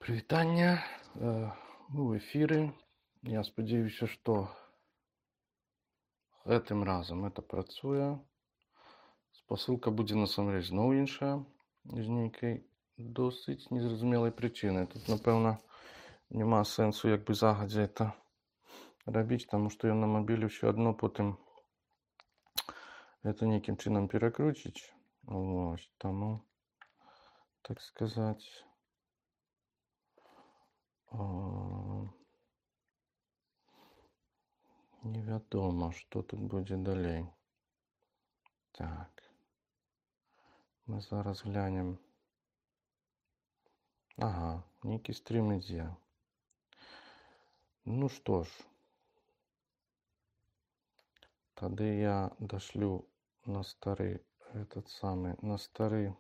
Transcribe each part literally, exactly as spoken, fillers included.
Прывітанне. Э, Мы ў эфіры. Я спадзяюся, што гэтым разам это працуе. Спасылка будзе насамрэч зноў іншая, з нейкай досыць незразумелай прычыны. Тут, напэўна, няма сэнсу як бы загадзя это рабіць, таму што ён на мабіле ўсё адно потым это нейкім чынам перакруціць. Вось, таму, так сказаць, а, невядома, што тут будзе далей. Так. Мы зараз глянем. Ага, нейкі стрім ідзе. Ну што ж, тады я дашлю на стары этот самы, на стары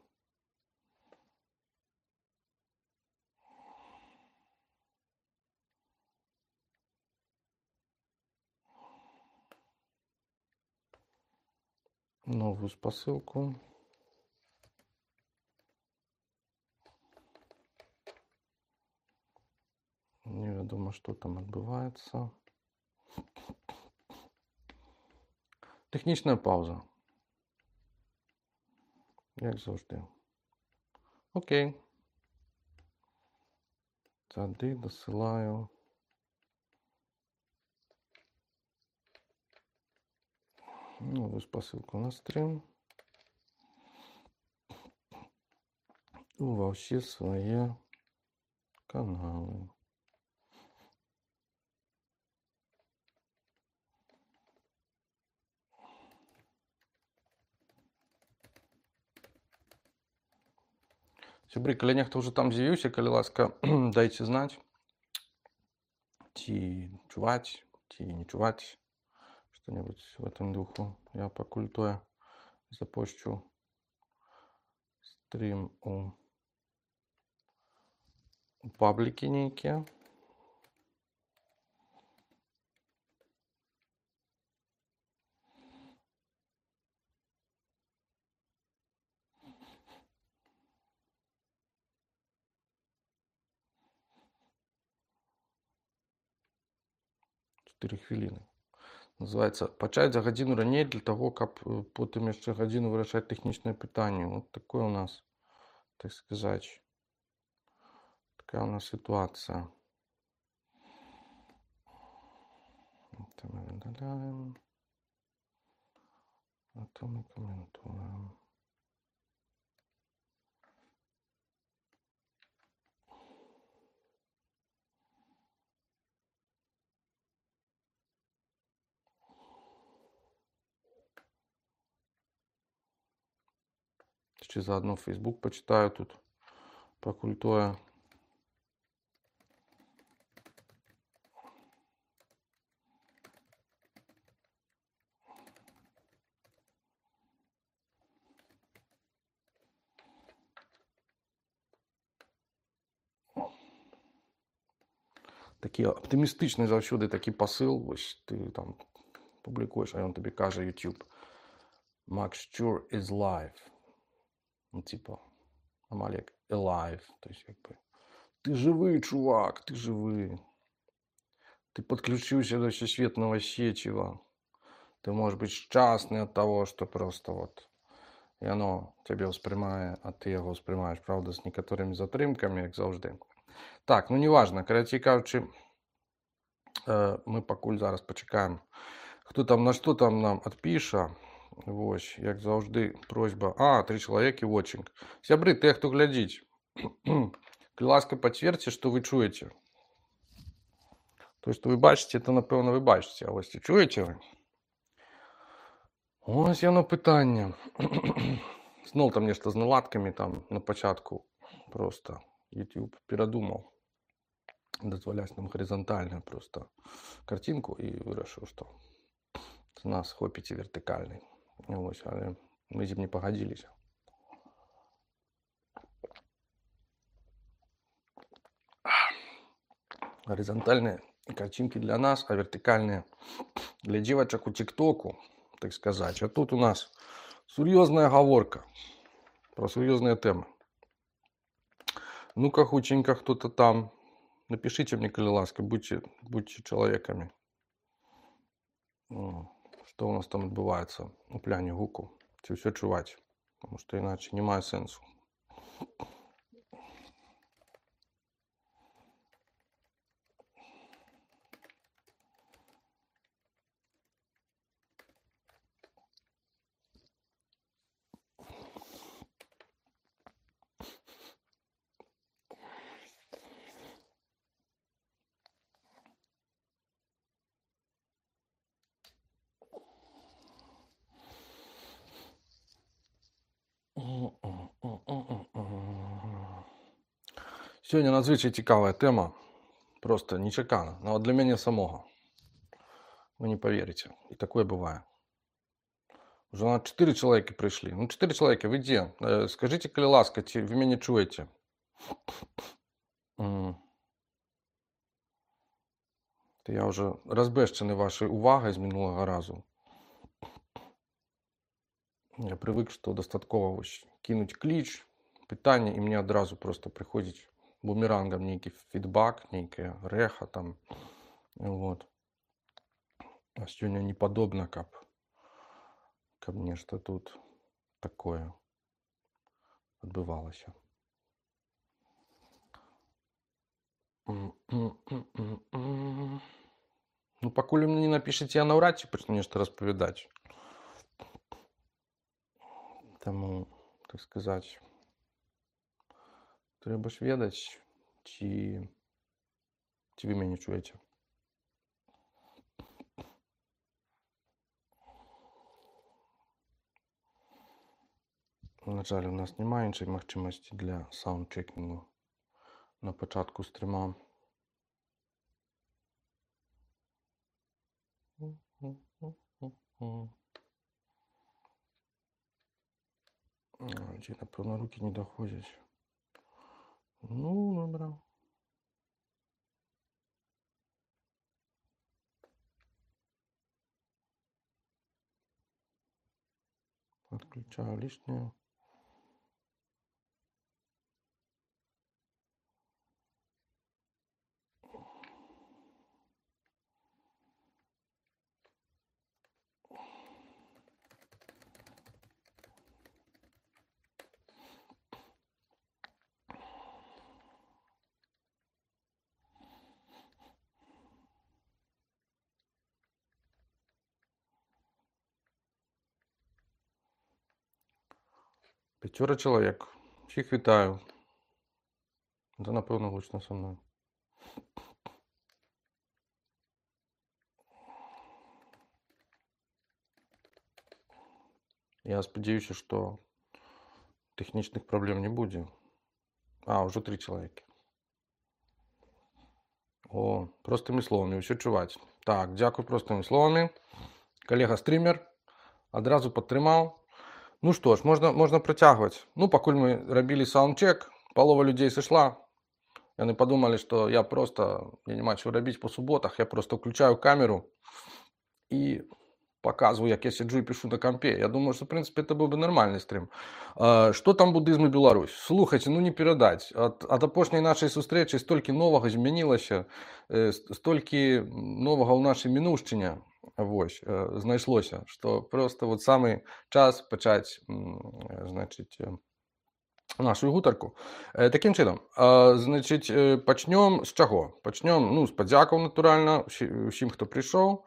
новую спасылку. Невядома, што там адбываецца. Тэхнічная паўза. Як заўжды. Окей. Тады дасылаю новую спасылку на стрім. Ува ўсе свае каналы. Сябры, калі нехта ўжо там з'явіўся, калі ласка, дайце знаць, ці чуваць, ці не чуваць, што-небудзь в этом духу. Я пакуль тое запошчу стрім у, у паблікі нейкія. чатыры хвіліны. Называецца пачаць за гадзіну раней для таго, каб потым яшчэ гадзіну вырашаць тэхнічныя пытанні. Вот такое у нас, так сказаць, такая у нас сітуацыя. Это мы выдаляем. Это мы комментуем. Ще заодно Facebook почитаю тут, пакуль тое. Такі аптымістычны заўсёды такі пасыл, вось ты там публікуеш, а ён табе кажа YouTube. Max Sure is live. Ну, типа, амаль як alive. То есть, как бы, ты живы, чувак, ты живы. Ты подключился до всесветного сетева. Ты можешь быть счастный от того, что просто вот и оно тебе ўспрымае, а ты яго ўспрымаеш, правда, з некаторымі затрымкамі, як заўжды. Так, ну неважно, карацей кажучы, мы пакуль зараз пачакаем, хто там на што там нам адпіша. Вось, як заўжды, просьба. А, тры чалавекі watching. Сябры, тыя, хто глядзіць, калі ласка, пацвердзьце, што вы чуеце. То, што вы бачыце, то, напэўна, вы бачыце. А вось ці чуеце вы? Ось яно пытанне. Зноў там нешта з наладкамі там на пачатку просто YouTube перадумаў дазваляць нам гарызантальную просто картинку і вырашыў, што з нас хопіць і вертыкальнай. Вось, але мы з ім не пагадзіліся. Гарызантальныя картинки для нас, а вертыкальныя для дзевачак у тиктоку, так сказать. А тут у нас сур'ёзная гаворка про сур'ёзныя тэмы. Ну-ка, хутенько, кто-то там. Напишите мне, коли ласка, будьте, будьте человеками. О, Що у нас там відбувається у пляні гуку? Чи все чувати? Тому що іначе немає сенсу. Сьогодні надзвичай цікава тема. Просто нечекана. Но для мене самого. Вы не поверите. И такое бывает. Уже на четыре человека пришли. Ну, четыре человека, вы где? Э, скажите, коли ласка, ці ви мене чуєте? М. То я вже розбещений вашою увагою з минулого разу. Я привик, що достатково ось кинуть кліч, питання, і мені одразу просто приходить бумерангом некий фідбак, некая реха там. Вот. А сьогодні не подобно, как, как мне, что тут такое відбувалося. Ну, покуль вы мне не напишите, я навряд чи почну нечто розповідати. Тому, так сказати, треба ж ведати, чи, чи ви мене чуєте. На жаль, у нас немає іншої можливості для саундчекінгу на початку стріма. Ті, напевно, руки не доходять. Ну, добре. Отключаю лишнее. П'ятеро чоловік. Всіх вітаю. Це, напевно, гучно со мною. Я сподіваюся, що технічних проблем не буде. А, вже три чоловіки. О, простими словами, все чувати. Так, дякую простими словами. Колега-стрімер одразу підтримав. Ну що ж, можна, можна протягувати. Ну, покуль ми робили саундчек, полова людей сошла. Они подумали, что я просто, я не маю чего робити по суботах, я просто включаю камеру и показываю, як я сиджу и пишу на компе. Я думаю, что, в принципе, это был бы нормальный стрим. Что там буддизм и Беларусь? Слухайте, ну не передать. От, от опошней нашей зустрічі стільки нового змінилося, стільки нового в нашій минувщині ось, знайшлося, що просто от самий час почати, значить, нашу гутарку. Таким чином, значить, почнемо з чого? Почнемо, ну, з подяків, натурально, усім, хто прийшов,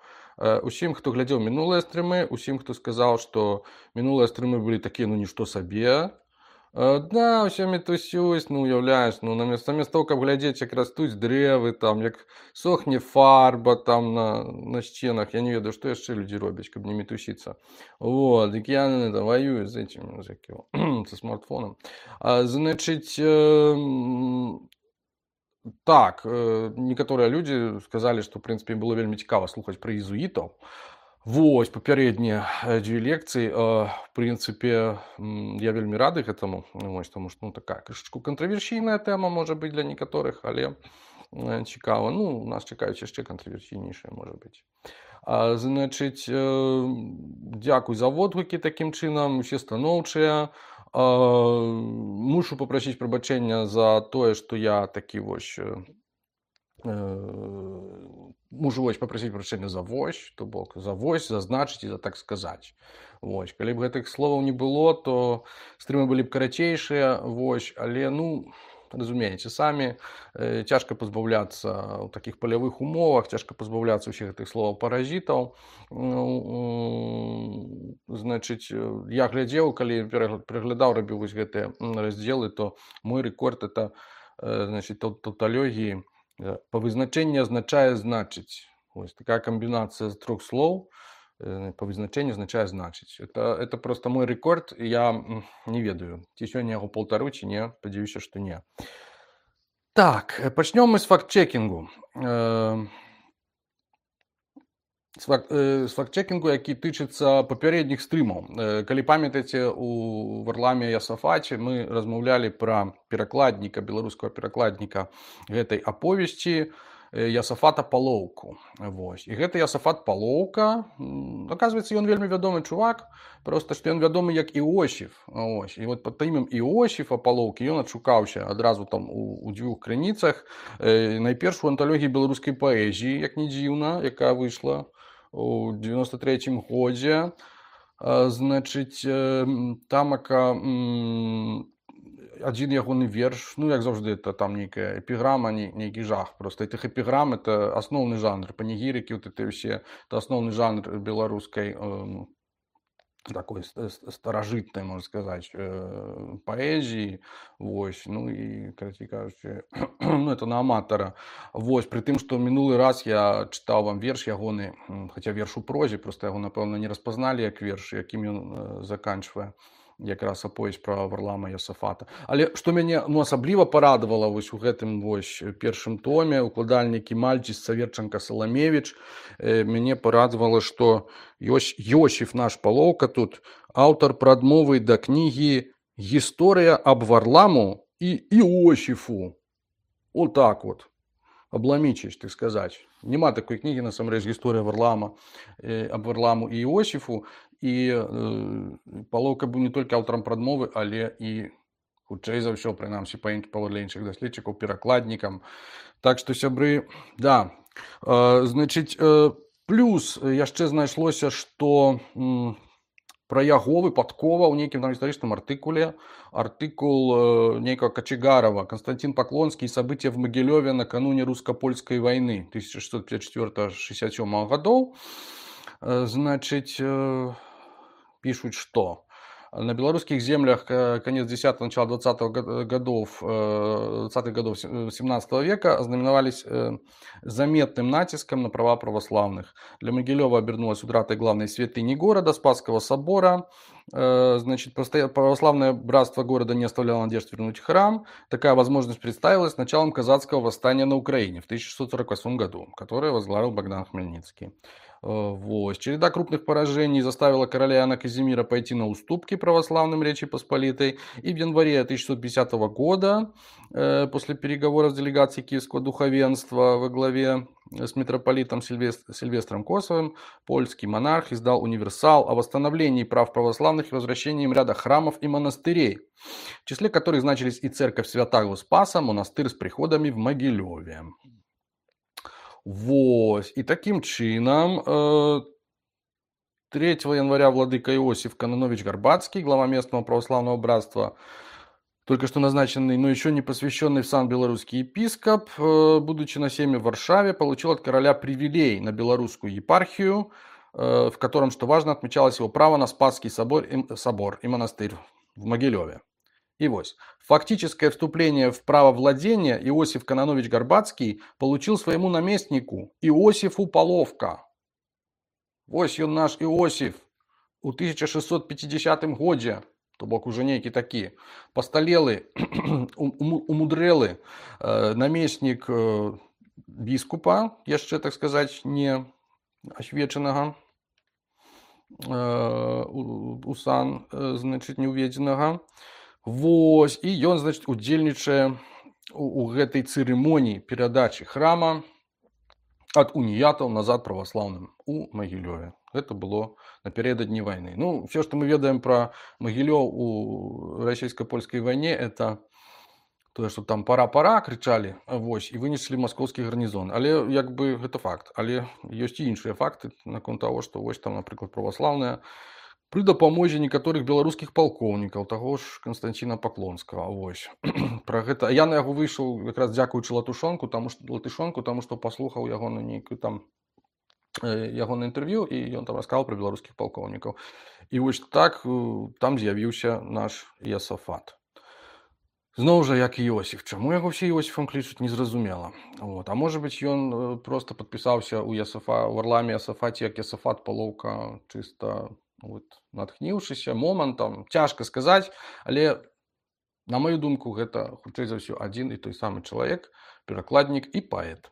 усім, хто глядів минулі стріми, усім, хто сказав, що минулі стріми були такі, ну, ніщо собі. Да, все метусюсь, ну, уявляєш, ну, замість того, як глядіти, як ростуть древи, там, як сохне фарба там на, на стінах, я не ведаю, що ще люди роблять, щоб не метуситися. Вот, так я не это, воюю з этим, з яким, со смартфоном. А, значить, э, так, э, некоторые люди сказали, что, в принципе, им было вельми цікаво слухати про єзуїтів. Вось, попередние две лекции, в принципе, я вельми радий этому, ось, тому що, ну, така кришечку контроверсійна тема може бути для некоторих, але цікаво. Ну, нас чекають ще контроверсійніше, може бути. А, значить, дякую за відгуки таким чином, всі становчі. Мушу папрасіць прабачэння за тое, што я такі вось мужу вось папрасіць прабачэння за вось, то бок за вось, зазначыць і за так сказаць. Вось. Калі б гэтых словаў не было, то стрымы былі б карацейшыя, вось, але ну разумееце самі, э, цяжка пазбаўляцца ў такіх палявых умовах, цяжка пазбаўляцца ўсіх гэтых словаў паразітаў. Ну, значыць, я глядзеў, калі пераглядаў, рабіў вось гэтыя раздзелы, то мой рэкорд это э, значыць, таўталогіі па вызначэнні азначае значыць. Вось такая камбінацыя з трох слоў э, па вызначэнні азначае значыць. Это, это просто мой рэкорд, я не ведаю, ці сёння яго паўтару, ці не, спадзяюся, што не. Так, пачнём мы з факт-чекінгу. Э, з факт, э, з факт-чекінгу, які тычыцца папярэдніх стрымаў. Э, калі памятаеце, у Варламе Ясафаце мы размаўлялі пра перакладніка, беларускага перакладніка гэтай аповесці Ясафата Палоўку. Вось. І гэты Ясафат Палоўка, аказваецца, ён вельмі вядомы чувак, проста што ён вядомы як Іосіф. Вось. І вот пад імем Іосіфа Палоўкі ён адшукаўся адразу там у, у дзвюх крыніцах. Э, найперш у анталогіі беларускай паэзіі, як не дзіўна, якая выйшла у девяносто третьем годзе. Э, значыць, э, тамака адзін ягоны верш, ну, як заўжды, это там нейкая эпіграма, нейкі жах. Просто этих эпіграм, это асноўны жанр. Панегірыкі, вот это ўсе, это асноўны жанр беларускай э, такой старажытнай, можна сказаць, э, паэзіі. Вось, ну, і, карацей кажучы, ну, это на аматара. Вось, пры тым, што мінулы раз я чытаў вам верш ягоны, хаця верш у прозе, просто яго, напэўна, не распазналі як верш, якім ён э, заканчвае якраз аповесць пра Варлама Ясафата. Але што мяне ну, асабліва парадавала вось у гэтым вось першым томе, укладальнікі Мальчис, Саверчанка, Саламевіч, э, мяне парадавала, што Йось, Йосіф наш Палоўка тут аўтар прадмовы да кнігі «Гісторыя аб Варламу і Іосіфу». Вот так вот. Обламічыць, так сказаць. Нема такой кнігі, насамрэч, гісторыя Варлама, э, аб Варламу і Іосіфу. І э, Палоўка быў не толькі аўтарам прадмовы, але і, хутчэй за ўсё, прынамсі, па паводле іншых даследчыкаў, перакладнікам. Так што, сябры, да. Э, значыць, э, плюс яшчэ знайшлося, што м, пра яго выпадкова ў нейкім там гістарычным артыкуле, артыкул э, нейкага Качегарова, Константин Поклонский, события в Могилеве накануне русско-польской войны тысяча шестьсот пятьдесят четвёртого — шестьдесят седьмого годов. Э, значит, э, пишут, что на белорусских землях конец десятого, начало двадцатых годов, двадцатых годов семнадцатого века ознаменовались заметным натиском на права православных. Для Могилева обернулась утратой главной святыни города, Спасского собора. Значит, православное братство города не оставляло надежд вернуть храм. Такая возможность представилась с началом казацкого восстания на Украине в тысяча шестьсот сорок восьмом году, которое возглавил Богдан Хмельницкий. Вот. Череда крупных поражений заставила короля Иоанна Казимира пойти на уступки православным Речи Посполитой. И в январе тысяча шестьсот пятидесятого года, э, после переговоров с делегацией Киевского духовенства во главе с митрополитом Сильвестр, Сильвестром Косовым, польский монарх издал универсал о восстановлении прав православных и возвращении им ряда храмов и монастырей, в числе которых значились и церковь Святаго Спаса, монастырь с приходами в Могилеве. Вот. И таким чином э, третьего января владыка Иосиф Кононович Горбацкий, глава местного православного братства, только что назначенный, но еще не посвященный в сан белорусский епископ, э, будучи на семье в Варшаве, получил от короля привилей на белорусскую епархию, э, в котором, что важно, отмечалось его право на Спасский собор и, собор и монастырь в Могилеве. И вот, фактическое вступление в право владения Иосиф Кононович Горбацкий получил своему наместнику Иосифу Палоўка. Вось ён наш Иосиф у тысяча шестьсот пятидесятом годзе, то бок уже нейкі такі пасталелы, умудрэлы э, наместник э, біскупа, яшчэ, так сказать, не асвечанага э, у сан, э, значит, не уведзенага. Вось, і ён, значит, удзельнічае у, у гэтай цырымоніі перадачы храма ад уніятаў назад праваслаўным у Магілёве. Гэта было напярэдадні вайны. Ну, все, што мы ведаем пра Магілёў у расійска-польскай вайне, это тое, што там пара-пара крычалі, вось, і вынеслі маскоўскі гарнізон. Але як бы гэта факт. Але ёсць і іншыя факты наконт таго, што вось там, напрыклад, праваслаўныя пры дапамозе некаторых беларускіх палкоўнікаў, таго ж Канстанціна Паклонскага. Вось. Пра гэта я на яго выйшаў якраз дзякуючы латышонку, таму што латышонку, таму што паслухаў яго на нейкую там яго на інтэрв'ю, і ён там расказаў пра беларускіх палкоўнікаў. І вось так там з'явіўся наш Ясафат. Зноў жа, як Іосіф. Чаму яго все Іосіфам клічуць, незразумела. Вот. А можа быць, ён просто падпісаўся ў Ясафа, у Варламе Ясафаце, як Ясафат Палоўка, чыста вот, натхніўшыся момантам. Цяжка сказаць, але, на маю думку, гэта, хутчэй за ўсё, адзін і той самы чалавек, перакладнік і паэт.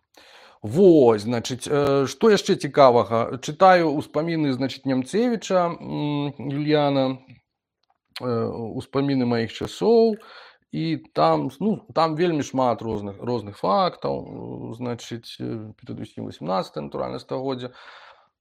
Вось, значыць, што яшчэ цікавага? Чытаю ўспаміны, значыць, Нямцевіча, Юліяна, ўспаміны маіх часоў, і там, ну, там вельмі шмат розных, розных фактаў, значыць, перадусім васемнаццатае, натуральна, стагоддзя.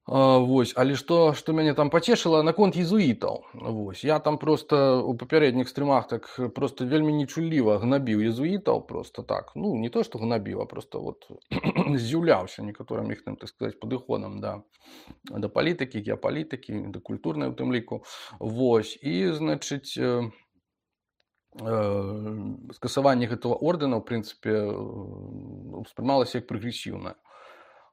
Вось, але што, што мяне там пацешыла наконт езуітаў. Вось, я там проста у папярэдніх стрымах так проста вельмі нечулліва гнабіў езуітаў, проста так. Ну, не то, што гнабіў, а проста вот здзіўляўся некаторым іх, так сказаць, падыходам да, да палітыкі, геапалітыкі, да культурнай у тым ліку. Вось, і, значыць, э, э, скасаванне гэтага ордэна, ў прынцыпе, успрымалася як прагрэсіўнае.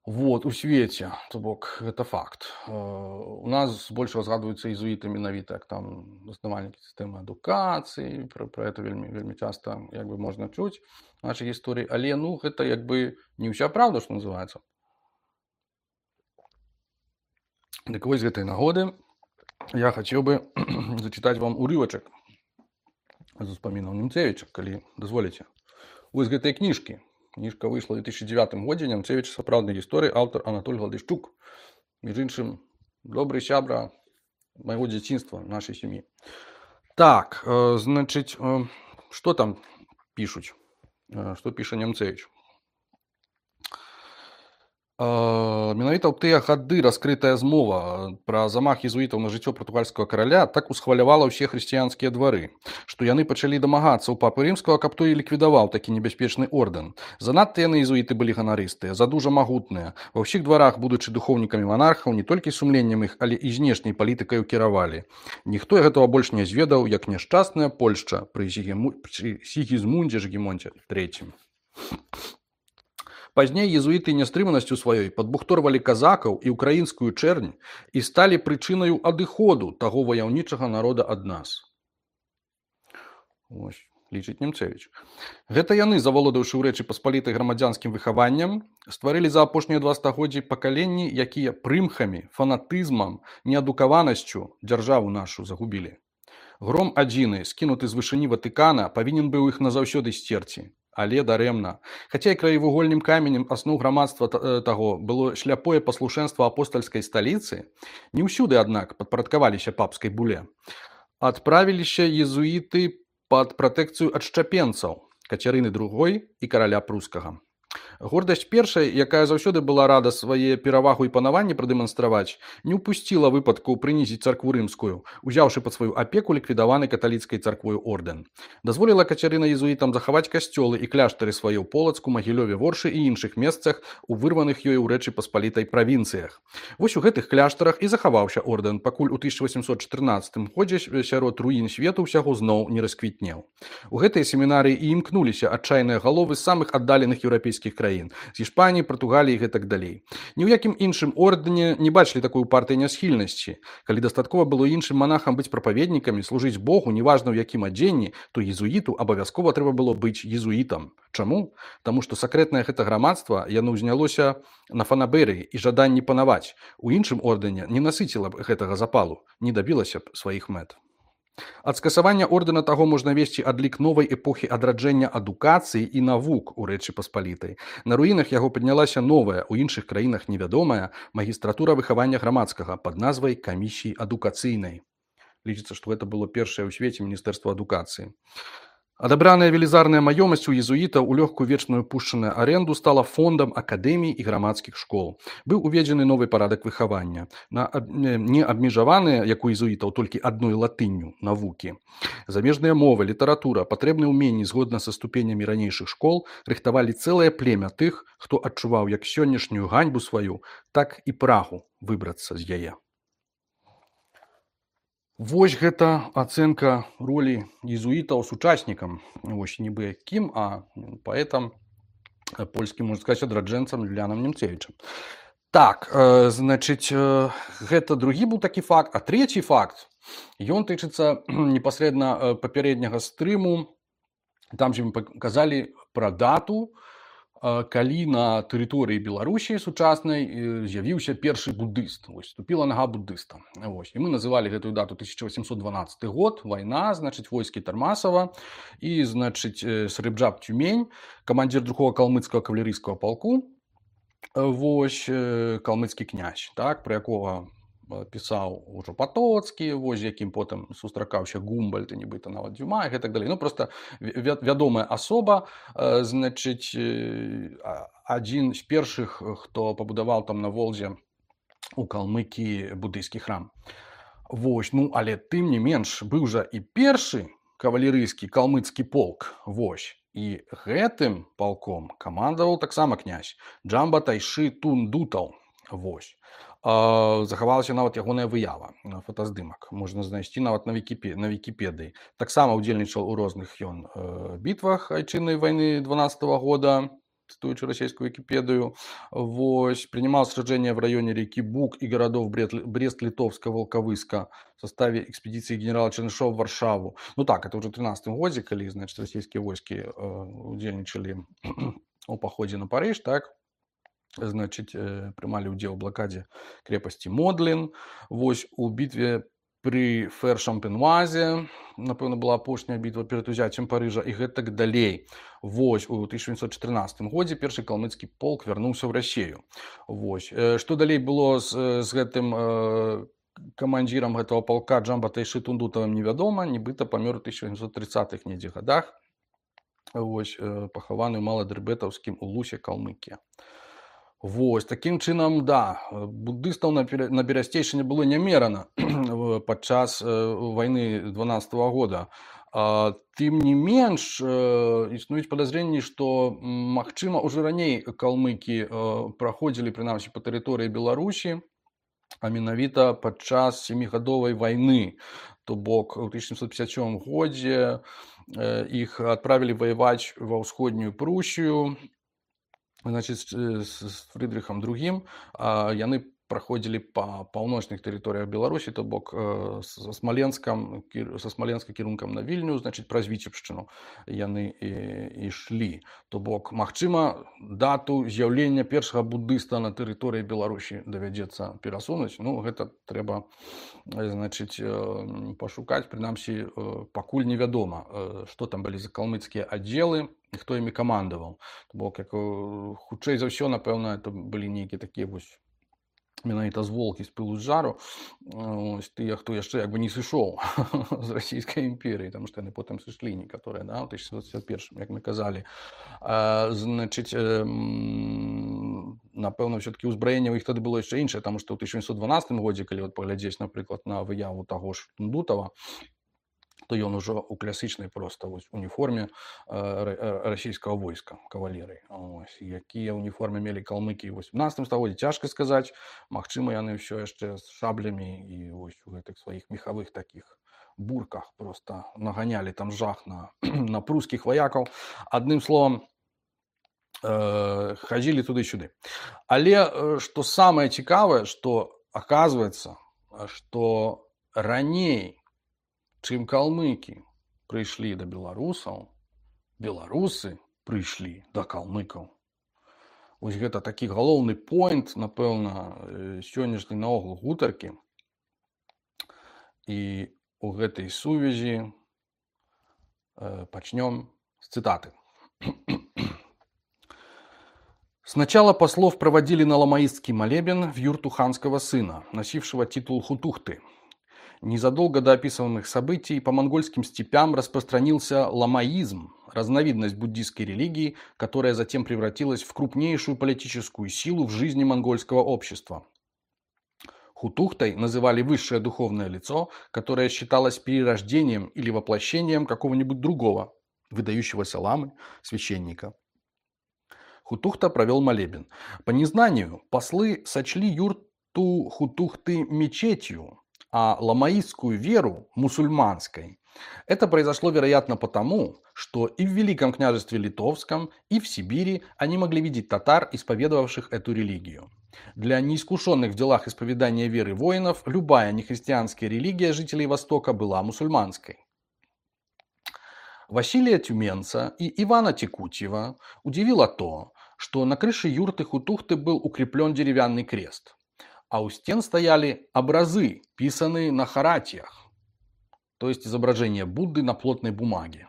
Вот, у свеце, то бок, гэта факт. У нас больш разгадваюцца езуіты менавіта, як там заснавальнікі сістэмы адукацыі, пра, пра гэта вельмі, вельмі часта, як бы, можна чуць в нашай гісторыі, але, ну, гэта, як бы, не ўся правда, што называецца. Дык вось з гэтай нагоды я хацеў бы зачытаць вам урывачак з успамінаў Нямцевіча, калі дазволіце. Вось з гэтай кніжкі. Кніжка выйшла ў две тысячи девятым годзе, Нямцевіч сапраўднай гісторыі, аўтар Анатоль Гладышчук. Між іншым, добры сябра майго дзяцінства, нашай сям'і. Так, э, значыць, э, што там пішуць? Э, што піша Нямцевіч? Менавіта ў тыя гады раскрытая змова пра замах езуітаў на жыццё партугальскага караля так усхвалявала ўсе хрысціянскія двары, што яны пачалі дамагацца ў папы рымскага, каб той ліквідаваў такі небяспечны ордэн. Занадта яны езуіты былі ганарыстыя, задужа магутныя. Ва ўсіх дварах, будучы духоўнікамі монархаў, не толькі сумленнем іх, але і знешняй палітыкаю кіравалі. Ніхто гэтага больш не зведаў, як няшчасная Польшча пры Сігізмундзе Жгемонце трэцім. Пазней езуіты нястрыманасцю сваёй падбухторвалі казакаў і ўкраінскую чэрнь і сталі прычынаю адыходу таго ваяўнічага народа ад нас. Ось, лічыць Нямцевіч. Гэта яны, заволодаўшы ў Рэчы Паспалітай грамадзянскім выхаваннем, стварылі за апошнія два стагоддзі пакаленні, якія прымхамі, фанатызмам, неадукаванасцю дзяржаву нашу загубілі. Гром адзіны, скінуты з вышыні Ватыкана, павінен быў іх назаўсёды сцерці. Але дарэмна. Хаця і краевугольным каменем асноў грамадства таго было шляпое паслушэнства апостальскай сталіцы, не ўсюды, аднак, падпарадкаваліся папскай буле. Адправіліся езуіты пад пратэкцыю адшчапенцаў, Кацярыны другой і караля прускага. Гордасць першай, якая заўсёды была рада свае перавагу і панаванне прадэманстраваць, не ўпусціла выпадку прынізіць царкву рымскую, узяўшы пад сваю апеку ліквідаваны каталіцкай царквою ордэн. Дазволіла Кацярына езуітам захаваць касцёлы і кляштары свае ў Полацку, Магілёве, Воршы і іншых месцах у вырваных ёй у Рэчы Паспалітай правінцыях. Вось у гэтых кляштарах і захаваўся ордэн, пакуль у тысяча восемьсот чатырнаццатым годзе сярод руін свету ўсяго зноў не расквітнеў. У гэтай семінарыі і імкнуліся адчайныя галовы з самых аддаленых еўрапейскіх краін, з Іспаніі, Партугаліі і гэтак далей. Ні ў якім іншым ордэне не бачылі такой упартай нясхільнасці. Калі дастаткова было іншым манахам быць прапаведнікамі, служыць Богу, неважна ў якім адзенні, то езуіту абавязкова трэба было быць езуітам. Чаму? Таму што сакрэтнае гэта грамадства яно ўзнялося на фанабэрыі і жаданні панаваць. У іншым ордэне не насыціла б гэтага запалу, не дабілася б сваіх мэт. Ад скасавання ордэна таго можна весці адлік новай эпохі адраджэння адукацыі і навук у Рэчы Паспалітай. На руінах яго паднялася новая, у іншых краінах невядомая магістратура выхавання грамадскага пад назвай камісіі адукацыйнай. Лічыцца, што гэта было першае ў свеце міністэрства адукацыі. Адабраная велізарная маёмасць у езуітаў у лёгкую вечную пушчаную аренду стала фондам акадэмій і грамадскіх школ. Быў уведзены новы парадак выхавання. На аб- не не абмежаваныя, як у езуітаў, толькі адной латынню навукі. Замежныя мовы, літаратура, патрэбныя ўменні згодна са ступенямі ранейшых школ рыхтавалі цэлае племя тых, хто адчуваў як сённяшнюю ганьбу сваю, так і прагу выбрацца з яе. Вось гэта ацэнка ролі езуітаў сучаснікам. Вось нібы кім, а паэтам польскім, можна сказаць, адраджэнцам Юліянам Немцевічам. Так, э, значыць, э, гэта другі быў такі факт, а трэці факт, ён тычыцца непасрэдна э, папярэдняга стрыму. Там жа мы паказалі пра дату, э, калі на тэрыторыі Беларусі сучаснай э, з'явіўся першы буддыст. Вось, ступіла нага буддыста. Вось. І мы называлі гэтую дату тысяча восемьсот дванадцаты год, вайна, значыць, войскі Тармасава і, значыць, э, Сарыбджаб Тюмень, камандзір другога калмыцкага кавалерыйскага палку, вось э, калмыцкі князь, так, пра якога э, пісаў ужо Патоцкі, вось з якім потым сустракаўся Гумбальд і нібыта нават Дюма і гэтак далей. Ну проста вя- вядомая асоба, э, значыць, э, а- адзін з першых, хто пабудаваў там на Волзе у Калмыкіі буддыйскі храм. Вось, ну але тым не менш быў жа і першы кавалерыйскі калмыцкі полк. Вось. І гэтым палком камандаваў таксама князь Джамба Тайшы Тундутаў. Вось. А, захавалася нават ягоная выява, фотаздымак. Можна знайсці нават на Вікіпе- на Вікіпедыі. Таксама ўдзельнічаў у розных ён э, бітвах айчыннай вайны дванадцатого года, цитуючи российскую Википедию. Вось, принимал сражения в районе реки Буг и городов Брест-Литовска, Волковыска в составе экспедиции генерала Чернышова в Варшаву. Ну так, это уже в тринадцатом году, когда, значит, российские войски э, удельничали у походе на Париж, так, значит, э, принимали удел в блокаде крепости Модлин. Вось, у битве при Фэр-Шампенуазе, напэўна, была апошняя бітва перад узяццем Парыжа і гэтак далей. Вось, у тысяча восемьсот четырнадцатым годзе першы калмыцкі полк вярнуўся ў Расею. Вось. Што далей было з, з гэтым э, камандзірам гэтага полка Джамба Тайшы Тундутавым невядома, нібыта памёр у тысяча восемьсот тридцатых недзе гадах. Вось, э, пахаваны ў Маладрыбетаўскім улусе Калмыкія. Вось, такім чынам, да, буддыстаў на, на Берасцейшчыне было нямерана падчас э, вайны дванадцатого года. А, тым не менш, э, існуюць падазренні, што, магчыма, уже раней калмыкі э, праходзілі, прынамсі, па тэрыторыі Беларусі, а менавіта падчас сямігадовай вайны. То бок, у тысяча семьсот пятьдесят седьмом годзе э, іх адправілі ваяваць ва ўсходнюю Прусію, значит, с Фрыдрыхам другим, яны праходзілі па паўночных тэрыторыях Беларусі, то бок са Смаленскам, са Смаленска кірункам на Вільню, значит, праз Віцебшчыну яны і ішлі. То бок, магчыма, дату з'яўлення першага буддыста на тэрыторыі Беларусі давядзецца перасунуць. Ну, гэта трэба, значит, пашукаць, прынамсі, пакуль невядома, што там былі за калмыцкія аддзелы, і хто імі камандаваў. То бок, як хутчэй за ўсё, напэўна, это былі нейкія такія вось менавіта з волкі з пылу з жару, ось тыя, хто яшчэ як бы не сышоў з расійскай імперыі, таму што яны потым сышлі некаторыя, да, ў тысяча девятьсот шестьдесят первом, як мы казалі. А, значыць, э, напэўна, ўсё-такі ўзбраенне ў іх тады было яшчэ іншае, таму што ў тысяча восемьсот дванадцатым годзе, калі вот паглядзець, напрыклад, на выяву таго ж Тундутава, то ён ужо у класічнай проста вось уніформе э, расійскага войска, кавалерыі. Ось, якія уніформы мелі калмыкі ў восемнадцатым стагоддзі, цяжка сказаць. Магчыма, яны ўсё яшчэ з шаблямі і вось у гэтых сваіх мехавых такіх бурках проста наганялі там жах на, на прускіх ваякаў. Адным словам, э, хадзілі туды-сюды. Але што самае цікавае, што аказваецца, што раней, чым калмыкі прыйшлі да беларусаў, беларусы прыйшлі да калмыкаў. Вось гэта такі галоўны поінт, напэўна, сённяшняй наогул гутаркі. І у гэтай сувязі э, пачнём з цытаты. Сначала послов проводили на ламаистский молебен в юрту ханского сына, носившего титул хутухты. Незадолго до описанных событий по монгольским степям распространился ламаизм, разновидность буддийской религии, которая затем превратилась в крупнейшую политическую силу в жизни монгольского общества. Хутухтой называли высшее духовное лицо, которое считалось перерождением или воплощением какого-нибудь другого, выдающегося ламы, священника. Хутухта провел молебен. По незнанию послы сочли юрту Хутухты мечетью, а ламаистскую веру мусульманской. Это произошло, вероятно, потому, что и в Великом княжестве Литовском, и в Сибири они могли видеть татар, исповедовавших эту религию. Для неискушенных в делах исповедания веры воинов любая нехристианская религия жителей Востока была мусульманской. Василия Тюменца и Ивана Текутьева удивило то, что на крыше юрты Хутухты был укреплен деревянный крест, а у стен стояли образы, писанные на харатиях, то есть изображение Будды на плотной бумаге.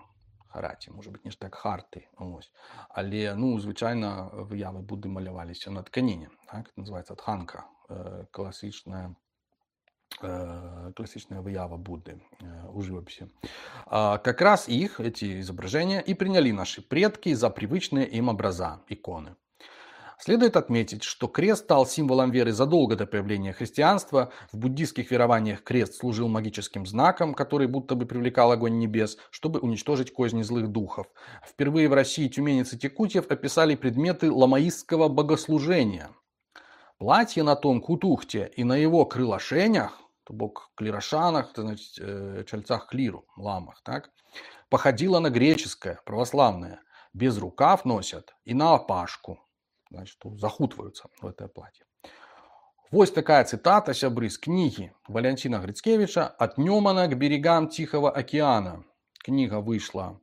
Хараті, може бути, ніж так харти. Ось. Але, ну, звичайно, вияви Будди малювалися на тканині. Так? Це називається тханка, класична, классичная выява Будды у живописи. Как раз их, эти изображения, и приняли наши предки за привычные им образа, иконы. Следует отметить, что крест стал символом веры задолго до появления христианства. В буддийских верованиях крест служил магическим знаком, который будто бы привлекал огонь небес, чтобы уничтожить козни злых духов. Впервые в России Тюменец и Текутьев описали предметы ламаистского богослужения. Платье на том Хутухте и на его крылошенях, то бок клирошанах, то значит, чальцах клиру, ламах, так, походило на греческое, православное. Без рукав носят и на опашку. Значит, захутываются в это платье. Вот такая цитата, сябры, с книги Валентина Грицкевича «От Немана к берегам Тихого океана». Книга вышла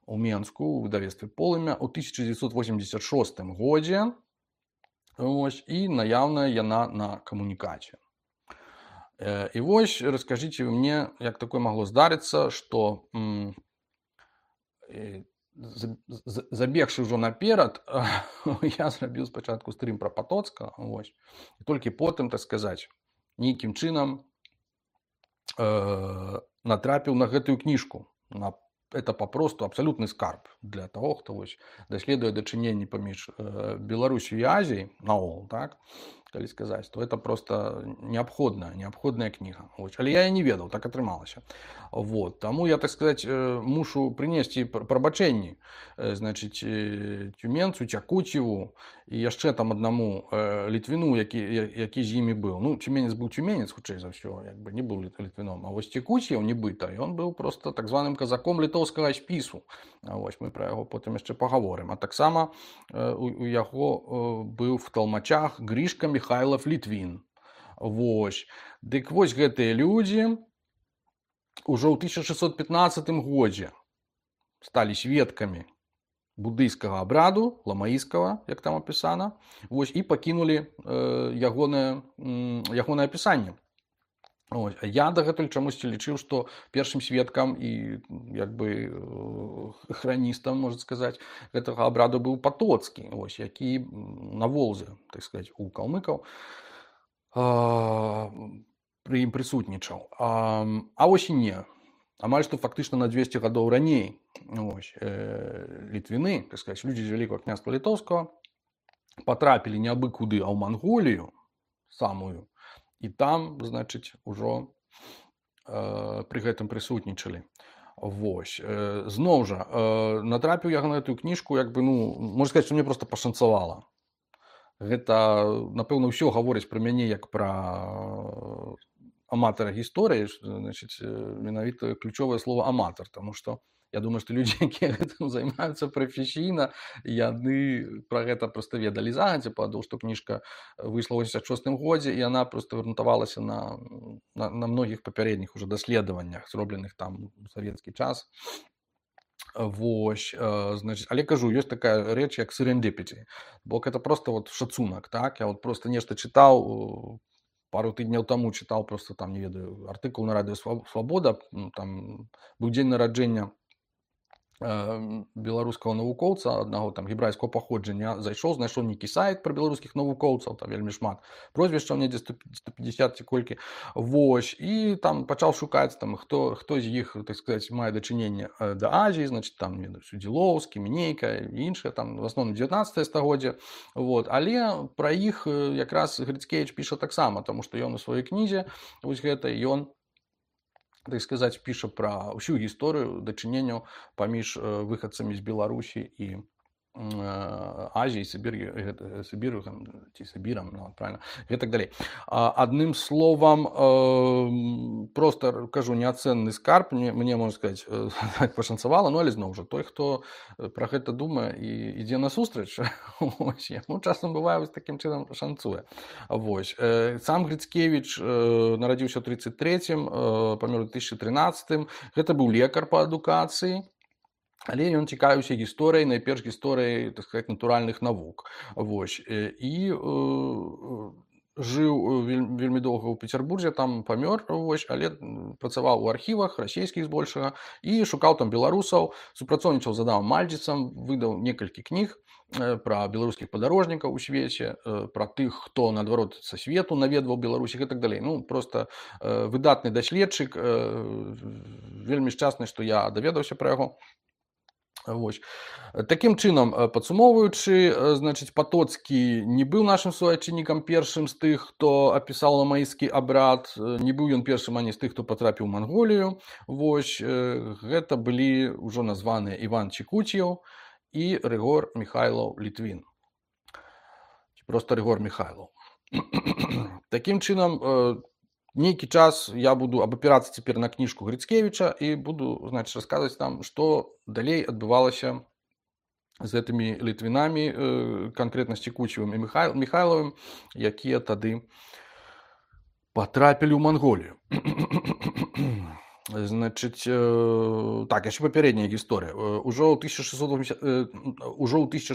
у Менску в выдавестве «Полымя» у тысяча девятьсот восемьдесят шостым году. Ось, и наявная яна на камунікацію. И вот расскажите мне, как такое могло здариться, что м, забегши уже наперед, я зрабіў спачатку стрим про Потоцка, ось, і толькі потым, так сказать, нейкім чынам э, натрапіў на гэтую книжку. На, это попросту абсолютный скарб для того, хто ось, даследуе дачыненні паміж э, Беларусью і Азіяй наогул, так, калі сказаць, то это просто необходная, необходная книга. Ось. Але я і не ведаў, так атрымалася. Вот. Таму я, так сказать, мушу прынесці прабачэнні, значит, Тюменцу, Тякуцьеву і яшчэ там аднаму літвіну, які, які з імі быў. Ну, Тюменец быў Тюменец, хутчэй за ўсё, як бы не быў літвіном. А вось Текуцьев нібыта, ён быў просто так званым казаком літоўскага спісу. Вось, мы пра яго потым яшчэ пагаворым. А таксама у, у яго быў в талмачах Гришка Михайлов Літвін. Вось. Дык вось гэтыя людзі уже ў тысяча шестьсот пятнадцатым годзе сталі сведкамі буддыйскага абраду, ламаістскага, як там апісана, вось, і пакінулі э, ягонае, ягонае апісанне. Ось. Я дагэтуль чамусьці лічыў, што першым сведкам і як бы храністам, можна сказаць, гэтага абраду быў Потоцкі, ось, які на Волзе, так сказаць, у калмыкаў э, пры ім прысутнічаў. А, а вось і не. Амаль што фактычна на двесце гадоў раней, ось, э, літвіны, так сказаць, людзі з Вялікага княства Літоўскага патрапілі не абы куды, а ў Манголію самую, і там, значыць, ужо э, пры гэтым прысутнічалі. Вось. Э, зноў жа, э, натрапіў я на гэтую кніжку, як бы, ну, можна сказаць, што мне проста пашанцавала. Гэта, напэўна, ўсё гаворыць пра мяне як пра аматара гісторыі, значыць, менавіта ключовае слово аматар, таму што я думаю, што людзі, якія гэтым займаюцца прафесійна, яны пра гэта проста ведалі загадзя, падаў, што кніжка выйшла ў восемьдесят шостым годзе, і яна проста грунтавалася на, на, на многіх папярэдніх уже даследаваннях, зробленых там у савецкі час. Вось, значит, але кажу, ёсць такая рэч, як serendipity, бо гэта просто вот шацунак, так? Я вот просто нешта чытаў, пару тыдняў таму чытаў просто там, не ведаю, артыкул на радыё Свабода, там быў дзень нараджэння беларускага навукоўца аднаго там гебрайскага паходжання зайшоў, знайшоў нейкі сайт пра беларускіх навукоўцаў, там вельмі шмат прозвішчаў, недзе сто пятьдесят ці колькі. Вось, і там пачаў шукаць там хто хто з іх, так сказаць, мае дачыненне да Азіі, значыць там Судзілоўскі, Мінейка і іншыя, там в асноўным дзевятнаццатае стагоддзе. Вот, але пра іх якраз Грыцкевіч піша таксама, таму што ён у сваёй кнізе вось гэта ён, так сказаць, піша пра ўсю гісторыю дачыненняў паміж выхадцамі з Беларусі і Азіі, Сібір'ю, Сібір'ю ці Сібірам, ну, правильно, і так далей. Адным словам, просто кажу, неацэнны скарб, мне, мне можна сказаць, пашанцавала, ну, але зноў жа, той, хто пра гэта думае і ідзе насустрач, ось, яму часам бывае вось такім чынам шанцуе. Вось. Сам Грыцкевіч нарадзіўся ў тридцать третьем, памёр у две тысячи тринадцатым, гэта быў лекар па адукацыі, але ён цікавіўся гісторыяй, найперш гісторыяй, так сказаць, натуральных навук. Вось. І э, жыў вельмі доўга ў Пецярбурзе, там памёр, вось, але працаваў у архівах расійскіх збольшага і шукаў там беларусаў, супрацоўнічаў з Адамам Мальдзіцам, выдаў некалькі кніг пра беларускіх падарожнікаў у свеце, пра тых, хто, наадварот, са свету наведваў Беларусь і так далей. Ну, просто выдатны даследчык, вельмі шчасны, што я даведаўся пра яго. Вось. Такім чынам, падсумоўваючы, значыць, Патоцкі не быў нашым суайчыннікам першым з тых, хто апісаў ламаісцкі абрад, не быў ён першым ані з тых, хто патрапіў у Манголію. Вось, гэта былі ўжо названыя Іван Чекуцьеў і Рыгор Міхайлаў Літвін. Просто Рыгор Міхайлаў. Такім чынам, нейкі час я буду абапірацца цяпер на кніжку Грыцкевіча і буду, значыць, расказваць там, што далей адбывалася з гэтымі літвінамі, канкрэтна з Чекуцьевым і Міхайлавым, якія тады патрапілі ў Манголію. Значыць, так, яшчэ папярэдняя гісторыя. Ужо ў тысяча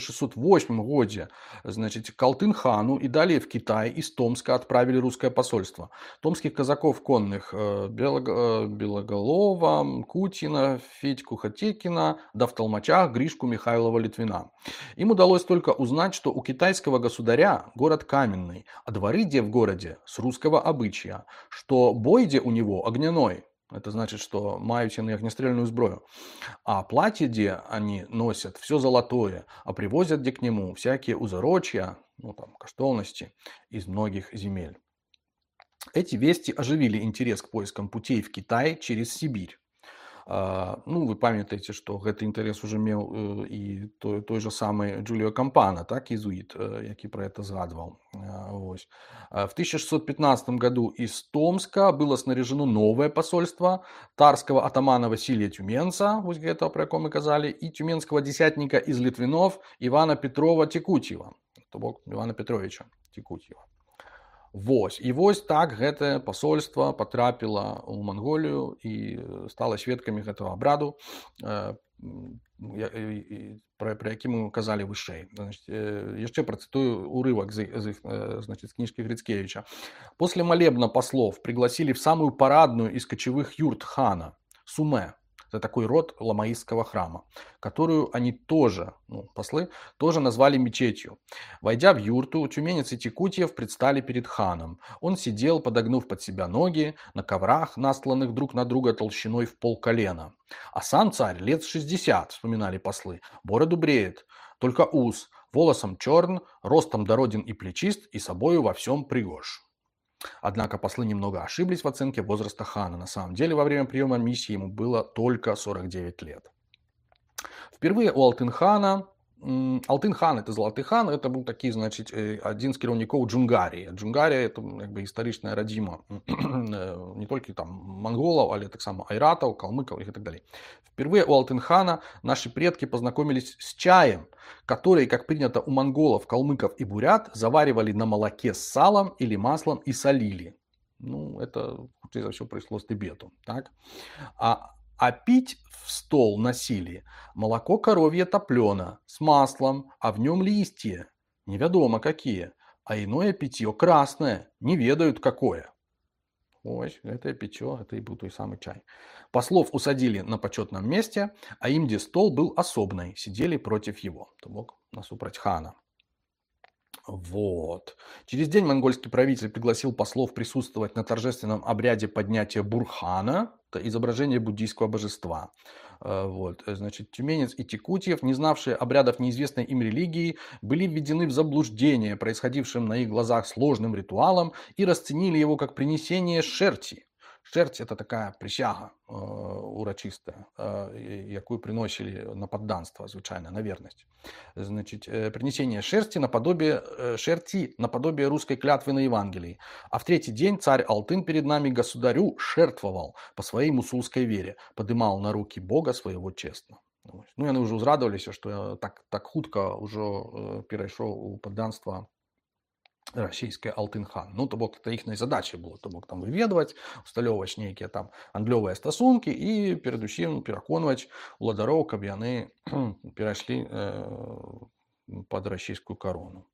шестьсот восьмым годзе, значыць, Калтын-хану і далее в Китай из Томска отправили русское посольство. Томских казаков конных Белоголова, Кутина, Федьку Хатекина, да в толмачах Гришку Михайлова Литвина. Им удалось только узнать, что у китайского государя город каменный, а дворы где в городе с русского обычая, что бой где у него огняной. Это значит, что мают они огнестрельную сброю. А платье, где они носят, все золотое, а привозят где к нему всякие узорочья, ну там, каштовности из многих земель. Эти вести оживили интерес к поискам путей в Китай через Сибирь. Ну, вы памятаеце, што гэты інтарэс уже меў і той, той же самый Джуліо Кампана, так, езуит, які про это згадваў. Вось. В тысяча шестьсот пятнадцатом году из Томска было снаряжено новое посольство тарского атамана Василия Тюменца, вось гэта, про якого мы казали, и тюменского десятника из Литвинов Ивана Петрова Текутьева, то бок Ивана Петровича Текутьева. Вось. І вось так гэтае посольство потрапіла ў Манголію і стала сведкамі гэтага абраду, пра, пра які мы казалі вышэй. Значит, яшчэ працытую урывак з, з, значит, з книжки Грицкевича. После молебна послов пригласили в самую парадную из кочевых юрт хана, Суме. Это такой род ламаистского храма, которую они тоже, ну, послы, тоже назвали мечетью. Войдя в юрту, тюменец и Текутьев предстали перед ханом. Он сидел, подогнув под себя ноги, на коврах, настланных друг на друга толщиной в полколена. А сам царь лет шестьдесят, вспоминали послы, бороду бреет, только ус, волосом черн, ростом дороден и плечист, и собою во всем пригож. Однако послы немного ошиблись в оценке возраста хана. На самом деле, во время приема миссии ему было только сорок девять лет. Впервые у Алтын-хана, Алтын-хан, это Золоты хан, это был такі, значит, один з кіраўнікоў Джунгарии. Джунгария это как бы историчная родима не только там монголов, але так само айратов, калмыков и так далее. Впервые у Алтын-хана наши предки познакомились с чаем, который, как принято у монголов, калмыков и бурят, заваривали на молоке с салом или маслом и солили. Ну, это, хутчэй за ўсё, прыйшло з Тыбету, так? А А пить в стол носили молоко коровье топлено с маслом, а в нем листья, неведомо какие, а иное питье красное, не ведают какое. Ой, это питье, это и был той самый чай. Послов усадили на почетном месте, а им, где стол был особный, сидели против его. То бок насупраць хана. Вот. Через день монгольский правитель пригласил послов присутствовать на торжественном обряде поднятия Бурхана, это изображение буддийского божества. Э, Вот. Э, Значит, тюменец и текутьев, не знавшие обрядов неизвестной им религии, были введены в заблуждение происходившим на их глазах сложным ритуалом и расценили его как принесение шерти. Шерсть – это такая присяга э, урочистая, э, якую приносили на подданство, звычайно, на верность. Значит, э, принесение шерсти наподобие, э, шерти наподобие русской клятвы на Евангелии. А в третий день царь Алтын перед нами государю жертвовал по своей мусульской вере, подымал на руки Бога своего честно. Ну, яны уже узрадоваліся, что так, так хутка уже перайшоў у падданства расійская Алтын-хан. Ну, то бок, это іхняй задачай было, то бок там выведваць, усталёўваць нейкія там гандлёвыя стасункі і перадусім пераконваць уладароў, каб яны перайшлі э, под расійскую корону.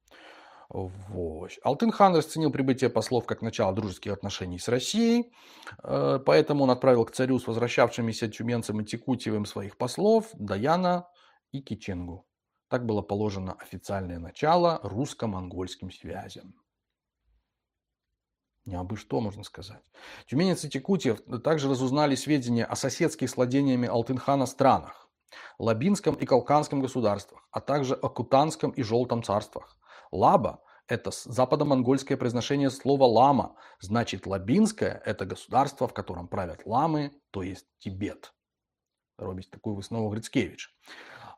Вот. Алтын-хан расценил прибытие послов как начало дружеских отношений с Россией, э, поэтому он отправил к царю с возвращавшимися тюменцем и текутьевым своих послов Даяна и Киченгу. Так было положено официальное начало русско-монгольским связям. Не абы что, можно сказать. Тюменец и Текутьев также разузнали сведения о соседских с владениями Алтын-хана странах, Лабинском и Калканском государствах, а также о Кутанском и Желтом царствах. Лаба – это западомонгольское произношение слова «лама», значит, Лабинское – это государство, в котором правят ламы, то есть Тибет. Робить такую выснову Грицкевич.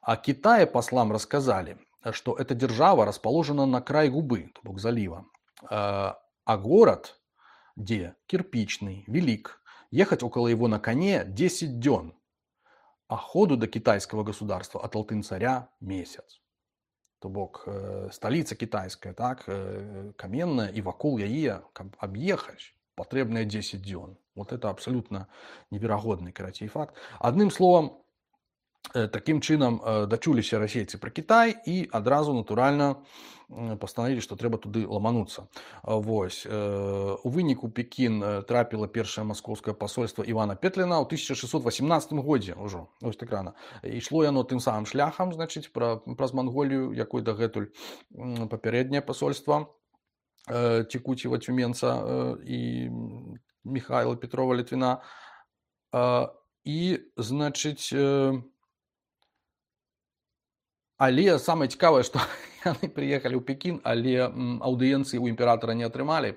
О Китае послам рассказали, что эта держава расположена на край губы, то бок залива, а город, где кирпичный, велик, ехать около его на коне десять дён, а ходу до китайского государства от Алтын-царя месяц. То бок столица китайская, так, каменная, и вокруг яе объехать потребное десять дён. Вот это абсолютно неверагодный, короче, факт. Одним словом, таким чынам дачуліся расейцы пра Кітай і адразу натуральна пастанавілі, што трэба туды ламануцца. Вось. У выніку Пекін трапіла першае маскоўскае пасольства Івана Петліна ў тысяча шэсцьсот васямнаццатым годзе ўжо, ось так рана. Ішло яно тым самым шляхам, значыць, пра, праз Манголію, якой дагэтуль папярэдняе пасольства Текутьева Тюменца і Михайла Петрова Літвіна. І, значыць, але самае цікавае, што яны прыехалі ў Пекін, але аўдыенцыі ў імператара не атрымалі.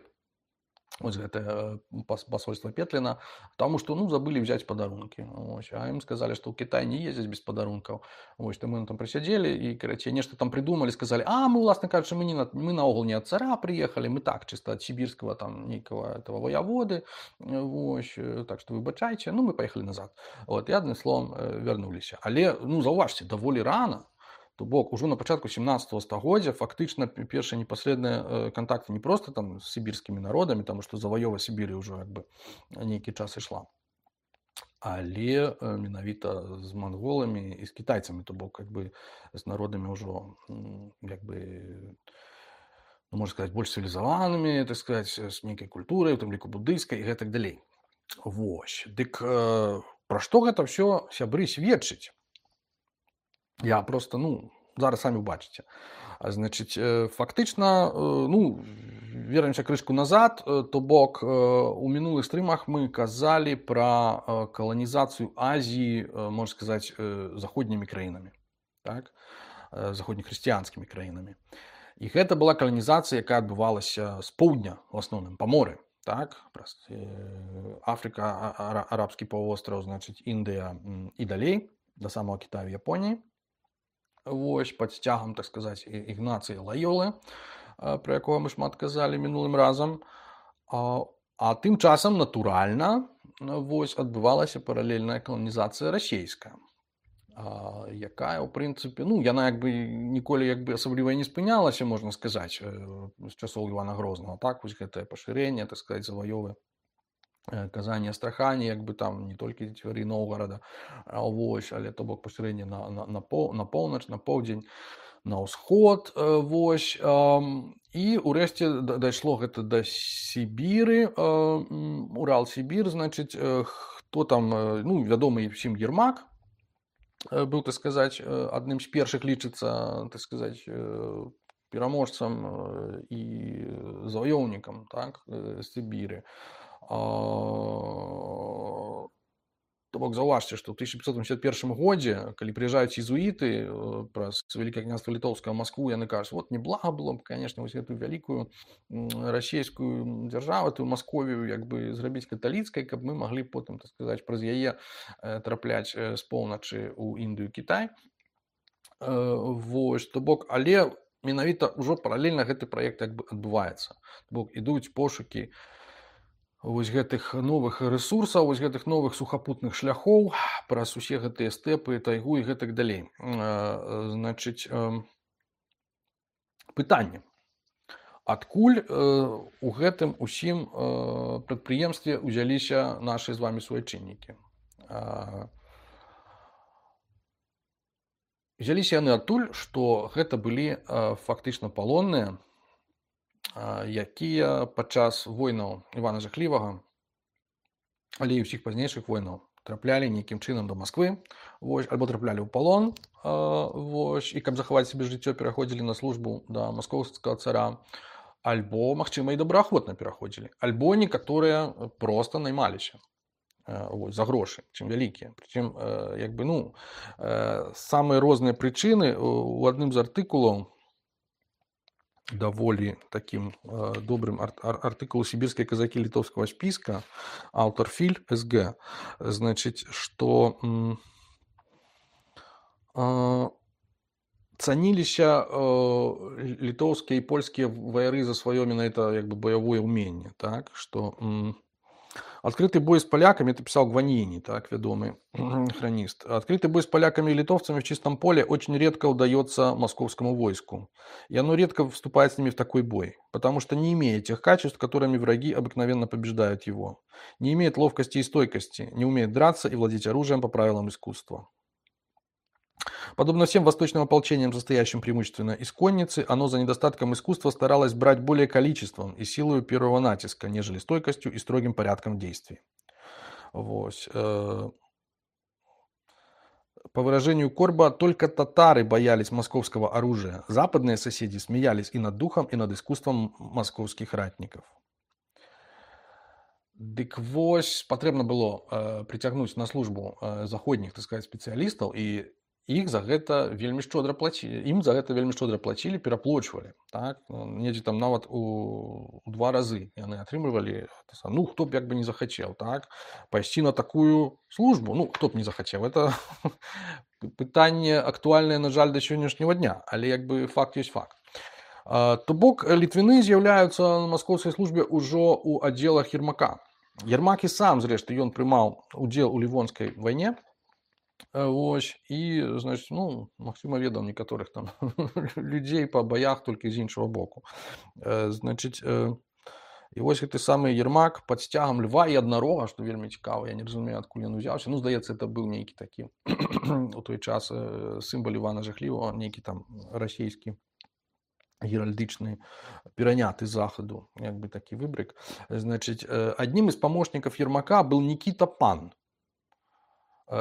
Вось гэтае пасольства Петліна, таму што, ну, забылі взяць падарункі. Вось. А ім сказалі, што ў Кітай не ездзяць без падарункаў. Вось, то мы там прысядзелі і, карацей, нешта там прыдумалі, сказалі: «А, мы, уласна кажучы, мы, не, мы наогул не ад цара прыехалі, мы так, чыста ад сібірскага там нейкага этого вояводы. Вось, так што выбачайце». Ну, мы паехалі назад. Вот, і адным словам вярнуліся. Але, ну, заўважце, даволі рана. То бок, ужо на пачатку сямнаццатага стагоддзя фактычна першыя непасрэдныя кантакты не проста там з сібірскімі народамі, таму што заваёва Сібіры ўжо як бы нейкі час ішла, але менавіта з манголамі і з кітайцамі, то бок як бы з народамі ўжо як бы, ну, можна сказаць, больш цывілізаванымі, так сказаць, з нейкай культурай, у тым ліку буддыйскай і гэтак далей. Вось. Дык пра што гэта ўсё, сябры, сведчыць? Я просто, ну, зараз самі ўбачыце. Значыць, фактычна, ну, вернемся крышку назад, то бок у мінулых стрымах мы казалі пра каланізацыю Азіі, можна сказаць, заходнімі краінамі, так? Заходнехрысціянскімі краінамі. І гэта была каланізацыя, якая адбывалася з поўдня, в асноўным, па моры, так? Праз Афрыка, арабскі паўвостраў, значыць, Індыя і далей, да самого Китая, Японіі. Вось, пад сцягам, так сказаць, Ігнацыя Лайолы, пра якога мы шмат казалі мінулым разам. А, а тым часам, натуральна, вось, адбывалася паралельная каланізацыя расійская, а, якая, ў прынцыпе, ну, яна як бы ніколі як бы асабліва не спынялася, можна сказаць, з часоў Івана Грознага. Так, вось гэтае пашырэнне, так сказаць, заваёвы Казані, Астрахані, як бы там не толькі цвяры Новгарада, вось, але то бок пашырэнне на, на, на, пол, на поўнач, на поўдзень, на ўсход, вось, і ўрэшце дайшло гэта да Сібіры, Урал-Сібір, значыць, то там, э, ну, вядомы ўсім Ермак э, быў, так сказаць, э, адным з першых лічыцца, так сказаць, э, пераможцам э, і заваёўнікам, так, э, Сібіры. А, То бок заўважце, што ў тысяча пятьсот восемьдесят первом годзе, калі прыязджаюць езуіты э, праз Вялікае княства літоўскае ў Маскву, яны кажуць, вот неблага было б, конечно, вось гэтую вялікую м, расійскую дзяржаву, тую Масковію, як бы зрабіць каталіцкай, каб мы маглі потым, так сказаць, праз яе э, трапляць э, з поўначы ў Індыю, Кітай. Э, вось, то бок, але менавіта ўжо паралельна гэты праект як бы адбываецца. То бок, ідуць пошукі вось гэтых новых рэсурсаў, вось гэтых новых сухапутных шляхоў праз усе гэтыя стэпы, тайгу і гэтак далей. Э, Значыць, э, пытанне. Адкуль э, у гэтым усім э, прадпрыемстве ўзяліся нашы з вамі суайчыннікі? Э, Узяліся яны адтуль, што гэта былі э, фактычна палонныя, якія падчас войнаў Івана Жахлівага, але і ўсіх пазнейшых войнаў траплялі нейкім чынам да Масквы, вось, альбо траплялі ў палон, вось, і каб захаваць сабе жыццё, пераходзілі на службу да маскоўскага цара, альбо, магчыма, і добраахвотна пераходзілі, альбо некаторыя проста наймаліся вось, за грошы, чым вялікія. Прычым, як бы, ну, самыя розныя прычыны. У адным з артыкулаў, даволі таким э, добрым ар артыкулу «Сибирские казаки литовского списка», автор Филь СГ, значит, что э, цаніліся э, литовские и польские ваяры за свое именно это как бы боевое умение, так, что э, открытый бой с поляками, это писал Гваньини, так, ведомый хронист. Открытый бой с поляками и литовцами в чистом поле очень редко удается московскому войску. И оно редко вступает с ними в такой бой, потому что не имеет тех качеств, которыми враги обыкновенно побеждают его. Не имеет ловкости и стойкости, не умеет драться и владеть оружием по правилам искусства. Подобно всем восточным ополчениям, состоящим преимущественно из конницы, оно за недостатком искусства старалось брать более количеством и силою первого натиска, нежели стойкостью и строгим порядком действий. Вот. По выражению Корба, только татары боялись московского оружия. Западные соседи смеялись и над духом, и над искусством московских ратников. Дык вось, потребно было э, притягнуть на службу э, заходних, так сказать, специалистов, и іх за гэта вельмі шчодра плацілі. Ім за гэта вельмі шчодра плацілі, пераплочвалі. Так? Недзе там нават у, у два разы яны атрымлівалі. Ну, хто б як бы не захацеў, так? Пайсці на такую службу. Ну, хто б не захацеў. Это пытанне актуальнае, на жаль, да сённяшняга дня. Але як бы факт ёсць факт. То бок, літвіны з'яўляюцца на маскоўскай службе ўжо ў аддзелах Ермака. Ермак і сам, зрэшты, ён прымаў удзел у Лівонскай вайне. Ось, і, значить, ну, Максима ведаў некаторых там людзей па баях толькі з іншага боку. Значить, і вось гэты самы Ермак пад сцягам льва і аднарога, што вельмі цікава, я не разумею, адкуль ён узяўся. Ну, здаецца, это быў нейкі такі у той час сімвал Івана Жахлівага, нейкі там расійскі геральдычны пераняты з захаду, як бы такі выбрык. Значить, одним из помощников Ермака был Никита Пан,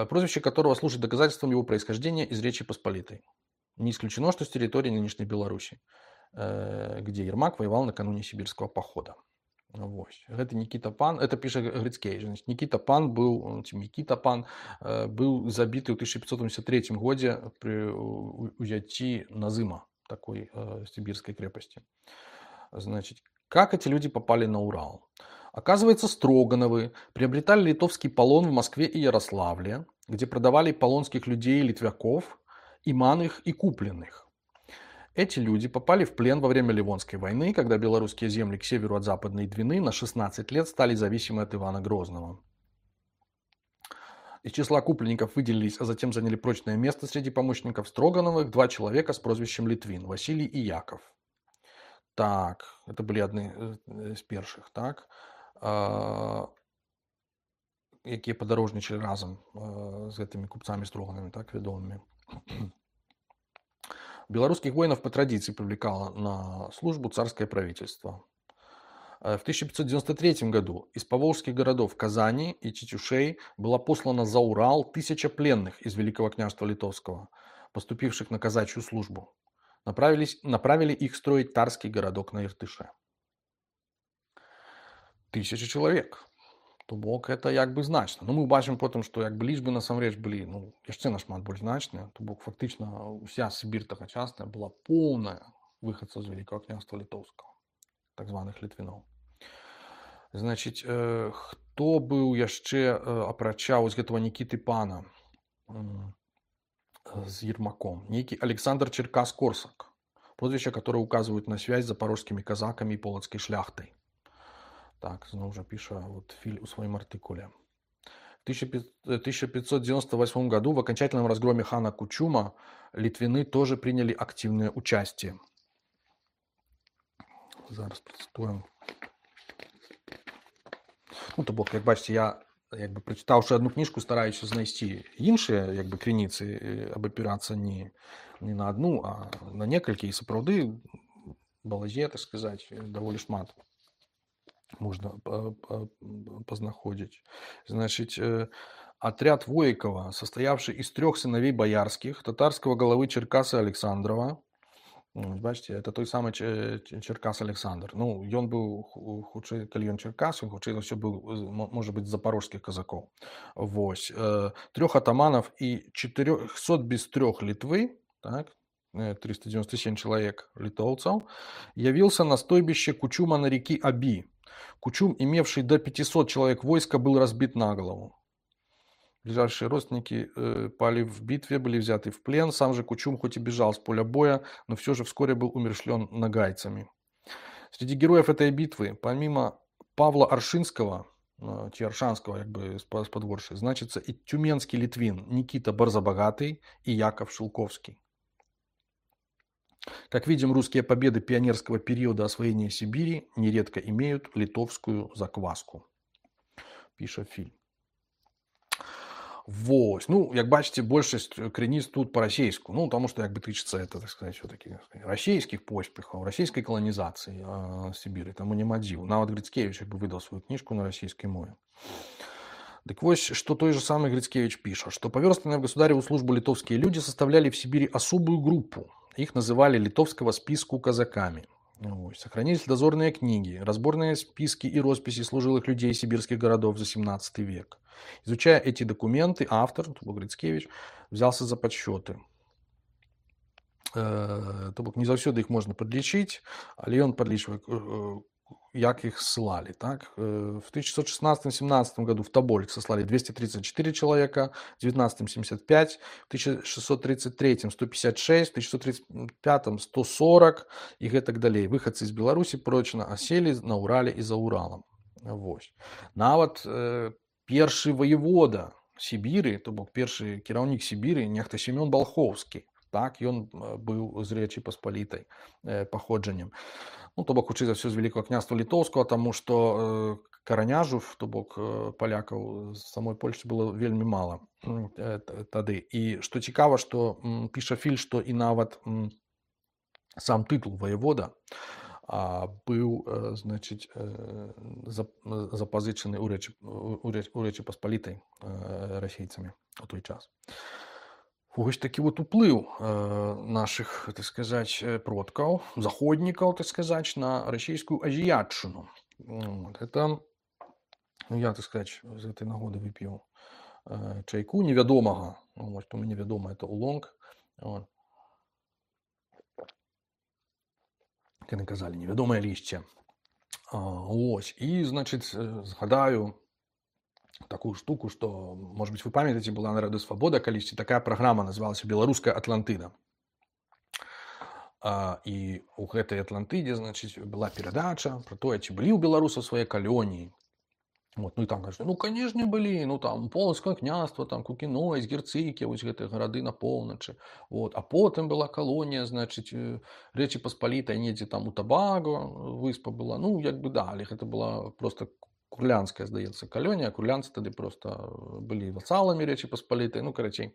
прозвище которого служит доказательством его происхождения из Речи Посполитой. Не исключено, что с территории нынешней Беларуси, где Ермак воевал накануне сибирского похода. Вот. Это Никита Пан, это пишет Грицкевич. Значит, Никита Пан был, Никита Пан был забитый в тысяча пятьсот восемьдесят третьем году при узятии Назыма, такой э, сибирской крепости. Значит, как эти люди попали на Урал? Оказывается, Строгановы приобретали литовский полон в Москве и Ярославле, где продавали полонских людей, литвяков, иманных и купленных. Эти люди попали в плен во время Ливонской войны, когда белорусские земли к северу от Западной Двины на шестнадцать лет стали зависимы от Ивана Грозного. Из числа купленников выделились, а затем заняли прочное место среди помощников Строгановых два человека с прозвищем Литвин, Василий и Яков. Так, это были одни из первых, так. Якія падарожнічалі разам з гэтымі купцамі Строганамі, так, вядомымі. Белорусских воинов по традиции привлекало на службу царское правительство. Э, В тысяча пятьсот девяносто третьем году из поволжских городов Казани и Тетюшей была послана за Урал тысяча пленных из Великого княжества Литовского, поступивших на казачью службу. Направились, направили их строить Тарский городок на Иртыше. Тисяча чоловік. То бок это як бы значна. Ну, мы бачимо потім, що якби лічби насамрэч былі ну, яшчэ нашмат больш значныя. То бок фактычна уся Сібір тагачасная была поўная выхадцаў з Великого княжества Літоўскага, так званых літвіноў. Значыць, э, хто быў яшчэ э, апрача вось гэтага Нікіты Пана м, з Ермаком? Нейкі Александр Черкас-Корсак, прозвище, которое указывает на связь с запорожскими казаками и полоцкой шляхтой. Так, знову же пише вот Филь у своем артикуле. В тысяча пятьсот девяносто восьмом году в окончательном разгроме хана Кучума литвины тоже приняли активное участие. Зараз процитуем. Ну, то бок, як бачите, я, якби прочитавши одну книжку, стараюся знайти інші, якби, криниці, аби опиратися не, не на одну, а на некалькі. І сапраўды балазе, так сказать, даволі шмат можно познаходить. Значит, отряд Воикова, состоявший из трех сыновей боярских, татарского головы Черкаса Александрова. Бачите, это той самый Черкас Александр. Ну, ён был хутчэй, калі ён Черкас, ён хутчэй за ўсё быў, может быть, з запорожских казакоў. Вось. Трех атаманов и четырёхсот без трех Литвы, так, триста девяносто семь человек литовцев, явился на стойбище Кучума на реке Аби. Кучум, имевший до пятисот человек войска, был разбит на голову. Ближайшие родственники э, пали в битве, были взяты в плен. Сам же Кучум хоть и бежал с поля боя, но все же вскоре был умершлен нагайцами. Среди героев этой битвы, помимо Павла Аршинского, э, Тиаршанского, как бы с подворшей, значится и тюменский литвин Никита Барзабогатый и Яков Шелковский. Как видим, русские победы пионерского периода освоения Сибири нередко имеют литовскую закваску. Пише Филь. Вось. Ну, як бачите, большасць крыніц тут по-расейску. Ну, тому что, як бы, тычыцца это, так сказать, все-таки расійскіх поспехаў, расійскай каланізацыі э, Сібіры. Таму няма дзіў. Нават Грицкевич, як бы, выдал свою книжку на расійскай мове. Так вот, что той же самый Грицкевич пишет, что поверстанные в государеву службу литовские люди составляли в Сибири особую группу. Их называли литовского списку казаками. Вот. Сохранились дозорные книги, разборные списки и росписи служилых людей сибирских городов за семнадцатый век. Изучая эти документы, автор, Грицкевич, взялся за подсчеты. Э, то бок не заўсёды их можно подлічыць, але ён подлічвае, як их ссылали. Так? В тысяча шестьсот шестнадцатом — семнадцатом году в Тобольск сослали двести тридцать четыре человека, в девятнадцатом — семьдесят пять, в тысяча шестьсот тридцать третьем — сто пятьдесят шесть, в тысяча шестьсот тридцать пятом — сто сорок и гэтак далей. Выходцы из Беларуси прочно осели на Урале и за Уралом. Вось. Нават э, першы воевода Сибиры, то бок першы кіраўнік Сибиры, нехта Семён Балховскі. Так, ён быў з Рэчы Паспалітай э, паходжаннем. Ну, то бок, хутчэй за ўсё з Великого княства Літоўскага, таму што э, караняжув, то бок э, палякаў з самой Польшчы было вельмі мала э, тады. І што цікава, што м, піша Филь, што і нават м, сам тытул воевода а, быў э, значыць, э, запазычаны ў Рэчы, у Рэчы, у Рэчы Паспалітай э, расейцамі у той час. Вось такі вот уплыў э, наших, так сказать, продкаў, заходнікаў, так сказать, на расійскую азіятчыну. Вот. Это, ну, я, так сказать, з этой нагоды выпіў э, чайку невядомага. Вот, то мне вядома, это улонг. Вот. Как яны казалі, невядомае лішце. А, ось. І, значыць, згадаю такую штуку, что, может быть, вы памятаете, была на Радио Свобода калісьці такая программа, называлась «Белорусская Атлантида». А, и у гэтай Атлантиде, значит, была передача про то, ці былі ў беларусаў свае калоніі. Вот, ну и там кажется, ну, конечно, были, ну, там, Полоцкое княство, там, Кукіно, Герцыкі, вось гэтыя гарады на поўначы. Вот, а потым была колония, значит, Рэчы Паспалітай, недзе там у Табаго выспа была. Ну, як бы, да, але гэта была просто курлянская, здаецца, калонія. Курлянцы тады просто былі васаламі Рэчы Паспалітай. Ну, карацей,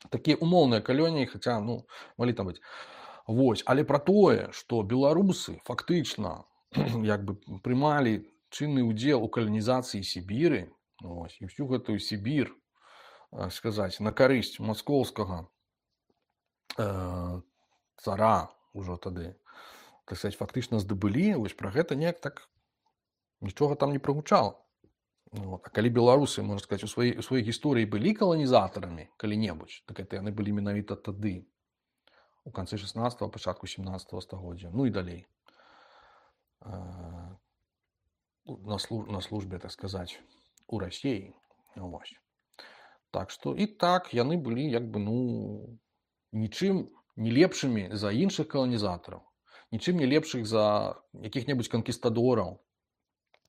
такія умоўныя калоніі, хаця, ну, малі там быць. Вось, але пра тое, што беларусы фактычна як бы прымалі чынны ўдзел у каланізацыі Сібіры, ось, і всю гэтую Сібір, сказаць, на карысць маскоўскага э, цара ўжо тады, так сказать, фактычна здабылі, вось пра гэта неяк так нічога там не прагучала. Вот. А калі беларусы, можна сказаць, у сваёй, у сваёй гісторыі былі каланізатарамі калі-небудзь, так это яны былі менавіта тады, у канцы шаснаццатага, пачатку сямнаццатага стагоддзя, ну і далей. Э, на, служ... на службе, так сказаць, у Расіі. Вось. Так што і так яны былі як бы, ну, нічым не лепшымі за іншых каланізатараў, нічым не лепшых за якіх-небудзь канкістадораў,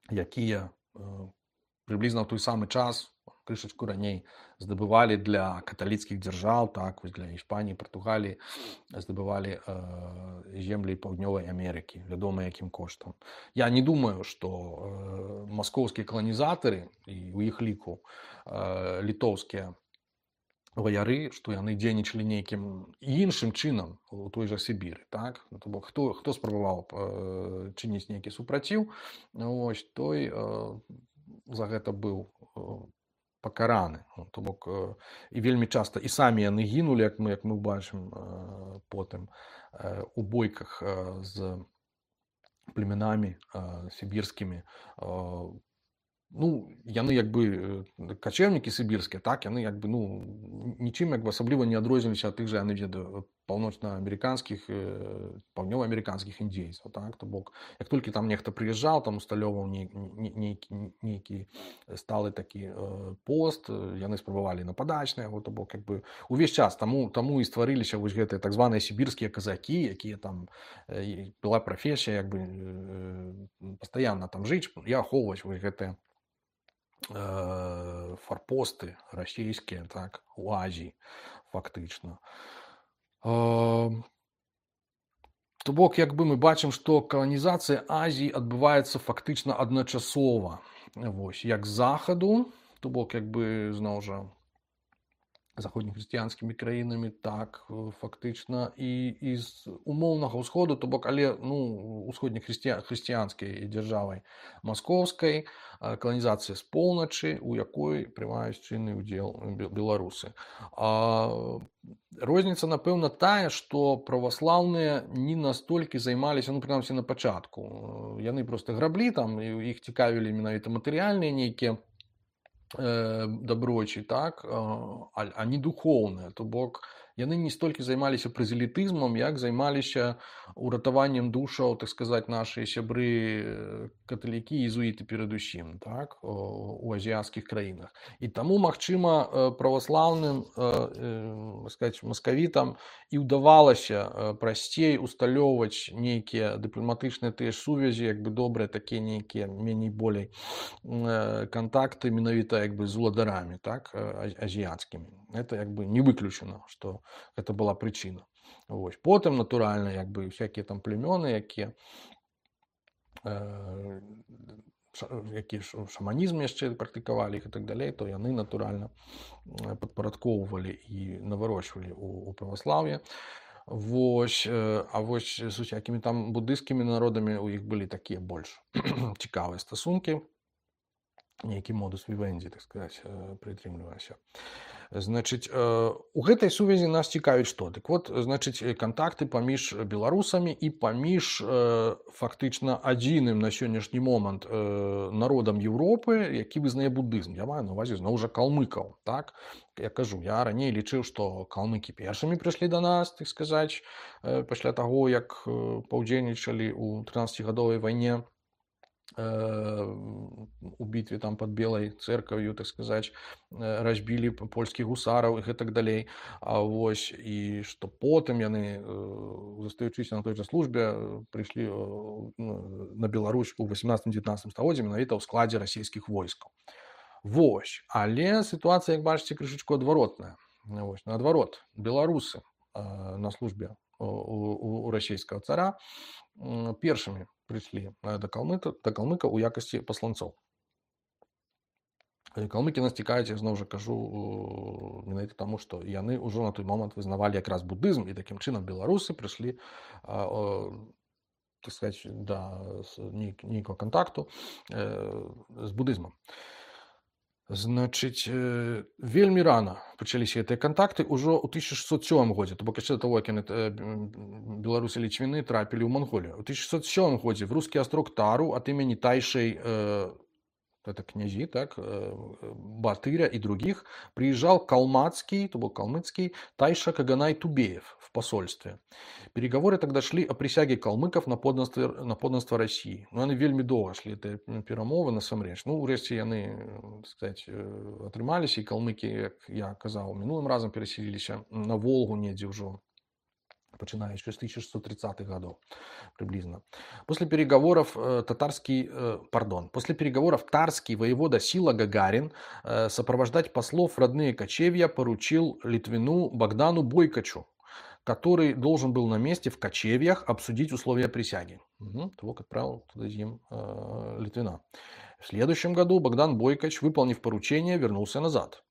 якія э, прыблізна ў той самы час, крышачку раней, здабывалі для каталіцкіх дзяржаў, так, вось для Іспаніі, Партугаліі, здабывалі э, землі Паўднёвай Амерыкі, вядома якім коштам. Я не думаю, што э, маскоўскія каланізатары, і ў іх ліку э, літоўскія ваяры, што яны дзейнічалі нейкім іншым чынам у той жа Сібіры, так? То бок, хто, хто спрабаваў э, чыніць нейкі супраціў, ось, той э, за гэта быў э, пакараны. То бок, э, і вельмі часта і самі яны гінулі, як мы, як мы бачым э, потым э, у бойках э, з племянамі э, сібірскімі. Э, ну, яны як бы качэўнікі сібірскія, так, яны як бы, ну, нічым як бы асабліва не адрозніліся ад тых жа, яны ведаю, паўночна-амерыканскіх, паўднёва-амерыканскіх індзейцаў, так, то бок, як толькі там нехта прыязджаў, там усталёўваў нейкі, нейкі сталы такі э, пост, яны спрабавалі нападаць на яго, то бок, як бы, увесь час таму, таму і стварыліся вось гэтыя так званыя сібірскія казакі, якія там, э, была прафесія, як бы, э, пастаянна там жыць і ахоўваць вось гэтыя фарпосты расійскія, так, у Азіі, фактычна. То бок, як бы мы бачым, што каланізацыя Азіі адбываецца фактычна адначасова. Вось, як з захаду, то бок, як бы, зноў жа, заходнехрысціянскімі краінамі, так, фактычна, і, і з умоўнага ўсходу, то бок, але, ну, усходнехрысціянскай дзяржавай маскоўскай, каланізацыя з поўначы, у якой прымаюць чынны ўдзел беларусы. А розніца, напэўна, тая, што праваслаўныя не настолькі займаліся, ну, прынамсі, на пачатку. Яны проста граблі, там, і іх цікавілі менавіта матэрыяльныя нейкія даброчы, так, а, а не духоўныя, то бок яны не столькі займаліся празелітызмам, як займаліся уратаваннем душаў, так сказаць, нашыя сябры каталікі і езуіты перадусім, так, у азіяцкіх краінах. І таму, магчыма, праваслаўным, так сказаць, маскавітам і ўдавалася прасцей усталёўваць нейкія дыпламатычныя тыя ж сувязі, як бы добрыя такія нейкія меней болей кантакты менавіта як бы з уладарамі, так, азіяцкімі. Это як бы не выключана, што гэта была прычына. Вось. Потым, натуральна, як бы всякія там племёны, якія э, які шаманізм яшчэ практыкавалі іх і так далей, то яны, натуральна, падпарадкоўвалі і наварочвалі у, у праваслаўе. Вось, а вось з усякімі там будысцкімі народамі у іх былі такія больш цікавыя стасункі, нейкі модус вівенді, так сказаць, прытрымлівалася. Значыць, у гэтай сувязі нас цікавіць што? Дык вот, значыць, кантакты паміж беларусамі і паміж фактычна адзіным на сённяшні момант народам Еўропы, які вызнае будызм. Я маю на ўвазе зноў жа калмыкаў, так? Я кажу, я раней лічыў, што калмыкі першымі прыйшлі да нас, так сказаць, пасля таго, як паўдзельнічалі ў трынаццацігадовай вайне, у бітве там под Белай церкваю, так сказаць, разбілі польскіх гусараў і гэтак далей. А вось, і што потым яны, застаючыся на той жа службе, прыйшлі на Беларусь у васямнаццатым-дзевятнаццатым стагоддзі менавіта ў складзе расійскіх войскаў. Вось, але сітуацыя, як бачыце, крышачку адваротная. Вось, наадварот, беларусы на службе у, у, у расійскага цара першымі прыйшлі да калмыка, да калмыка ў якасці пасланцоў. Калмыкі нас цікавяць, я зноў жа кажу, менавіта таму, што яны ўжо на той момант вызнавалі якраз будызм, і такім чынам беларусы прыйшлі так сказать, да нейкага кантакту з будызмам. Значыць, вельмі рана пачаліся гэтыя кантакты ўжо ў тысяча шэсцьсот сёмым годзе, то бок яшчэ да таго, як яны беларусы лічвіны трапілі ў Манголію. У тысяча шэсцьсот сёмым годзе в рускі астрог Тару ад імені Тайшэй, это князи, так, Батыря и других, приезжал калмацкий, то был калмыцкий, Тайша Каганай Тубеев в посольстве. Переговоры тогда шли о присяге калмыков на подданство, на подданство России. Но они вельми долго шли, это перемовы насамрэч. Ну, урэшце яны, так сказать, атрымаліся, и калмыки, як я казаў, мінулым разам пераселіліся на Волгу недзе ўжо, начиная еще с тысяча шестьсот тридцатых годов приблизно. После переговоров э, татарский, э, пардон, после переговоров тарский воевода Сила Гагарин э, сопровождать послов в родные кочевья поручил Литвину Богдану Бойкачу, который должен был на месте в кочевьях обсудить условия присяги. Угу, того, как отправил туда им э, Литвина. В следующем году Богдан Бойкач, выполнив поручение, вернулся назад.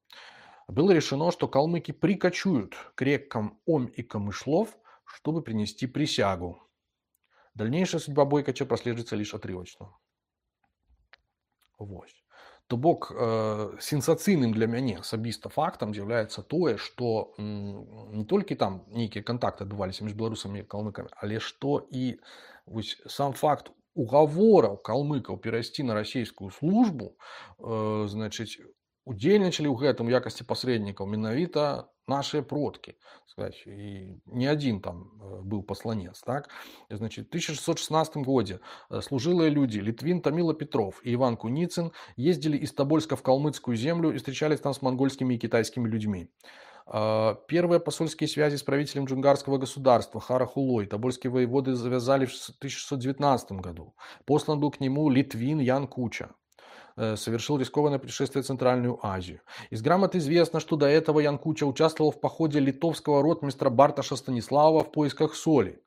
Было решено, что калмыки прикочуют к рекам Ом и Камышлов, чтобы принести присягу. Дальнейшая судьба Бойкача прослеживается лишь отрывочно. Вось. То бок э, сенсацыйным для мяне асабіста фактам з'яўляецца тое, што м, не толькі там нейкія кантакты адбываліся між беларусамі і калмыкамі, але што і вось, сам факт угавораў калмыкаў перайсці на расійскую службу, э, значыць, удзельнічалі ў гэтым у якасці пасрэднікаў менавіта наши продки, сказать, и не один там был посланец, так? Значит, в тысяча шестьсот шестнадцатом году служилые люди Литвин, Томила Петров и Иван Куницын ездили из Тобольска в Калмыцкую землю и встречались там с монгольскими и китайскими людьми. Первые посольские связи с правителем джунгарского государства Хара Хулой тобольские воеводы завязали в тысяча шестьсот девятнадцатом году. Послан был к нему Литвин Ян Куча. Совершил рискованное путешествие в Центральную Азию. Из грамот известно, что до этого Ян Куча участвовал в походе литовского ротмистра Барташа Станислава в поисках соли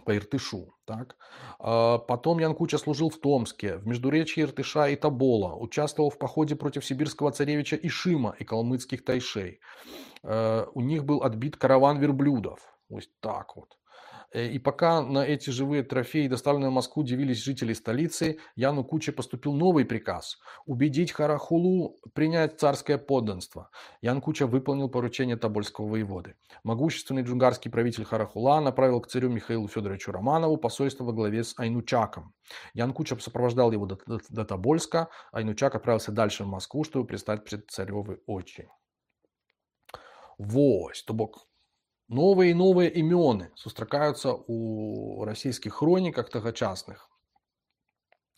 по Иртышу. Так? Потом Ян Куча служил в Томске, в междуречье Иртыша и Тобола, участвовал в походе против сибирского царевича Ишима и калмыцких тайшей. У них был отбит караван верблюдов. Вот так вот. И пока на эти живые трофеи, доставленные в Москву, дивились жители столицы, Яну Куче поступил новый приказ – убедить Харахулу принять царское подданство. Ян Куча выполнил поручение тобольского воеводы. Могущественный джунгарский правитель Харахула направил к царю Михаилу Федоровичу Романову посольство во главе с Айнучаком. Ян Куча сопровождал его до, до, до Тобольска, Айнучак отправился дальше в Москву, чтобы предстать пред царевы очи. Вось, то бок. Новые и новые имёны сустракаюцца у расійскіх хроніках тагачасных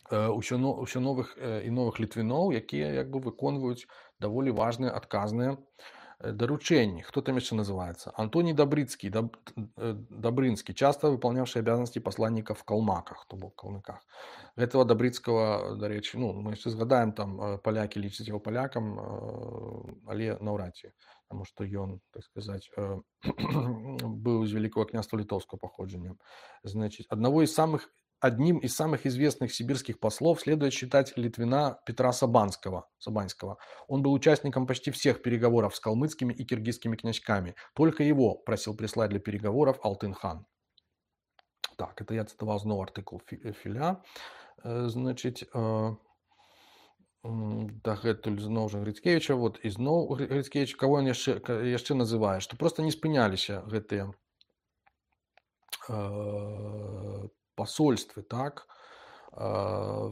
ўсё новых і новых літвіноў, якія як бы выконваюць даволі важныя адказныя доручения. Кто там еще называется? Антоний Добрыцкий, Доб... Добрынский, часто выполнявший обязанности посланника в Калмаках, то бок Калмыках. Этого Добрыцкого, до речи, ну, мы еще згадаем, там поляки лічаць его полякам, але наўрад ці, потому что он, так сказать, был из Великого княжества Литовского походжения. Значит, одного из самых Одним из самых известных сибирских послов следует считать Литвина Петра Сабанского. Сабанского. Он был участником почти всех переговоров с калмыцкими и киргизскими князьками. Только его просил прислать для переговоров Алтын-хан. Так, это я цитовал снова артикул Филя. Значит, дагэтуль зноў жа Грицкевича, вот, і зноў Грицкевич, кого он яшчэ, яшчэ называе, што просто не спыняліся гэтыя посольствы, так, к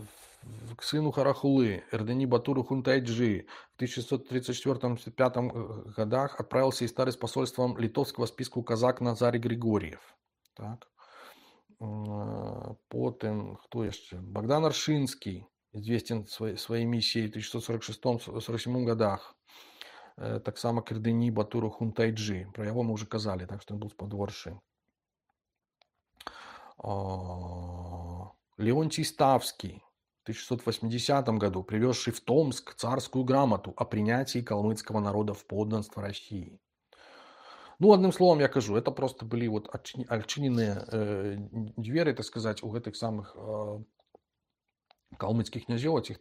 сыну Харахулы, Эрдени Батуру Хунтайджи в тысяча шестьсот тридцать четвёртом — тридцать пятом годах отправился и старый с посольством литовского списку казак Назарий Григорьев. Так. Потом, кто еще? Богдан Аршинский, известен своей, своей миссией в тысяча шестьсот сорок шестом — сорок седьмом годах. Так само к Эрдени Батуру Хунтайджи. Про его мы уже казали, так что он был с подворши. Леонтий Ставский в тысяча шестьсот восьмидесятом году, привезший в Томск царскую грамоту о принятии калмыцкого народа в подданство России. Ну, одним словом, я кажу, это просто были вот отчиненные э, двери, так сказать, у этих самых э, калмыцкіх князёў, ціх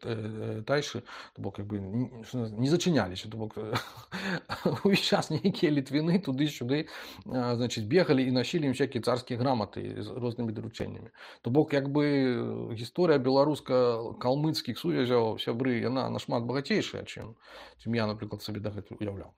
тайшы, то бок як бы не зачыняліся, то бок увесь час нейкія літвіны туды-сюды, значыць, бегалі і насілі ім всякія царскія граматы з рознымі даручэннямі. То бок як бы гісторыя беларуска-калмыцкіх сувязяў, сябры, яна нашмат багацейшая, чым, чым я, напрыклад, сабе дагэтуль уяўляў.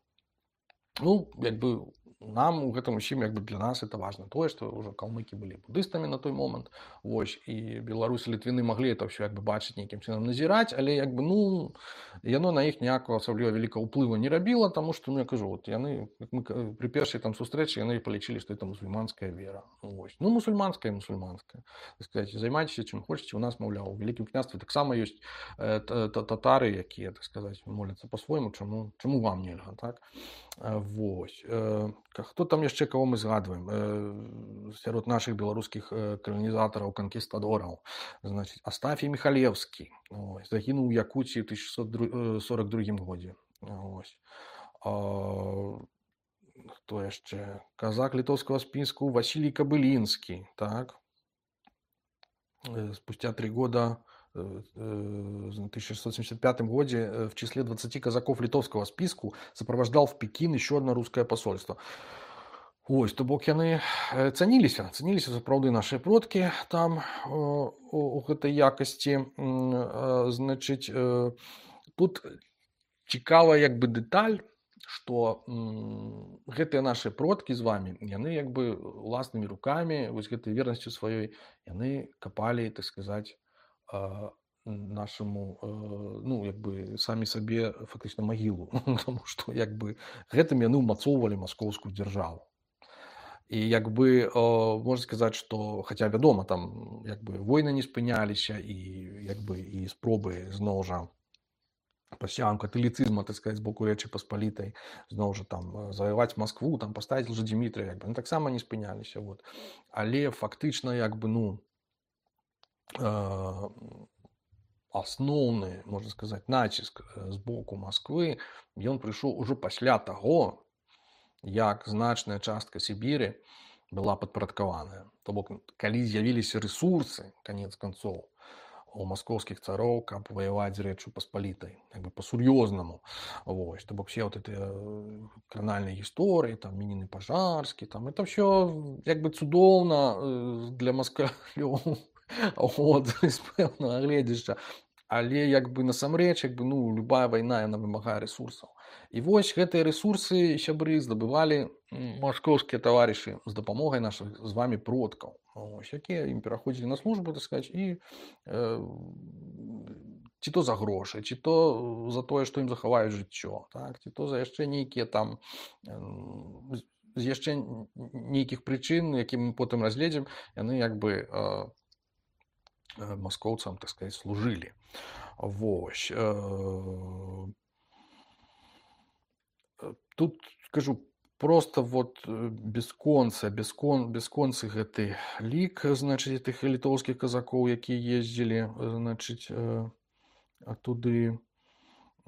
Ну, як бы нам у гэтым усім, як бы для нас это важна тое, што ўжо калмыкі былі будыстамі на той момант, вось, і беларусы, літвіны маглі это ўсё як бы бачыць, нейкім чынам назіраць, але як бы, ну, яно на іх ніякага асабліва вялікага ўплыву не рабіла, таму што, ну, я кажу, вот яны, як мы пры першай там сустрэчы, яны палічылі, што это мусульманская вера. Вось. Ну, мусульманская, мусульманская. Так сказаць, займайцеся чым хочаце, у нас, маўляў, у вялікім княстве таксама ёсць э, татары, якія, так сказаць, моляцца па-свойму, чаму, чаму вам нельга, так? Вось. Хто там яшчэ, каго мы згадваем? Сярод нашых беларускіх каланізатараў, канкістадораў. Значыць, Астафій Міхалеўскі. Ось, загінуў у Якуціі ў тысяча шэсцьсот сорок другім годзе. Ось. Хто яшчэ? Казак літоўскага спіску Васілій Кабылінскі. Так? Спустя три года, в тысяча шестьсот семьдесят пятом году, в числе двадцати казаков литовского списку сопровождал в Пекин еще одно русское посольство. Ось, то бок яны цаніліся, цаніліся сапраўды нашыя продкі там у гэтай якасці. Значыць, тут цікава як бы дэталь, што гэтыя нашыя продкі з вами, яны як бы уласнымі рукамі, вось гэтай вернасцю сваёй, яны капалі, так сказаць, нашаму, ну, як бы самі сабе фактычна магілу, тому што як бы гэтым яны ўмацоўвалі маскоўскую дзяржаву. І як бы можна сказаць, што хаця вядома, там як бы войны не спыняліся і як бы і спробы зноў жа пасявам каталіцызма, так сказаць, з боку Рэчы Паспалітай, зноў жа там заваяваць Маскву, там паставіць Лжэдзімітрыя, як бы ну, таксама не спыняліся. Вот. Але фактычна як бы ну асноўны, можна сказаць, націск з боку Масквы, ён прыйшоў ужо пасля таго, як значная частка Сібіры была падпарадкаваная. То бок, калі з'явіліся рэсурсы, канец канцоў, у маскоўскіх цароў, каб ваяваць з Рэччу Паспалітай, як бы па-сур'ёзнаму. Вось, то бок, все вот эти кранальныя гісторыі, там, Мінін і Пажарскі, там, это все як бы цудоўна для маскалёў, от, з пэўнага гледзяшча. Але як бы насамрэч, як бы, ну, любая вайна, яна вымагае рэсурсаў. І вось гэтыя рэсурсы, сябры, здабывалі маскоўскія таварышы з дапамогай нашых з вами продкаў, ось, якія ім пераходзілі на службу, так сказаць, і э, ці то за грошы, ці то за тое, што ім захаваюць жыццё, так, ці то за яшчэ нейкія там э, з яшчэ нейкіх прычын, які мы потым разгледзім, яны як бы э, маскоўцам, так сказаць, служылі. Вось. Тут, скажу, просто вот бесконца, бескон, бесконцы гэты лік, значыць, тых літоўскіх казакоў, якія ездзілі, значыць, оттуды.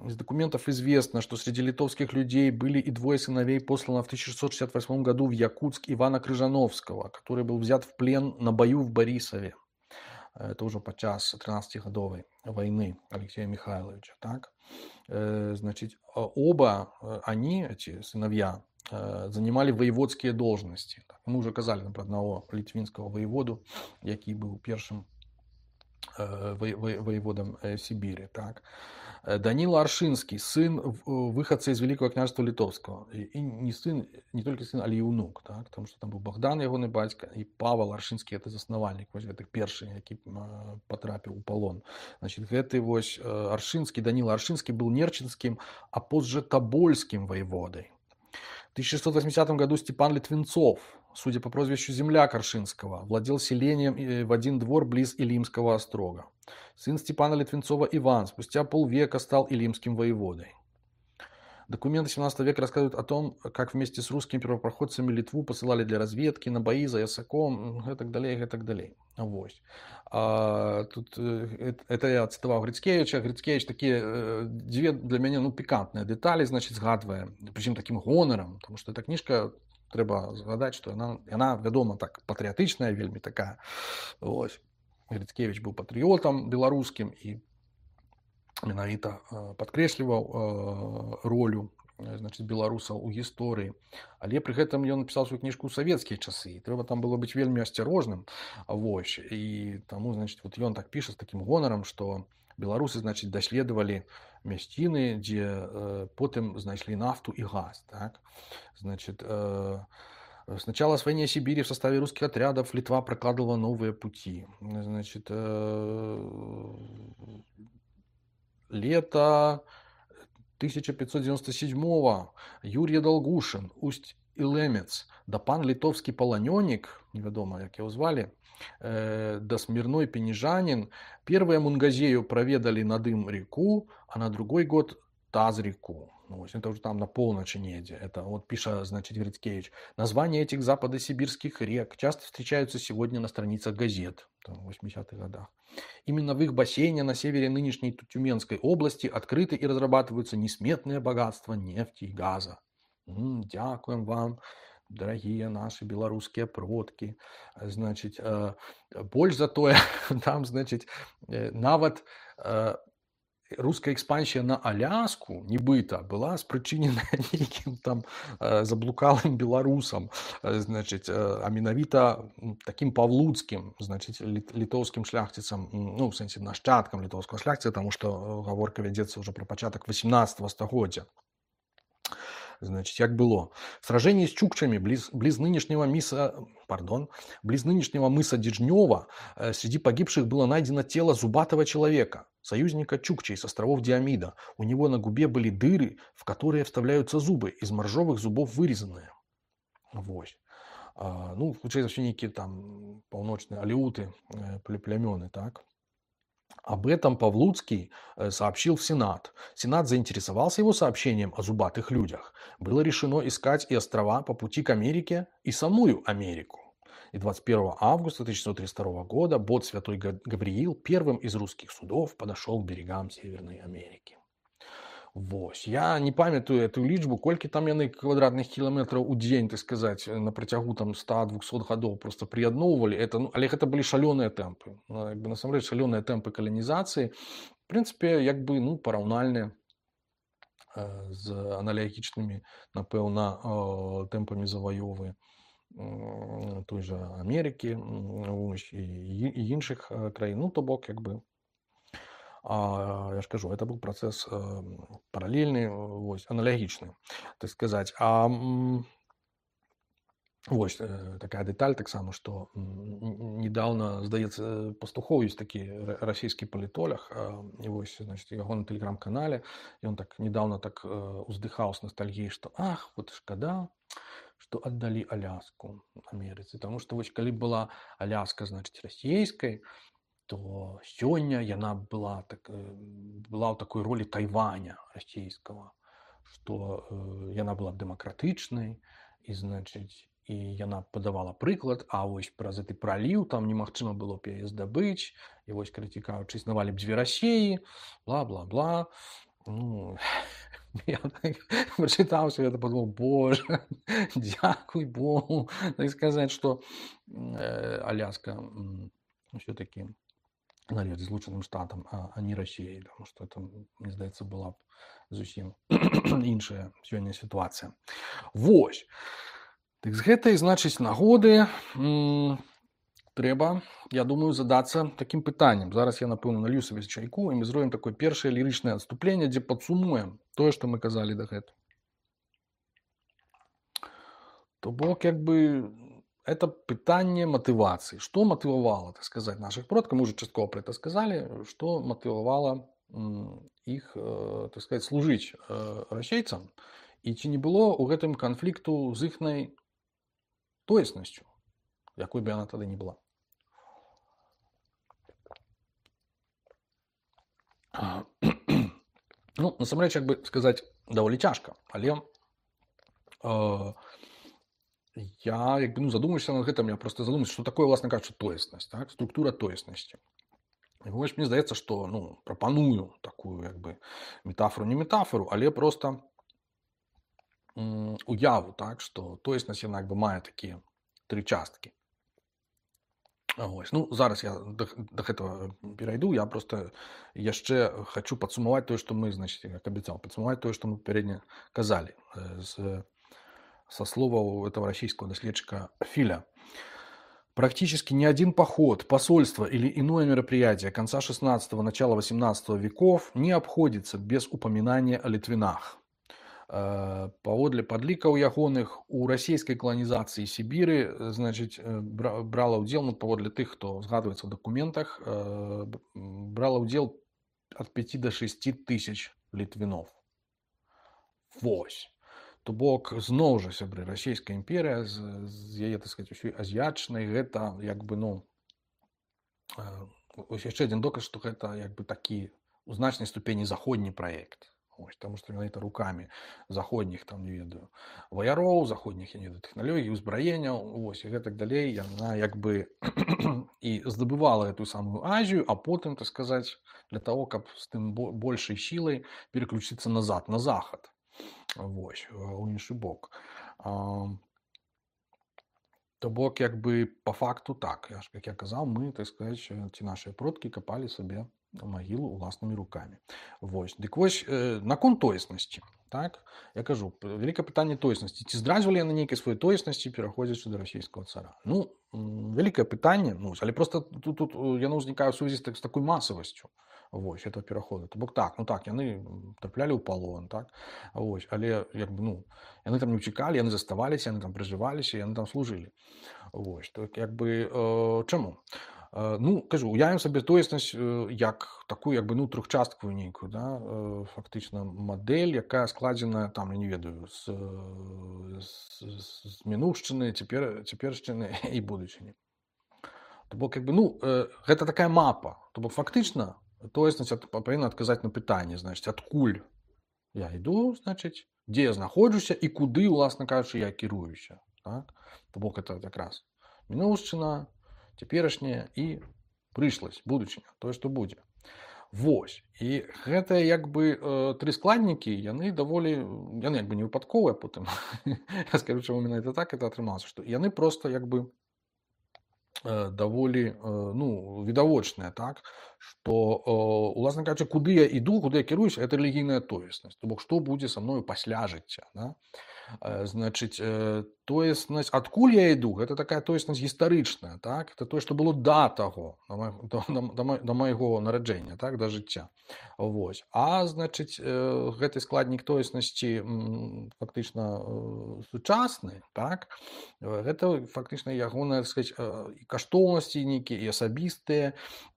Из документов известно, что среди литовских людей были и двое сыновей, посланных в тысяча шестьсот шестьдесят восьмом году в Якутск Ивана Крыжановского, который был взят в плен на бою в Борисове. Это уже подчас тринадцатигодовой войны Алексея Михайловича. Так? Значит, оба они, эти сыновья, занимали воеводские должности. Мы уже казали, например, одного литвинского воеводу, який был первым воеводом Сибири. Так? Данила Аршинский, сын выходца из Великого княжества Литовского. И не сын, не только сын, але и внук. Так? Потому что там был Богдан, ягоный батька, и Павел Аршинский, это заснавальник, вось гэтых першых, які потрапіў у полон. Значит, гэты вось Аршинский, Данила Аршинский был нерчинским, а позже тобольским воеводой. В тысяча шестьсот восьмидесятом году Степан Литвинцов, судя по прозвищу земляк Аршинского, владел селением в один двор близ Илимского острога. Сын Степана Литвинцова Иван спустя полвека стал илимским воеводой. Документы семнадцатого века рассказывают о том, как вместе с русскими первопроходцами Литву посылали для разведки, на бои за Ясаком и так далее, и так далее. Вось. А, тут, это я цитовал Грицкевича. Грицкевич такие две для меня ну, пикантные детали, значит, згадывая, причем таким гонором, потому что эта книжка, треба згадать, что она, она, вядома, так, патриотичная, вельми такая. Вось. Грицкевич быў патрыётам беларускім і менавіта падкрэсліваў ролю, значыць, беларусаў у гісторыі. Але пры гэтым ён напісаў сваю кніжку ў савецкія часы. Трэба там было быць вельмі асцярожным. Вось. І таму, значыць, вот ён так піша з такім гонарам, што беларусы, значыць, даследавалі мясціны, дзе потым знайшлі нафту і газ. Так? Значит, с начала освоения Сибири в составе русских отрядов Литва прокладывала новые пути. Значит, лето тысяча пятьсот девяносто седьмого Юрий Долгушин, Усть-Илемец, да пан литовский полонённик, неведомо, як его звали, да смирной пенежанин, первые Мунгазею проведали на дым реку, а на другой год Таз реку. Ну, это уже там на полночи неде. Это вот пишет, значит, Грицкевич. Названия этих западосибирских рек часто встречаются сегодня на страницах газет там, в восьмидесятых годах. Именно в их бассейне на севере нынешней Тюменской области открыты и разрабатываются несметные богатства нефти и газа. М-м, дякуем вам, дорогие наши белорусские продки. Значит, э, больше за то, там, значит, э, нават э, руская экспансія на Аляску, нібыта, была спрычынена нейкім там заблукалым беларусам, значыць, а менавіта такім павлуцкім, значыць, літоўскім шляхціцам, ну, в сэнсе нашчадкам літоўскага шляхціца, таму што гаворка вядзецца ўжо пра пачатак восемнадцатого стагоддзя. Значит, як было. В сражении с чукчами близ, близ нынешнего миса, пардон, близ нынешнего мыса Дежнева э, среди погибших было найдено тело зубатого человека, союзника чукчей с островов Диамида. У него на губе были дыры, в которые вставляются зубы, из моржовых зубов вырезанные. Вот. А, ну, включается все некие там полночные алеуты, э, племены, так. Об этом Павлуцкий сообщил в Сенат. Сенат заинтересовался его сообщением о зубатых людях. Было решено искать и острова по пути к Америке, и самую Америку. И двадцать первого августа тысяча девятьсот тридцать второго года бот «Святой Гавриил» первым из русских судов подошел к берегам Северной Америки. Вось. Я не памятаю эту лічбу, колькі там яны квадратных кіламетраў у дзень, так сказаць, на працягу там ста-двухсот гадоў просто прыядноўвалі. Это, ну, але гэта былі шалёныя тэмпы. Ну, як бы, насамрэч, шалёныя тэмпы каланізацыі. В прынцыпе, як бы, ну, параўнальныя э, з аналагічнымі, напэўна, э, тэмпамі заваёвы э, той жа Амерыкі і, і іншых э, краін. Ну, то бок, як бы, А, я ж кажу, это был процесс э, параллельный, вось, аналогичный, так сказать. А вось э, такая деталь таксама, что недавно, здаецца, Пастухоў есть такі расійскі палітолог, э, і вось, значит, яго на тэлеграм-канале, і он так недавно так э, уздыхаў с ностальгией, что ах, вот шкада, что отдали Аляску Америцы, потому что вось калі была Аляска, значит, расійскай, то сёння яна была, так, была ў такой ролі Тайваня расійскага, што э, яна была дэмакратычнай, і, значыць, і яна падавала прыклад, а вось праз гэты праліў там немагчыма было б яе здабыць, і вось, калі цікаўчы, існавалі б дзве Расіі, бла-бла-бла. Ну, я так прачытаўся, я падумаў, боже, дзякуй Богу, так сказаць, што э, Аляска все-таки належит Злучаным Штатам, а, а не России, потому что это, мне здаецца, была б зусім іншая сёння ситуация. Вось. Так з гэтай, значыць, нагоды м- трэба, я думаю, задацца таким пытаннем. Зараз я, напэўна, налью сабе чайку, і мы зробім такое першае лірычнае адступленне, дзе падсумуем тое, што мы казалі дагэтуль. То бок, як бы, это пытанне мотивации. Что мотивовало, так сказать, наших продков? Мы уже частково про это сказали. Что мотивовало их, так сказать, служить расейцам? И ці не было у гэтым конфликту з іхнай тоеснасцю, якой бы она тогда не была. Ну, насамрэч, як бы сказаць, даволі цяжка, але э, я, як бы, ну, задумаюся над гэтым, я просто задумаюся, что такое, власна кажучы, тоеснасць, так? Структура тоеснасці. І вось мне здаецца, што, ну, прапаную такую, як бы, метафору, не метафору, але просто м, уяву, так, што тоеснасць, яна, як бы, мае такія тры часткі. Вось. Ну, зараз я да, да гэтага перайду. Я просто яшчэ хочу падсумаваць тое, што мы, значит, як абяцаў, падсумаваць тое, што мы папярэдне казалі э, з, со словаў этого российского доследчика Филя. Практически ни один поход, посольство или иное мероприятие конца шестнадцатого, начала восемнадцатого веков не обходится без упоминания о Литвинах. Э, Паводле падлікаў ягоных, у расійскай каланізацыі Сібіры, э, значыць, э, бра- брала ўдзел, ну, паводле тых, хто згадваецца ў дакументах, э, б- м, брала ўдзел ад пяти до шести тысяч літвінов. Вось. То бок, зноў жа, сябры, расійская імперія з, з яе, так сказать, усёй азіячнай, гэта як бы, ну, э, ось яшчэ адзін доказ, што гэта як бы такі у значнай ступені заходні праект. Ось, таму што менавіта рукамі заходніх, там, не ведаю, ваяроў, заходніх, я не ведаю, тэхналогій, узбраенняў, ось, і гэтак далей, яна як бы і здабывала эту самую Азію, а потым, так сказаць, для того, каб з тым бо- большай сілай переключыцца назад, на захад. Вось, у іншы бок. А, То бок, як бы, по факту так. Я ж, як я казаў, мы, так сказаць, ці нашыя продкі капалі сабе магілу ўласнымі рукамі. Вось. Дык вось, э, наконт тоеснасці, так? Я кажу, п- вялікае пытанне тоеснасці. Ці здраджвалі яны нейкай сваёй тоеснасці, пераходзячы да расійскага цара? Ну, м, вялікае пытанне, ну, але просто тут, тут э, яно ўзнікае ў сувязі з, так, з такой масавасцю. Вось, этого пераходу. То бок так, ну так, яны м, траплялі ў палон, так? Вось, але, як бы, ну, яны там не ўцікалі, яны заставаліся, яны там пражываліся, яны там служылі. Вось, то як бы, э, чаму? Э, Ну, кажу, уявім сабе тоеснасць э, як такую, як бы, ну, трохчасткавую нейкую, да, э, фактычна мадэль, якая складзена, там, я не ведаю, з, э, з, з- з мінуўшчыны, цяпер, цяпершчыны і будучыні. То бок, як бы, ну, э, гэта такая мапа. То бок, фактычна, тоеснасць ад- павінна адказаць на пытанне, значыць, адкуль я іду, значыць, дзе я знаходжуся і куды, уласна кажучы, я кіруюся. Так? То бок, это якраз мінуўшчына, цяперашняя і прышласць, будучыня, тое, што будзе. Вось. І гэтыя, як бы, э, тры складнікі, яны даволі, яны як бы не выпадковыя потым. Я скажу, чаму менавіта так это атрымалася, што яны просто, як бы, э, даволі, э, ну, відавочныя, так, што, э, уласна кажучы, куды я іду, куды я кіруюся, это рэлігійная тоеснасць. То бок, што будзе са мною пасля жыцця, да? Э, Значыць, э, тоеснасць, адкуль я іду, гэта такая тоеснасць гістарычная, так? Это тое, што было да таго, да, ма- да, да, ма- да майго нараджэння, так, да жыцця. Вось. А, значыць, э, гэты складнік тоеснасці м, фактычна э, сучасны, так? Э, Гэта фактычна ягоныя, так сказаць, э, і каштоўнасці нейкія, і асабістыя,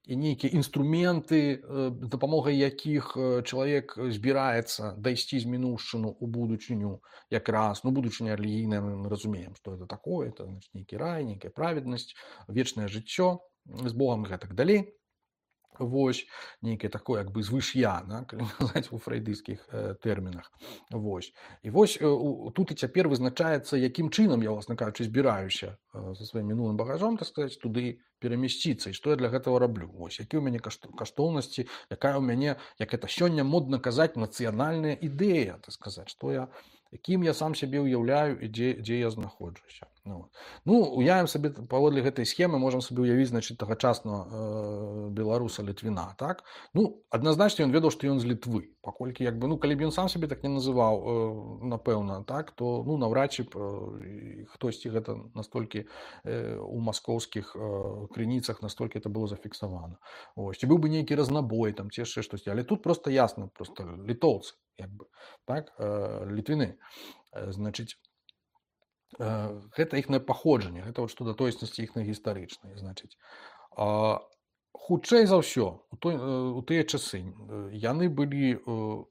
і нейкія інструменты, э, з дапамогай якіх э, чалавек збіраецца дайсці з мінуўшчыну ў будучыню, якраз, ну, будучыня рэлігійная, мы разумеем, што это такое, это, значит, нейкі рай, нейкая праведнасць, вечнае жыццё з Богам і гэтак далей. Вось, нейкае такое, як бы, звыш'я, да, калі казаць у фрейдыйскіх э, тэрмінах. Вось. І вось э, у- тут і цяпер вызначаецца, якім чынам я, власна кажучы, збіраюся э, са сваім мінулым багажом, так сказаць, туды перамясціцца, і што я для гэтага раблю. Вось, які ў мяне кашт- каштоўнасці, якая ў мяне, як это сёння модна казаць, нацыянальная ідэя, так сказаць, што я, якім я сам сябе ўяўляю і дзе, дзе я знаходжуся. Ну, вот. Ну, уявім сабе, паводле гэтай схемы можам сабе ўявіць, значыць, тагачаснага э, беларуса Літвіна, так? Ну, адназначна ён ведаў, што ён з Літвы, паколькі, як бы, ну, калі б ён сам сябе так не называў, э, напэўна, так, то, ну, наўрад ці б э, хтосьці гэта настолькі э, у маскоўскіх э, крыніцах настолькі это было зафіксавана. Ось, ці быў бы нейкі разнабой, там, ці яшчэ штосьці, але тут просто ясна, просто літоўцы, як бы, так, э, літвіны. Э, Значыць, Э, гэта іхнае паходжанне, гэта вот што да тоеснасці іхнай гістарычнай, значыць. А, Хутчэй за ўсё, у, той, э, у тыя часы э, яны былі э,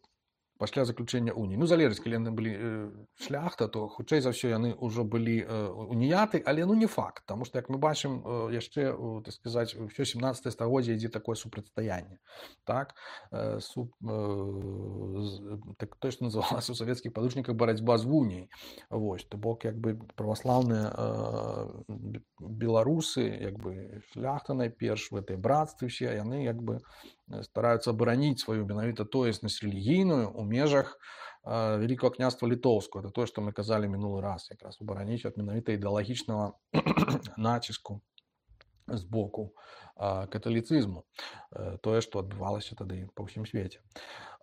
пасля заключэння уніі. Ну, залежыць, калі яны былі э, шляхта, то хутчэй за ўсё яны ўжо былі э, уніяты, але ну не факт, таму што, як мы бачым, э, яшчэ, э, так сказаць, усё сямнаццатае стагоддзе ідзе такое супрацьстаянне. Так? Э, суп, э, з- так, тое, што называлася ў савецкіх падручніках барацьба з уніяй. Вось, то бок, як бы, праваслаўныя э, б- беларусы, як бы, шляхта найперш, в этой братстве ўсе, яны, як бы, э, стараюцца абараніць сваю менавіта тоеснасць рэлігійную ў межах э, Вялікага княства літоўскага. Это тое, што мы казалі мінулы раз, якраз абараніць ад менавіта ідэалагічнага націску з боку а, каталіцызму, э, тое, што адбывалася тады па ўсім свеце.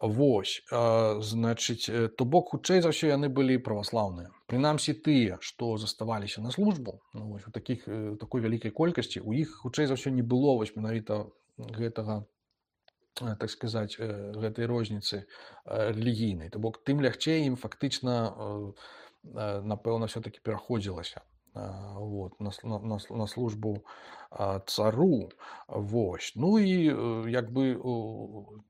Вось, а, значыць, э, то бок, хутчэй за ўсё, яны былі праваслаўныя. Прынамсі тыя, што заставаліся на службу, ну, вось, у такіх, э, такой вялікай колькасці, у іх, хутчэй за ўсё, не было вось менавіта гэтага, э, так сказаць, э, гэтай розніцы э, рэлігійнай. То бок, тым лягчэй ім фактычна, э, э, напэўна, ўсё-такі пераходзілася а, вот, на, с- на, на, с- на службу а, цару. Вось. Ну і э, як бы у,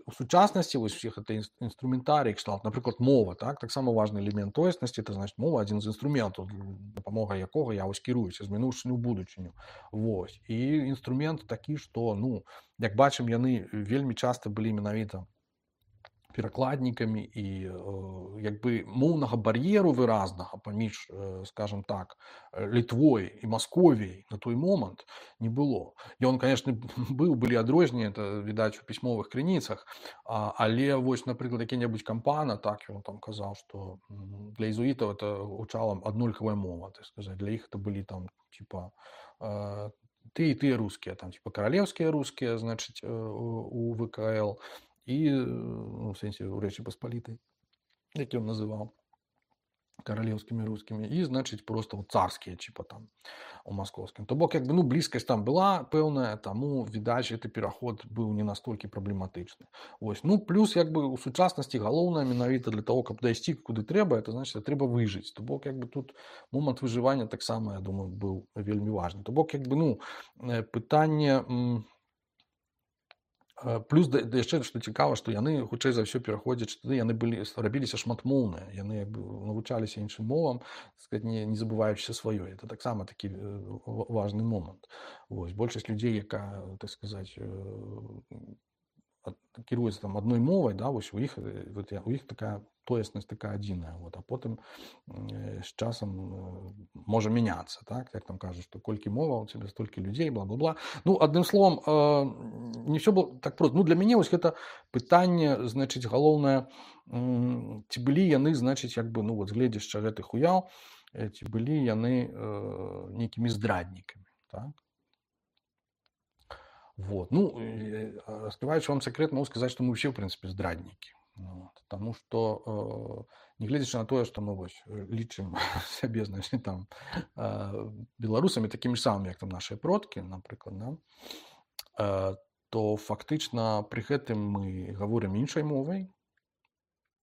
у сучаснасці вось усіх гэта інс- інструментарій кшталт, напрыклад, мова, так, таксама важны элемент тоеснасці, это значыць мова адзін з інструментаў, дапамога якога я вось кіруюся з мінуўшчыны ў будучыню. Вось. І інструмент такі, што, ну, як бачым, яны вельмі часта былі менавіта перакладнікамі і э, як бы моўнага бар'еру выразнага паміж, э, скажем так, э, Літвой і Масковіяй на той момант не было. Ён, конечно, быў, былі адрозненні, это відаць у пісьмовых крыніцах, а, але вось, напрыклад, які-небудзь Кампана, так ён там казаў, што м, для езуітаў это гучала аднолькавая мова, так сказаць, для іх это былі там типа э, ты і тыя рускія, там типа каралеўскія рускія, значыць, э, у у ВКЛ, і ну, в сэнсе у рэчы паспалітай, які ён называў каралеўскімі рускімі, і значыць просто вот царскія чіпа там у маскоўскім. То бок як бы ну блізкасць там была пэўная, таму відаць гэты пераход быў не настолькі праблематычны. Вось. Ну плюс як бы у сучаснасці галоўнае менавіта для того, каб дайсці куды трэба, это значыць трэба выжыць. То бок як бы тут момант выжывання таксама, я думаю, быў вельмі важны. То бок як бы ну э, пытанне м, Э, плюс да, да яшчэ што цікава, што яны хутчэй за ўсё пераходзяць, тады яны былі рабіліся шматмоўныя, яны як бы навучаліся іншым мовам, так сказать, не, не забываючыся сваёй. Это таксама такі э, ва- важны момант. Вось. Большасць людзей, якая, так сказаць, э, ад- кіруецца там адной мовай, да, вось у іх э, вот, я- у іх такая тоеснасць такая адзіная, вот, а потым э, з часам э, можа мяняцца, так, як там кажуць, што колькі мова у цябе столькі людзей, бла-бла-бла. Ну адным словам, э, не ўсё было так проста. Ну для мяне вось гэта пытанне, значыць, галоўнае, м, ці былі яны, значыць, як бы ну вот з гледзяшча гэтых уяў, э, ці былі яны э, нейкімі здраднікамі, так. Вот. Ну, э, а, раскрываючи вам секрет, могу сказать, что мы все, в принципе, здрадники. Вот. Потому что, э, не глядячи на то, что мы вось, э, лічым сябе, значит, там, э, беларусамі такімі ж самымі, як там наши продкі, напрыклад, да, э, то фактычна пры гэтым мы гаворым іншай мовай,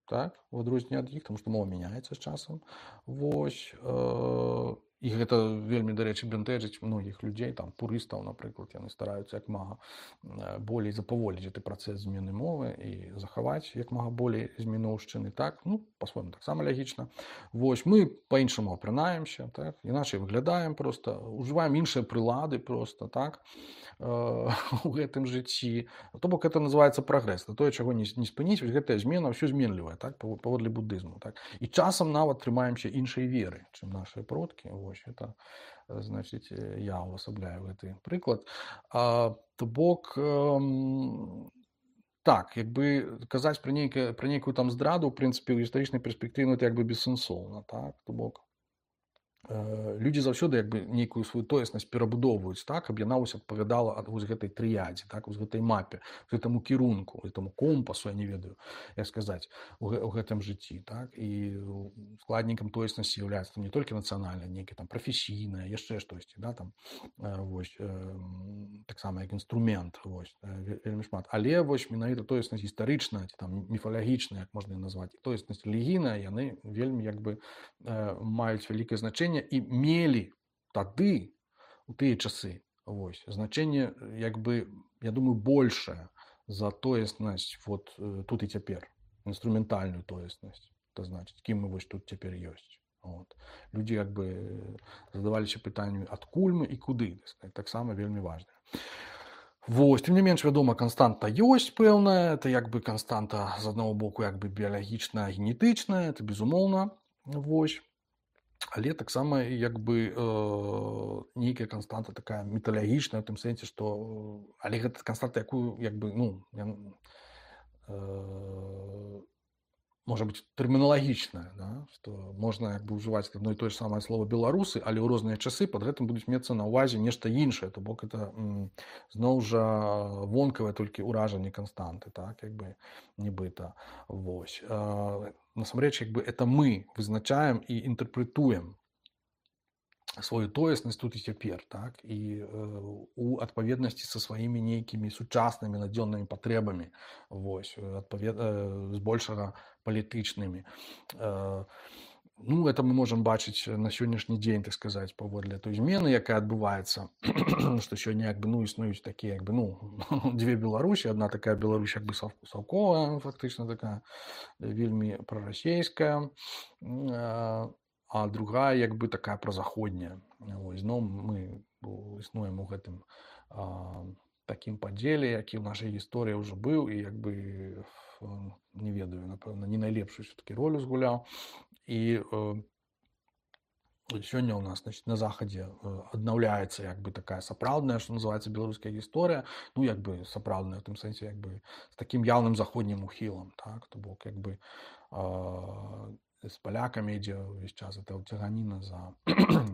так, у адрозненне ад іх, тому што мова мяняецца з часам. Вось, э, і гэта вельмі, дарэчы, бянтэжыць многіх людзей, там пурыстаў, напрыклад, яны стараюцца як мага э, болей запаволіць гэты працэс змены мовы і захаваць як мага болей з мінуўшчыны, так, ну, па-свойму таксама лягічна. Вось, мы па-іншаму апранаемся, так, іначай выглядаем проста, ужываем іншыя прылады проста, так, э, у гэтым жыцці. То бок это называецца прагрэс, на тое, чаго не, не спыніць, вось гэтая змена ўсё зменлівая, так, пав- паводле буддызму, так. І часам нават трымаемся іншай веры, чым нашыя продкі. Вось это, э, значыць, э, я увасабляю гэты прыклад. А, то бок эм, так, як бы казаць пра нейкае пра нейкую там здраду, ў прынцыпе, ў гістарычнай перспектыве, ну, это як бы бессэнсоўна, так, то бок э, людзі заўсёды як бы нейкую сваю тоеснасць перабудоўваюць так, каб яна вось адпавядала ад вось гэтай трыядзе, так, вось гэтай мапе, гэтаму кірунку, гэтаму компасу, я не ведаю, як сказаць, у, гэ- у гэтым жыцці, так, і складнікам тоеснасці з'яўляецца там не толькі нацыянальная, нейкая там прафесійная, яшчэ штосьці, да, там э, вось э, м, таксама як інструмент, вось э, ве- вельмі шмат. Але вось менавіта тоеснасць гістарычная ці там міфалагічная, як можна і назваць, і тоеснасць рэлігійная, яны вельмі як бы э, маюць вялікае значэнне і мелі тады у тыя часы вось значэнне як бы я думаю большее за тоеснасць вот э, тут і цяпер інструментальную тоеснасць, это значыць кім мы вось тут цяпер ёсць. Вот. Людзі як бы задаваліся пытанню адкуль мы і куды, так сказать, таксама вельмі важна. Вось, тым не менш, вядома, канстанта ёсць пэўная, это як бы канстанта з аднаго боку як бы біялагічная, генетычная, это безумоўна. Вось. Але таксама як бы э, нейкая канстанта такая металагічная, у тым сэнсе, што але гэта канстанта, якую як бы ну я, э, можа быць тэрміналагічная, да? Што можна як бы ўжываць адно і тое ж самае слово беларусы, але ў розныя часы пад гэтым будуць мецца на ўвазе нешта іншае, то бок это м, зноў жа вонкавае толькі ўражанне канстанты, так як бы нібыта. Вось. А, насамрэч як бы это мы вызначаем і інтэрпрэтуем сваю тоеснасць тут і цяпер, так, і э, у адпаведнасці са сваімі нейкімі сучаснымі надзённымі патрэбамі, вось, адпавед... э, збольшага палітычнымі. Э, ну, это мы можам бачыць на сённяшні дзень, так сказаць, паводле той змены, якая адбываецца, што сёння як бы, ну, існуюць такія як бы, ну, дзве Беларусі, адна такая Беларусь як бы саўковая, фактычна такая, вельмі прарасейская, э, а другая як бы такая празаходняя. Вось, зноў мы існуем у гэтым а, такім падзеле, які ў нашай гісторыі ўжо быў і як бы не ведаю, напэўна, не найлепшую все-таки ролю згуляў. І э, сёння у нас, значит, на захадзе аднаўляецца як бы такая сапраўдная, што называецца беларуская гісторыя, ну як бы сапраўдная ў тым сэнсе як бы з такім яўным заходнім ухілам, так, то бок як бы э, з палякамі ідзе ўвесь час это цяганіна за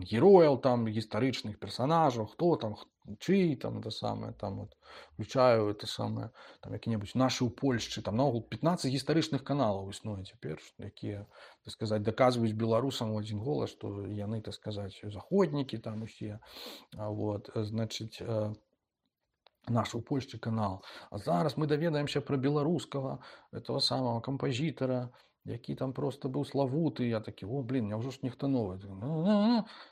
герояў там гістарычных персонажаў, хто там чый там это самае там вот включаю это самае там які-небудзь нашы ў Польшчы там наогул пятнаццаць гістарычных каналаў існуе цяпер, якія, так сказаць, даказваюць беларусам у адзін голас, што яны, так сказаць, заходнікі там усе, вот, значыць, наш у Польшчы канал. А зараз мы даведаемся пра беларускага этого самого кампазітара, які там просто быў славуты. Я такі, о, блин, няўжо ж нехта новы?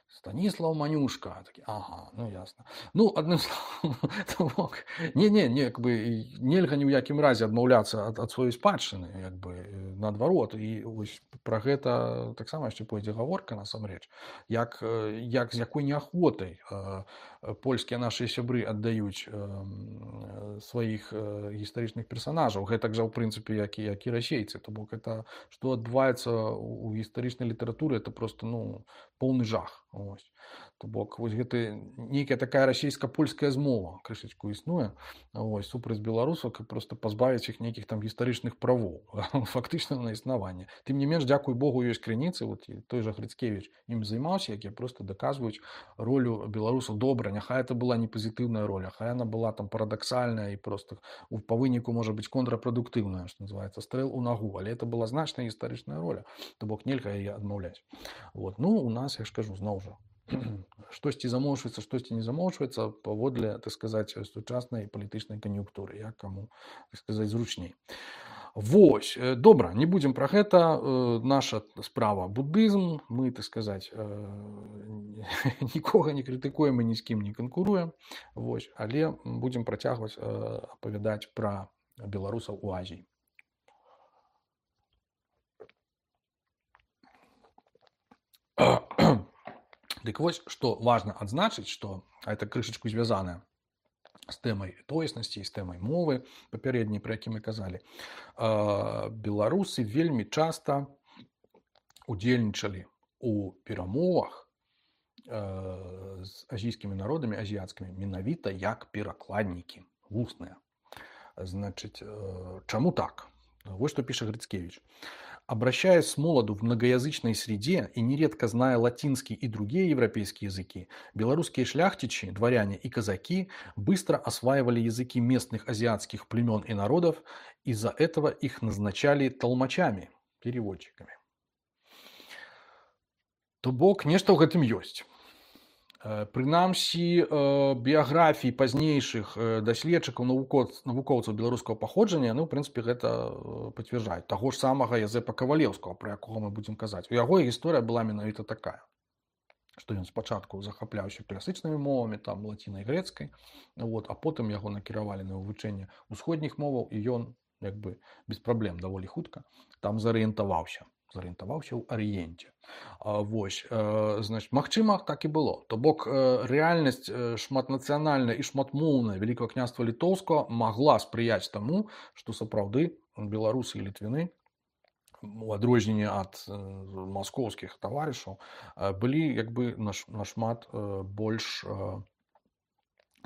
Станіслав Манюшка. Такі, ага, ну ясна. Ну, адным словам, не-не, не, як бы нельга ні ў якім разе адмаўляцца ад, ад сваёй спадчыны, як бы наадварот. І вось пра гэта таксама яшчэ пойдзе гаворка насамрэч. Як, як з якой неахвотай польскія нашыя сябры аддаюць сваіх гістарычных персонажаў. Гэтак жа, ў прынцыпе, як і, як і расейцы. То бок это што адбываецца ў гістарычнай літаратуры, это просто, ну, поўны жах. Ось. То бок вось гэта нейкая такая расійска-польская змова крышачку існуе, ось, супраць беларусаў, каб просто пазбавіць іх нейкіх там гістарычных правоў фактычна на існаванне. Тым не менш, дзякуй Богу, ёсць крыніцы, вот той жа Грыцкевіч ім займаўся, якія просто даказваюць ролю беларусаў. Добра, няхай это была не пазітыўная роля, хай она была там парадаксальная і просто па выніку можа быць контрапрадуктыўная, што называецца, стрэл у нагу, але это была значная гістарычная роля, то бок нельга яе адмаўляць. Вот. Ну, у нас, я ж кажу, зноў жа, штосьці замоўчваецца, штосьці не замоўчваецца паводле, так сказаць, сучаснай палітычнай кан'юнктуры, як каму, так сказаць, зручней. Вось, добра, не будзем пра гэта. Наша справа будызм, мы, так сказаць, нікога не крытыкуем і ні з кім не канкуруем, вось, але будзем працягваць апавядаць пра беларусаў у Азіі. Дык вось, што важна адзначыць, што гэта крышачку звязаная з тэмай тоеснасці і з тэмай мовы папярэдняй, пра які мы казалі. Беларусы вельмі часта удзельнічалі у перамовах з азійскімі народамі, азіяцкімі, менавіта як перакладнікі, вусныя. Значыць, чаму так? Вот что пишет Грицкевич. Обращаясь с молоду в многоязычной среде и нередко зная латинский и другие европейские языки, белорусские шляхтичи, дворяне и казаки быстро осваивали языки местных азиатских племен и народов, из-за этого их назначали толмачами, переводчиками. То бок, нешта ў гэтым ёсць. Прынамсі, біяграфіі пазнейшых даследчыкаў, навукоўцаў беларускага паходжання, ну, ў прынцыпе, гэта пацвярджаюць. Таго ж самага Язэпа Кавалеўскага, пра якога мы будзем казаць. У яго гісторыя была менавіта такая, што ён спачатку захапляўся класычнымі мовамі, там, лацінай, грэцкай, вот, а потым яго накіравалі на вывучэнне ўсходніх моваў, і ён, як бы, без праблем даволі хутка там зарыентаваўся. зарыентаваўся ў арыенце. Вось, значит, магчыма, так і было. То бок, рэальнасць шматнацыянальная і шматмоўная Вялікага княства Літоўскага магла спрыяць таму, што сапраўды беларусы і літвіны, у адрозненне ад маскоўскіх таварышаў, былі як бы нашмат больш,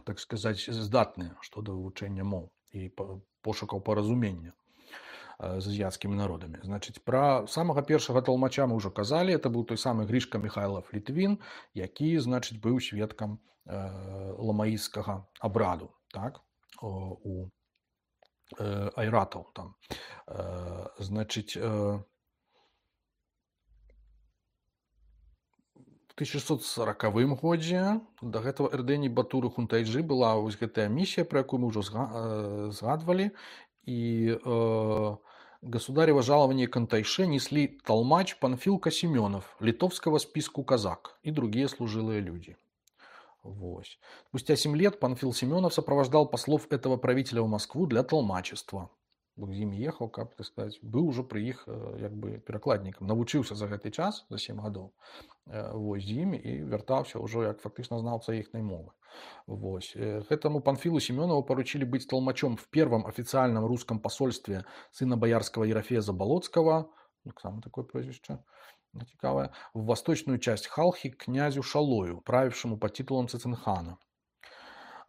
так сказаць, здатныя што да вывучэння моў і пошукаў паразумення. з азіяцкімі народамі. Значыць, пра самага першага талмача мы ўжо казалі, это быў той самы Грішка Михайлов Літвін, які, значыць, быў сведкам ламаісцкага абраду, так, у айратаў там. Значыць, тысяча шестьсот сорокавым годзе да гэтага Эрдэні Батуры Хунтайджы была вось гэтая місія, пра якую мы ўжо згадвалі, і э, государево жалование Кантайше несли толмач Панфилка Семенов, литовского списку казак и другие служилые люди. Вось. Спустя семь лет Панфил Семенов сопровождал послов этого правителя в Москву для толмачества. З імі ехаў, каб, так сказать, быў ужо пры іх як бы перакладнікам, навучыўся за гэты час, за сем гадоў, вось, з імі і вяртаўся ўжо як фактычна знаўца іхняй мовы. Вось. Гэтаму Панфилу Семенову поручили быть толмачом в первом официальном русском посольстве сына боярского Ерофея Заболоцкого, самое такое прозвище, цікавое, в восточную часть Халхи к князю Шалою, правившему под титулом Цицинхана.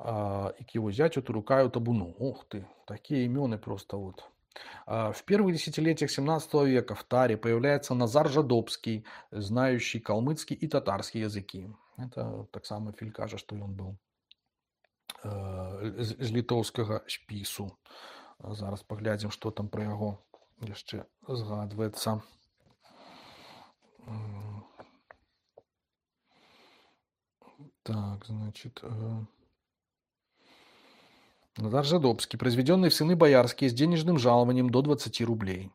И к его зятю Турукаю Табуну. Ух ты, такие имены просто вот. В первых десятилетиях семнадцатого века в Таре появляется Назар Жадобский, знающий калмыцкий и татарский языки. Это так само Филь кажа, что он был з літоўскага спісу. Зараз паглядзім, што там пра яго яшчэ згадваецца. Так, значит... Назар Жадобский, произведенный в сыны боярские с денежным жалованием до двадцати рублей.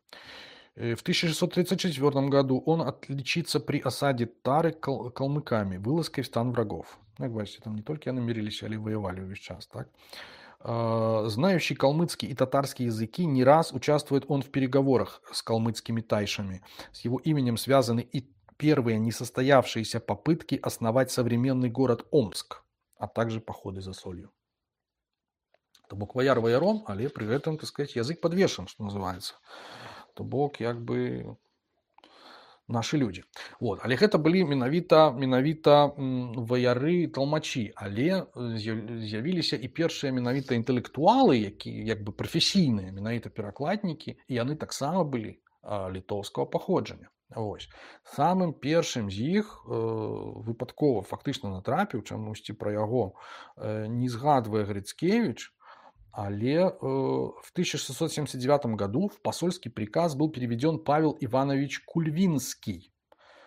В тысяча шестьсот тридцать четвёртом году он отличится при осаде Тары кал- калмыками, вылазкой в стан врагов. Как бачите, там не только они мирились, але воевали весь час, так? Знающий калмыцкий и татарский языки, не раз участвует он в переговорах с калмыцкими тайшами. С его именем связаны и первые несостоявшиеся попытки основать современный город Омск, а также походы за солью. То бок ваяр ваяром, але при этом, так сказать, язык подвешен, что называется. То бок, як бы, наши люди. Вот. Але гэта былі менавіта, менавіта ваяры, талмачі, але з'явіліся і першыя менавіта інтэлектуалы, якія, як бы, прафесійныя, менавіта перакладнікі, і яны таксама былі літоўскага паходжання. Вось. Самым першым з іх э, выпадкова фактычна натрапіў, чамусьці пра яго э, не згадвае Грицкевич, але э, в тысяча шестьсот семьдесят девятом году в посольский приказ был переведен Павел Иванович Кульвинский,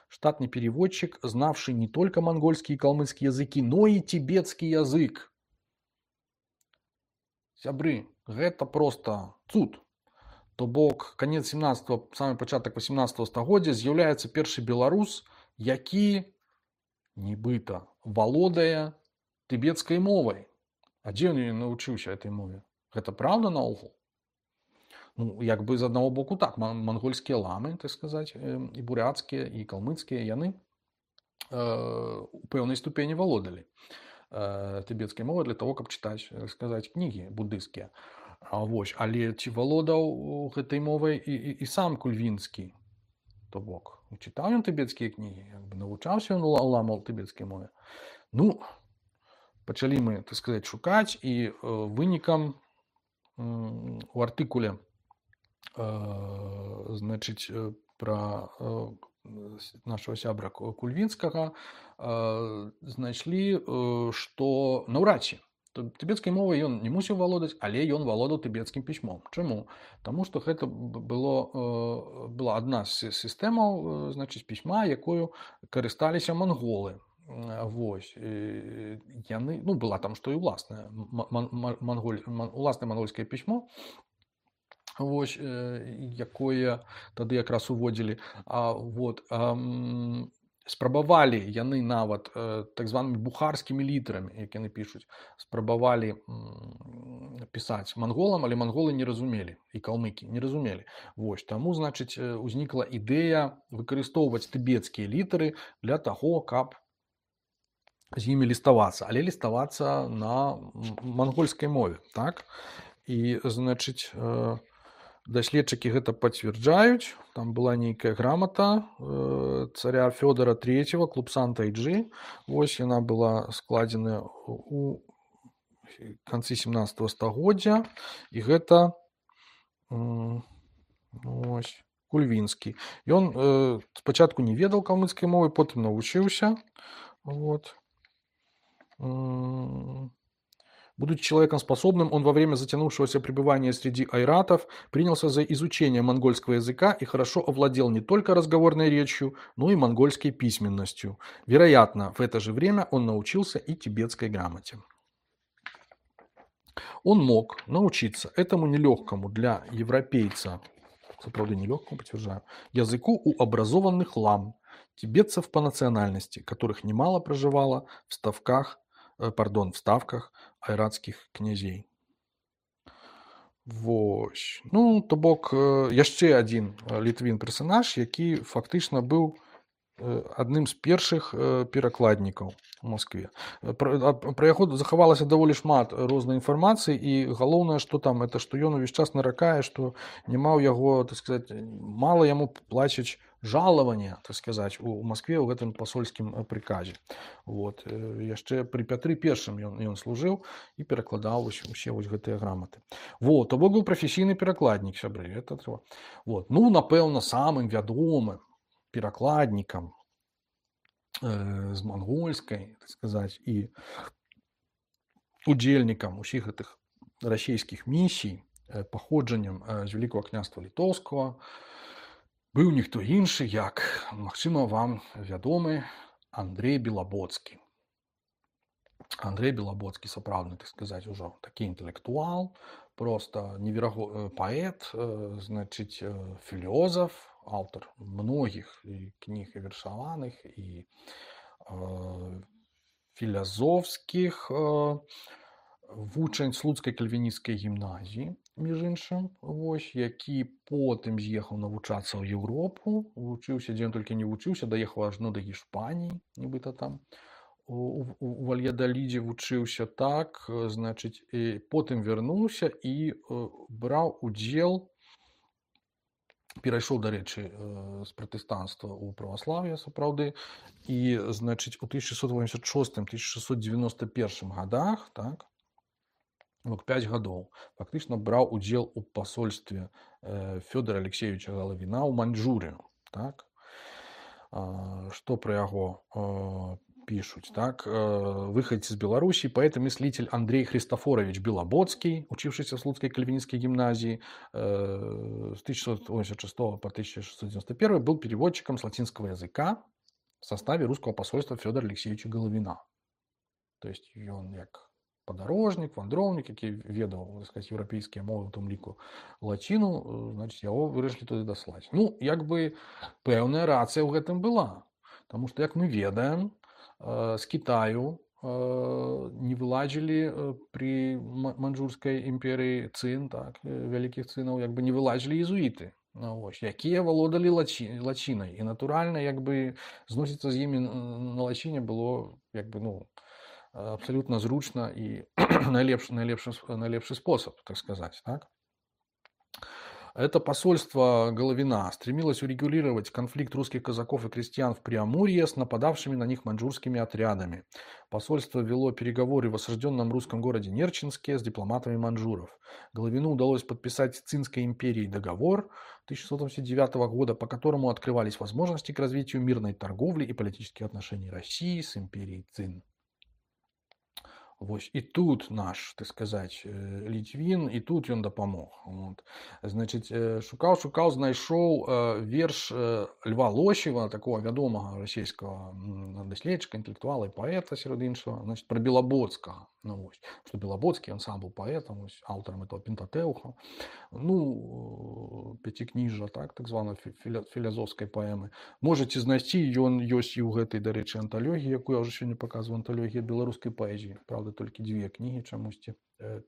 штатный переводчик, знавший не только монгольский и калмыцкий языки, но и тибетский язык. Сябры, гэта просто цуд. То бок, конец семнадцатого, самый пачатак восемнадцатого стагоддзя з'яўляецца першы беларус, які нібыта валодае тыбецкай мовай. А дзе ён навучыўся этой мове? Гэта праўда наогул? Ну, як бы з аднаго боку так, монгольскія ламы, так сказаць, і буряцкія, і калмыцкія, яны у пэўнай ступені валодалі тыбецкай мовай для того, каб чытаць, сказаць, кнігі буддыйскія. А вось, але ці валодаў гэтай мовай і, і, і сам Кульвінскі? То бок, чытаў ён тыбецкія кнігі, як бы навучаўся ён ламаў тыбецкай мове. Ну, пачалі мы, так сказаць, шукаць, і э, вынікам э, у артыкуле э, значыць, пра э, нашего сябра Кульвінскага э, знайшлі, э, што наўрад ці тыбецкай мовай ён не мусіў валодаць, але ён валодаў тыбецкім пісьмом. Чаму? Таму што гэта было, э, была адна з сістэмаў, значыць, пісьма, якою карысталіся манголы. Вось. Яны, ну, была там што і ўласнае манголь, уласнае мангольскае пісьмо, вось, якое тады якраз уводзілі. А, вот, а, спрабавалі яны нават так званымі бухарскімі літарамі, як яны пішуць, спрабавалі пісаць манголам, але манголы не разумелі, і калмыкі не разумелі. Вось, таму, значыць, узнікла ідэя выкарыстоўваць тыбецкія літары для таго, каб з імі ліставацца, але ліставацца на мангольскай мове, так? І, значыць, даследчыкі гэта пацвярджаюць. Там была нейкая грамата э, царя Фёдора трэцяга, Клупсан Тайджи. Вось яна была складзена у канцы семнадцатого стагоддзя. І гэта, э, Вось. Кульвінскі. Ён э, спачатку не ведаў калмыцкай мовы, потым навучыўся. Вот. М, Будучи человеком способным, он во время затянувшегося пребывания среди айратов принялся за изучение монгольского языка и хорошо овладел не только разговорной речью, но и монгольской письменностью. Вероятно, в это же время он научился и тибетской грамоте. Он мог научиться этому нелегкому для европейца, сапраўды нелегкому, подтверждаю, языку у образованных лам, тибетцев по национальности, которых немало проживало в ставках, э, пардон, в ставках айратских князей. Вось. Ну, то бок, э, яшчэ адзін э, літвін персанаж, які фактычна быў э, адным з першых э, перакладнікаў у Москве. Э, Пра, а, пра яго захавалася даволі шмат рознай інфармацыі, і галоўнае, што там, это што ён увесь час наракае, што няма ў яго, так сказать, мала яму плацяць жалавання, так сказать, у Москве ў гэтым пасольскім э, прыказе. Вот. Э, Яшчэ пры Пятры першым ён, ён служыў і перакладаў вось усе вось гэтыя граматы. Вот, то бок быў прафесійны перакладнік, сябры. Это трэба. Вот. Ну, напэўна, самым вядомым перакладнікам э, з мангольскай, так сказаць, і удзельнікам усіх гэтых расійскіх місій э, паходжаннем э, з Вялікага княства Літоўскага быў ніхто іншы, як, магчыма, вам вядомы Андрей Белабоцкі. Андрей Белабоцкі, сапраўдны, так сказаць, ужо такі інтэлектуал, просто невераго... паэт, э, значыць, э, філёзаф, аўтар многіх і кніг і вершаваных, і э, філазофскіх, э, вучань слуцкай кальвінісцкай гімназіі, між іншым, вось, які потым з'ехаў навучацца ў Еўропу, вучыўся, дзе ён толькі не вучыўся, даехаў аж ну да Іспаніі, нібыта там, у, у, у Вальядалідзе вучыўся, так, э, значыць, і потым вярнуўся і э, браў удзел, перайшоў, дарэчы, э, з пратэстанцтва ў праваслаўе, сапраўды, і, значыць, у тысяча шэсцьсот восемьдесят шостым - тысяча шэсцьсот девяносто первым годах, так, вот пять гадоў, фактычна браў удзел у пасольстве э, Фёдора Алексеевича Галавіна ў Маньчжурыю, так. А, што пра яго э, пишут, так, выходец из Беларуси, поэт и мыслитель Андрей Христофорович Белободский, учившийся в Слуцкой кальвинистской гимназии с тысяча шестьсот восемьдесят шестого по тысяча шестьсот девяносто первый, был переводчиком с латинского языка в составе русского посольства Федора Алексеевича Головина. То есть он як подорожник, вандроўнік, які ведаў, так сказать, еўрапейскія мовы, у тым ліку лаціну, значит, яго вырашылі туды даслаць. Ну, як бы пэўная рацыя ў гэтым была. Потому что, як мы ведаем, з Китаю не вылазілі при маньчжурскай імперыі цын, так, вялікіх цынаў, як бы не вылазілі езуіты, ну, ось, якія валодалі лачи, лачінай. І натуральна, як бы зносіцца з імі на лачіне было, як бы, ну, абсолютно зручна і найлепшы, найлепшы, найлепшы способ, так сказать, так. Это посольство Головина стремилось урегулировать конфликт русских казаков и крестьян в Преамурье с нападавшими на них маньчжурскими отрядами. Посольство вело переговоры в осажденном русском городе Нерчинске с дипломатами маньчжуров. Головину удалось подписать с Цинской империей договор тысяча шестьсот восемьдесят девятого года, по которому открывались возможности к развитию мирной торговли и политических отношений России с империей Цин. Вось, і тут наш, так сказать, Літвін, і тут ён дапамог. Вот. Значит, шукаў, шукаў, знайшоў верш Льва Лосева, такого вядомага расійскага даследчыка, інтэлектуала і паэта, сярод іншага, значит, про Белабодскага. Ну, вось, што Белабодскі, ён сам быў паэтам, вось, аўтарам этого Пентатэўха. Ну, пяцікніжжа, так, так званой філазофскай паэмы. Можаце знайсці, ён ёсць і ў гэтай, дарэчы, анталогіі, якую я ўжо сёння паказваю, анталогія беларускай паэзіі. Правда, толькі дзве кнігі чамусьці,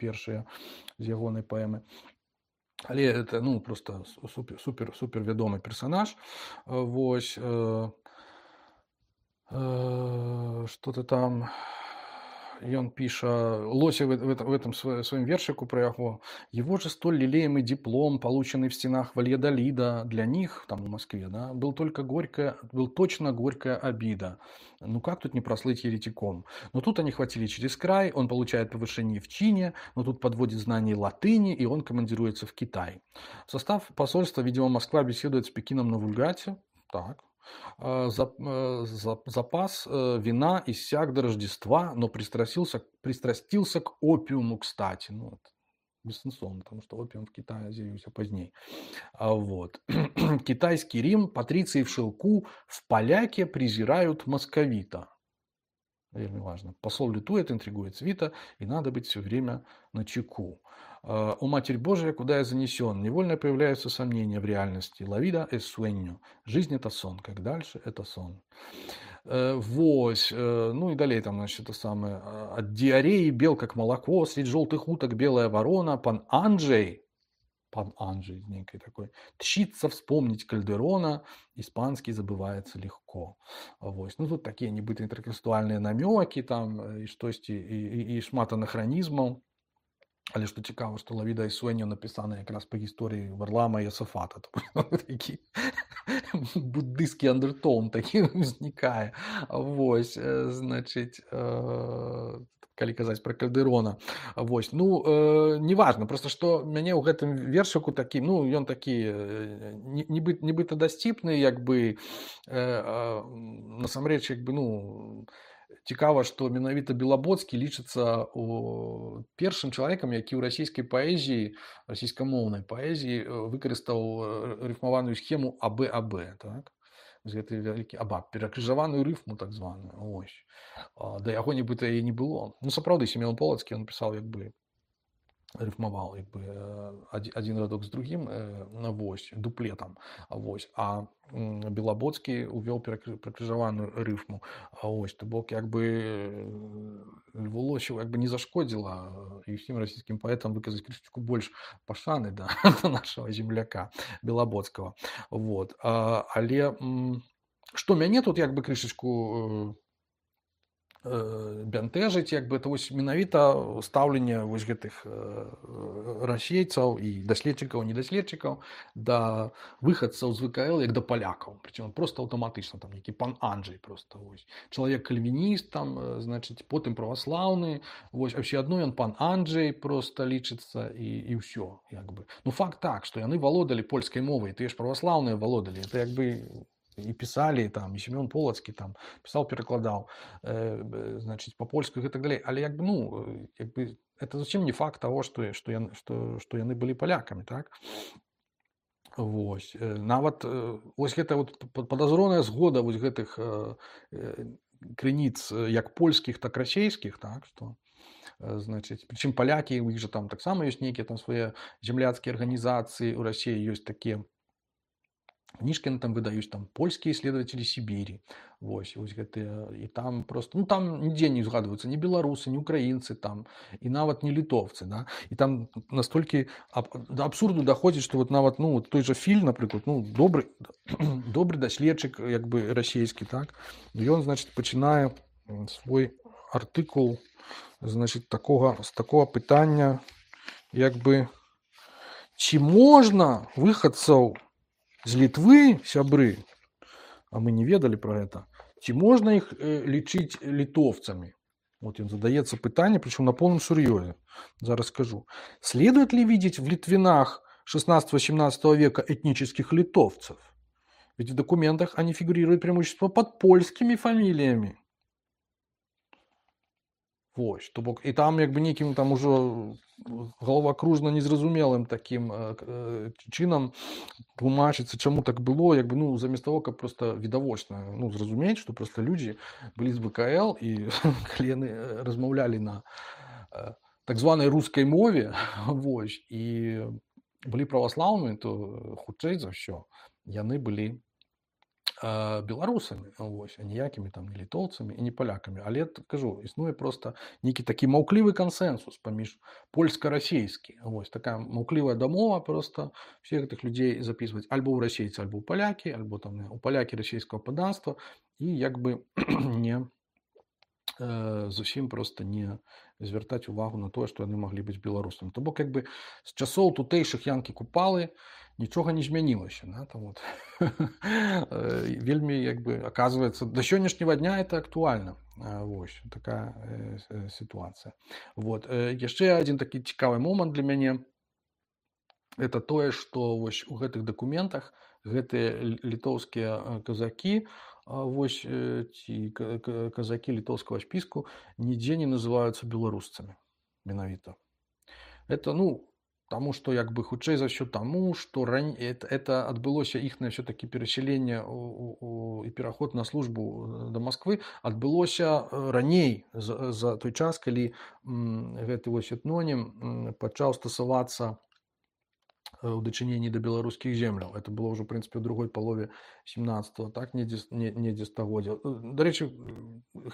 першыя з ягонай паэмы. Але это, ну, просто супер, супер, супер вядомы персонаж. Вось, э, э, што-то там... и он пишет, Лося в, в, в этом своем, своем вершику про его, его же столь лелеемый диплом, полученный в стенах Вальядолида, для них, там в Москве, да, был только горькая, был точно горькая обида. Ну как тут не прослыть еретиком? Но тут они хватили через край, он получает повышение в чине, но тут подводит знания латыни, и он командируется в Китай. В состав посольства, видимо, Москва беседует с Пекином на вульгате. Так. Запас вина иссяк до Рождества, но пристрастился, пристрастился к опиуму, кстати. Ну, вот, бессенсовно, потому что опиум в Китае з'явился позднее. А вот. Китайский Рим, патриции в шелку, в поляке презирают московита. Вельми важно. Посол лютует, интригует свита, и надо быть все время на чеку. «О Матерь Божия, куда я занесен?» Невольно появляются сомнения в реальности. «Лавида es sueño». Жизнь – это сон. Как дальше – это сон. Вось. Ну и далее там, значит, это самое. От диареи бел, как молоко, средь желтых уток белая ворона. Пан Анджей, пан Анджей некий такой, тщится вспомнить Кальдерона, испанский забывается легко. Вось. Ну тут такие небытые интертекстуальные намеки там, и штосьці, і, і, і шмат анахронізмаў. Але што цікава, што «Лавіда і Суэньо» напісана якраз па гісторыі Варлама і Йосафата. Такі буддысцкі андертон такі ўзнікае. Вось, значыць, калі казаць пра Кальдэрона. Вось. Ну, неважна, проста што мяне ў гэтым вершыку такі, ну, ён такі нібыта дасціпны, як бы, насамрэч, як бы, ну, цікава, што менавіта Белабоцкі лічыцца першым чалавекам, які ў расійскай паэзіі, расійскамоўнай паэзіі выкарыстаў рыфмаваную схему АБ-АБ, так? З гэтай вялікі абаб, перакрыжаваную рыфму так званую. Ось. Да яго нібыта і не было. Ну, сапраўды, Сімеон Полацкі, ён пісаў як бы рифмовал як би, один радок з другим, вось, дуплетом. Вось. А Белабоцкі увёл перакрыжаваную рыфму. Вось. То бок, як бы, Льву Лосеву як бы не зашкодзіла і ўсім расійскім паэтам выказаць крышачку больш пашаны да нашага земляка Белабоцкага. Вот. Але што мяне тут як бы крышачку бянтэжыць, як бы, это вось менавіта стаўленне вось гэтых расейцаў і даследчыкаў, недаследчыкаў да выхадцаў з ВКЛ як да палякаў, прычым просто аўтаматычна, там нейкі пан Анджей просто, вось, чалавек кальвініст, там, значыць, потым праваслаўны, вось, а ўсё адно ён пан Анджей просто лічыцца і, і ўсё, як бы. Ну, факт так, што яны валодалі польскай мовай, тыя ж праваслаўныя валодалі, это як бы і пісалі, там, і Сімён Полацкі там пісаў, перакладаў, э, значыць, па-польску і так далей. Але як бы, ну, як бы, это зусім не факт таго, што, што, яны, што, што яны былі палякамі, так? Вось. Нават вось гэта вот падазроная згода вось гэтых э, крыніц як польскіх, так расейскіх, так, што, значыць, прычым палякі, у іх жа там таксама ёсць нейкія там свае земляцкія арганізацыі, у Расіі ёсць такія кніжкі там выдаюць, там польскія исследователи Сібірі, вось, вось гэтыя, і там просто, ну там нідзе не згадваюцца ні беларусы, ні украінцы там, і нават не літоўцы, да, і там настолькі аб, да абсурду даходзіць, што вот нават, ну, той жа Філь, напрыклад, ну, добры, добры даследчык, як бы, расійскі, так, ён, значыць, пачынае свой артыкул, значыць, такога, з такога пытання, як бы, ці можна выхадцаў з Літвы, сябры, а мы не ведали про это, ці можна их э, лічыць литовцами? Вот он задается пытание, причем на полном серьезе. Зараз скажу. Следует ли видеть в Литвинах шестнадцатого-семнадцатого века этнических литовцев? Ведь в документах они фигурируют преимущественно под польскими фамилиями. Вось, то бок, і там як бы нейкім там ужо галавакружна незразумелым таким э, чынам тлумачыцца, чаму так было, як бы, ну, замест того, каб просто відавочна, ну, зразумець, што просто людзі былі з ВКЛ і калі яны размаўлялі на э, так званай рускай мове, вось, і былі праваслаўнымі, то хутчэй за ўсё яны былі беларусамі, вось, а ніякімі там не літоўцамі і не палякамі. Але, кажу, існуе просто нейкі такі маўклівы кансенсус паміж польска-расейскі. Вось, такая маўклівая дамова просто всех гэтых людзей записываць альбо ў расейцы, альбо ў палякі, альбо там у палякі расійскага падданства і як бы не, э, зусім просто не звяртаць увагу на тое, што яны маглі быць беларусамі. То бок як бы з часоў тутэйшых янкі-купалы нічога не змянілася. Да? Там вот. Вельмі як бы оказывается да сённяшняга дня это актуальна. Вось такая э, сітуацыя. Вот. Яшчэ адзін такі цікавы момант для мяне это тое, што вось у гэтых дакументах гэтыя літоўскія казакі вось ці казакі літоўскага спіску нідзе не называюцца беларусцамі менавіта. Это ну таму што як бы хутчэй за ўсё таму, што ран... это, это адбылося іхнае ўсё-такі перасяленне і пераход на службу да Масквы адбылося раней за, за той час, калі м, гэты вось этнонім пачаў стасавацца у дачыненні да беларускіх земляў. Это было ўжо, в прынцыпе, у другой палове семнадцатого, так, недзе, недзе стагоддзя. Дарэчы,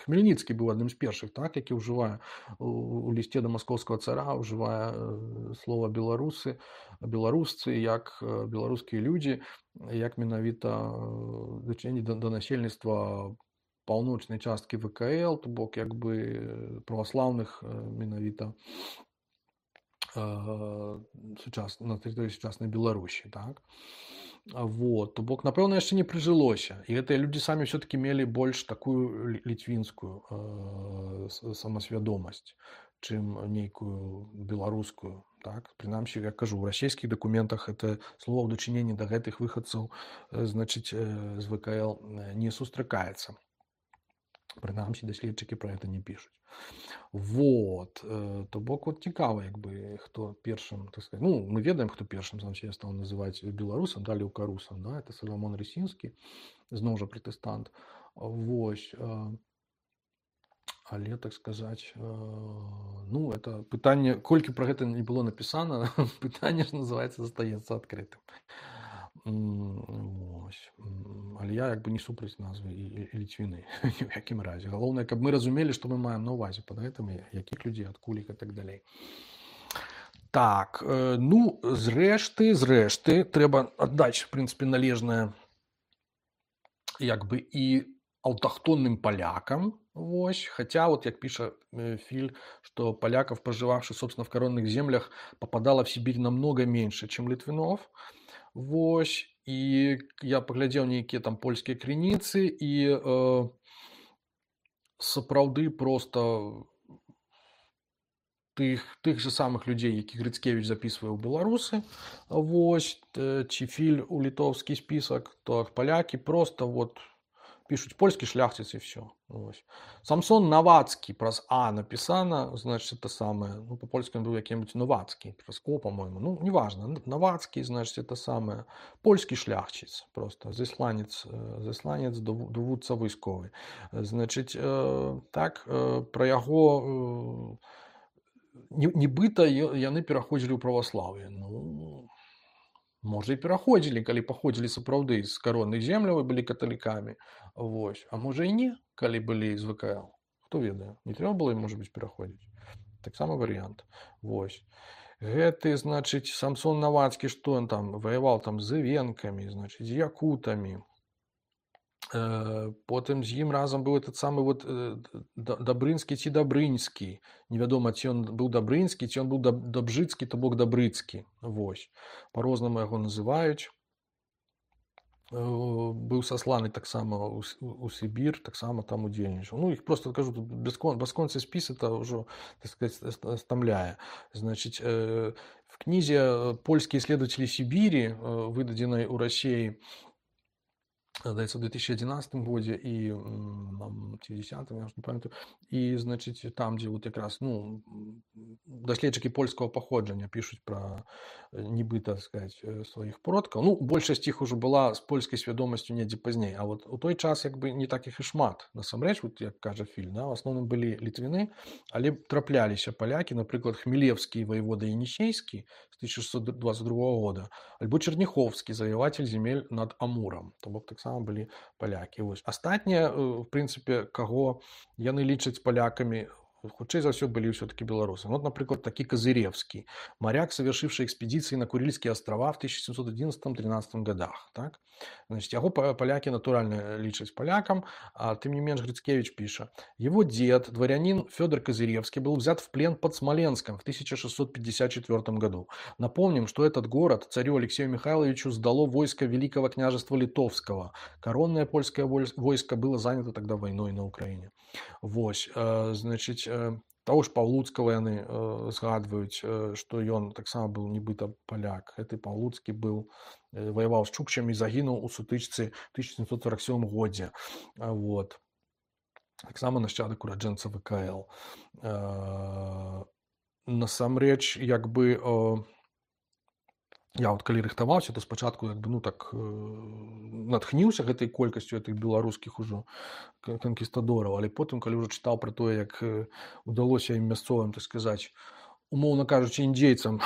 Хмельніцкі быў адным з першых, так, які ўжывае у, у лісце да маскоўскага цара, ўжывае слова беларусы, беларусцы, як беларускія людзі, як менавіта дачыненні да, да насельніцтва паўночнай часткі вэ ка эл, то бок, як бы праваслаўных менавіта сучас... на тэрыторыі сучаснай Беларусі, так? Вот. То бок, напэўна, яшчэ не прыжылося. І гэтыя людзі самі ўсё-такі мелі больш такую літвінскую э, самасвядомасць, чым нейкую беларускую. Так? Прынамсі, як кажу, у расійскіх дакументах это слово ў дачыненні да гэтых выхадцаў, значыць, з вэ ка эл не сустракаецца. Прынамсі, даследчыкі пра гэта не пішуць. Вот. То бок вот цікава, як бы, хто першым, так сказать, ну, мы ведаем, хто першым сам себе стал называць беларусам, далі укарусам, да, это Саламон Рысінскі, зноў жа пратэстант. Вось. Але, так сказаць, ну, это пытанне, колькі пра гэта не было напісана, пытанне ж называецца, застаецца адкрытым. Вось. Але я як бы не супраць назвы і, і ліцвіны ні ў якім разе. Галоўнае, каб мы разумелі, што мы маем на ўвазе пад гэтым, якіх людзей, адкуль і так далей. Так, ну, зрэшты, зрэшты, трэба аддаць, в прынцыпе, належнае як бы і аўтахтонным палякам, вось, хаця, вот як піша Филь, что поляков, проживавших, собственно, в коронных землях, попадало в Сибирь намного меньше, чем літвінов. Вось, і я паглядзеў нейкія там польскія крыніцы, і э, сапраўды проста тых, тых же самых людзей, якіх Грыцкевіч запісвае ў беларусы, вось, ці Филь у літоўскі спісак, то палякі проста вот пишут польский шляхтец и все. Ось. Самсон Новацкий, праз А написано, значит, это самое, ну, по-польски он был каким-нибудь Новацкий, праз О, по-моему, ну, неважно, Новацкий, значит, это самое, польский шляхтец, просто, засланец, засланец довудца військовий. Значит, э, так, э, про яго, э, нібыта яны пераходзілі ў праваслаўе, ну, можа, і пераходзілі, калі паходзілі сапраўды з каронных земляў і былі каталікамі. Вось. А можа і не, калі былі з вэ ка эл. Хто ведае? Не трэба было ім, можа быць, пераходзіць. Таксама варыянт. Вось. Гэты, значыць, Самсон Новацкі, што ён там ваяваў там з івенкамі, значыць, з якутамі. Потым з ім разам быў этот самы вот Дабрынскі ці Дабрынскі. Невядома, ці ён быў Дабрынскі, ці ён быў Дабжыцкі, то бок Дабрыцкі. Вось. Па-рознаму яго называюць. Быў сасланы таксама ў Сібір, таксама там удзельнічаў. Ну, іх просто, кажу, бясконцы спіс это ўжо, так сказать, стамляе. Значыць, в кнізе «Польскія исследователи Сибири», выдадзенай у Расіі, здаецца, ў две тысячи одиннадцатым годзе і в десятым, я ўжо не памятаю, і, значыць, там, дзе вот якраз, ну, даследчыкі польскага паходжання пішуць пра нібыта, так сказать, сваіх продкаў. Ну, большасць іх ужо была з польскай свядомасцю недзе пазней, а вот у той час як бы не так іх і шмат. Насамрэч, вот як кажа Филь, да, в асноўным былі літвіны, але трапляліся палякі, напрыклад, Хмелевскі воевода Енісейскі з тысяча шестьсот двадцать другого года, альбо Черняховскі, завоеватель земель над Амуром, то бок таксама былі палякі. Вось. Астатнія, в прынцыпе, каго яны лічаць палякамі, хутчэй за ўсё былі ўсё-таки беларусы. Вот, напрыклад, такі Козыревский, моряк, совершивший экспедиции на Курильские острова в тысяча семьсот одиннадцатом-тринадцатом годах. Так? Значит, яго поляки натурально лічаць полякам, а тем не менш Грицкевич пишет. Его дед, дворянин Федор Козыревский, был взят в плен под Смоленском в тысяча шестьсот пятьдесят четвёртом году. Напомним, что этот город царю Алексею Михайловичу сдало войско Великого княжества Литовского. Коронное польское войско было занято тогда войной на Украине. Вось, значит, того ж Паўлуцкага яны згадваюць, што ён таксама быў нібыта паляк. Гэты Паўлуцкі быў, воевал з чукчамі, загінуў у сутычцы тысяча семьсот сорок седьмом годзе. Вот. Таксама нашчадак ураджэнца ВКЛ. Насамрэч, як бы, я вот калі рыхтаваўся, то спачатку як бы, ну так натхніўся гэтай колькасцю гэтых беларускіх ужо канкістадораў, але потым, калі ўжо чытаў пра тое, як удалося ім мясцовым, так сказаць, умоўна кажучы, індзейцам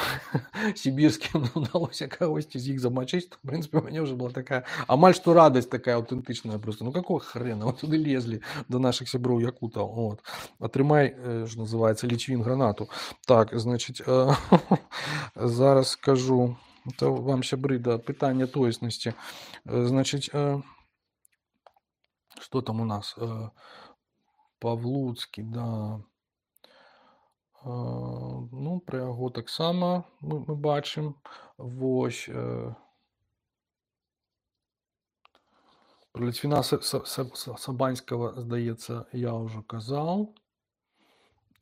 сібірскім удалося кагосьці з іх замачыць, то, в прынцыпе, у мяне ўжо была такая амаль што радасць такая аўтэнтычная просто. Ну какого хрена? Вот туды лезлі до нашых сяброў якутаў. Вот. Атрымай, што называецца, лічвін гранату. Так, значит, зараз скажу. Это вам, сябры, да, пытання тоеснасці. Значит, что там у нас? Павлуцкі, да. Ну, пра яго таксама мы, мы бачым. Вось. Про Літвіна Сабанського, здаецца, я ўжо казаў.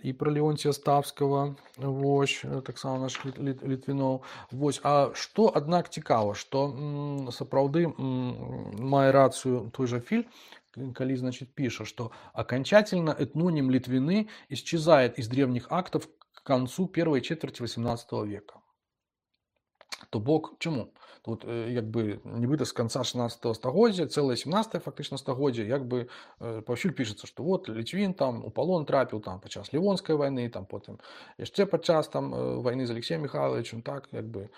І про Леонтія Ставского, вось, таксама наш Літвінов. Вось, а што, аднак, цікава, што м, сапраўды м, мае рацыю той жа Филь, калі, значит, піша, што окончательно этноним Литвины исчезает из древних актов к концу первой четверти восемнадцатого века. То бок, чому? Тут, як бы, нібыта з канца шаснаццатага стагоддзя, цэлае сямнаццатае фактычна стагоддзе, як бы паўсюль пішацца, што вот Літвін там у палон трапіў там падчас Лівонскай вайны, там потым яшчэ падчас там вайны з Алексеем Михайловичем, так, як бы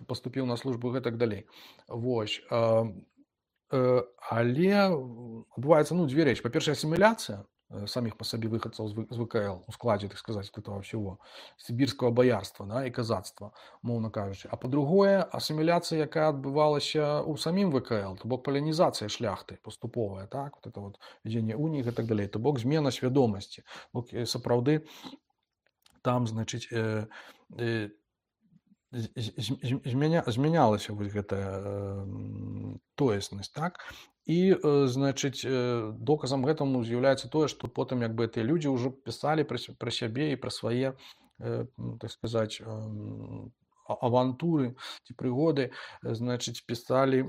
паступіў на службу і гэтак далей. Вось. Але адбываецца, ну, дзве рэчы. Па-першае, асіміляцыя самих по сабе выхадцаў з ВКЛ у складзе, так сказаць, этого всего сібірскага баярства, да, і казацтва, моўна кажучы. А па-другое, асіміляцыя, якая адбывалася ў самім ВКЛ, то бок палянізацыя шляхты паступовая, так, вот это вот вядзенне уній і так далей, то бок змена свядомасці. Бок сапраўды там, значыць, э, э, змяня, змянялася вось гэтая тоеснасць, так? І, значыць, доказам гэтаму з'яўляецца тое, што потым як бы гэтыя людзі ўжо пісалі пра, пра сябе і пра свае, так сказаць, авантуры ці прыгоды, значыць, пісалі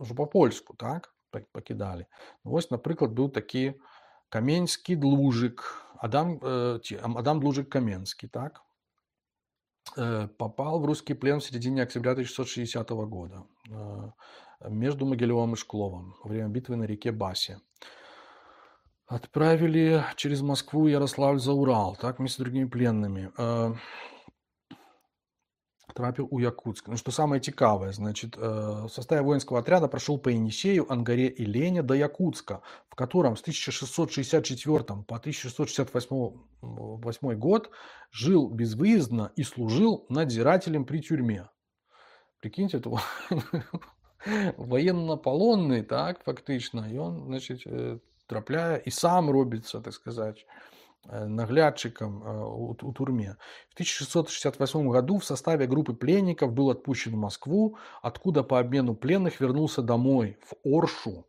ўжо па-польску, так? Пакідалі. Вось, напрыклад, быў такі Каменскі Длужык, Адам, ці, Адам Длужык Каменскі, так? Попал в русский плен в середине октября тысяча шестьсот шестидесятого года между Могилевым и Шкловом во время битвы на реке Басе. Отправили через Москву, Ярославль за Урал, так, вместе с другими пленными. Трапил у Якутска. Ну, что самое цікавое, значит, в составе воинского отряда прошел по Енисею, Ангаре и Лене до Якутска, в котором с тысяча шестьсот шестьдесят четвёртого по тысяча шестьсот шестьдесят восьмой год жил безвыездно и служил надзирателем при тюрьме. Прикиньте, это военно-полонный, так, фактично, и он, значит, трапляя, и сам робится, так сказать, наглядчиком у, у турме. В тысяча шестьсот шестьдесят восьмом году в составе группы пленников был отпущен в Москву, откуда по обмену пленных вернулся домой, в Оршу,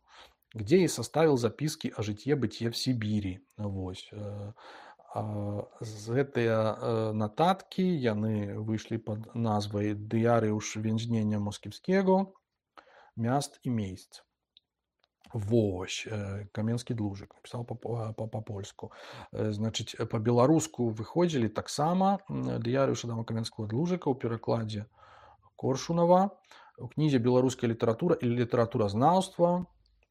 где и составил записки о житье-бытие в Сибири. Вось. З гэтыя нататкі яны выйшлі пад назвай «Дыярыуш вензнення москівского, мяст і мейсц». Вось, Каменскі Длужык напісаў па-польску. Значыць, па-беларуску выходзілі таксама «Дыярыуш Адама Каменскага Длужыка» ў перакладзе Коршунова, у кнізе «Беларуская літаратура і літаратуразнаўства»,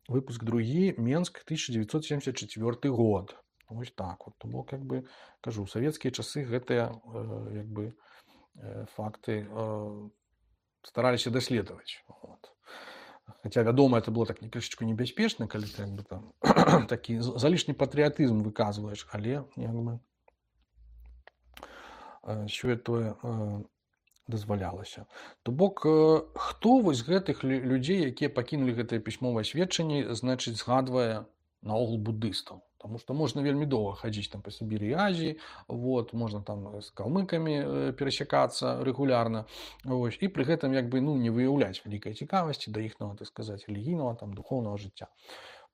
выпуск другі, Менск, тысяча девятьсот семьдесят четвёрты год. Вось так вот. То бок, як бы, кажу, у савецкія часы гэтыя, як бы, факты стараліся даследаваць. Вот. Хаця, вядома, это было так не крышачку небяспечна, калі ты як бы там такі з- залішні патрыятызм выказваеш, але як бы э, сёе-тое э, дазвалялася. То бок э, хто вось з гэтых лю- людзей, якія пакінулі гэтае пісьмовае сведчанне, значыць згадвае наогул буддыстаў. Таму што можна вельмі доўга хадзіць там па Сібіры і Азіі, вот, можна там з калмыкамі э, перасякацца рэгулярна, вось, і пры гэтым як бы ну не выяўляць вялікай цікавасці да іхнага, так сказаць, рэлігійнага там духоўнага жыцця.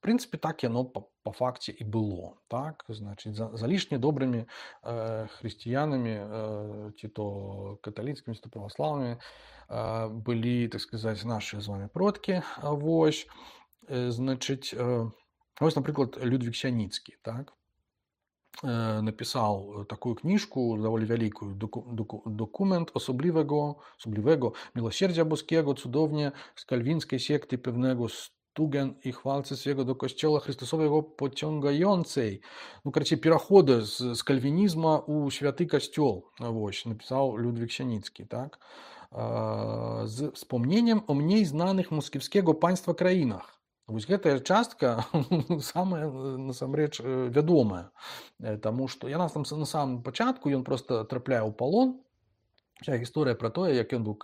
В прынцыпе, так яно па, па факце і было. Так? Значыць, за, залішне добрымі э, хрысціянамі э, ці то каталіцкімі, ці то праваслаўнымі э, былі, так сказаць, нашыя з вами продкі. Вось, э, значыць, э, вось, напрыклад, Людвік Сяніцкі, так? Э, напісаў такую кніжку, даволі вялікую, доку, доку, документ особливого, особливого милосердя boskiego, cudownie z kalwińskiej sekty pewnego stugen i chwalcy swego do kościoła Chrystusowego pociągającej. Ну, короче, перахода з, з кальвінізма у святы касцёл. Вось, напісаў Людвік Сяніцкі, так? Э, з wspomnieniem o mniej znanych moskiewskiego państwa краінах. Вось гэтая частка самая насамрэч вядомая, таму што яна там на самым пачатку ён просто трапляе ў палон. Вся гісторыя пра тое, як ён быў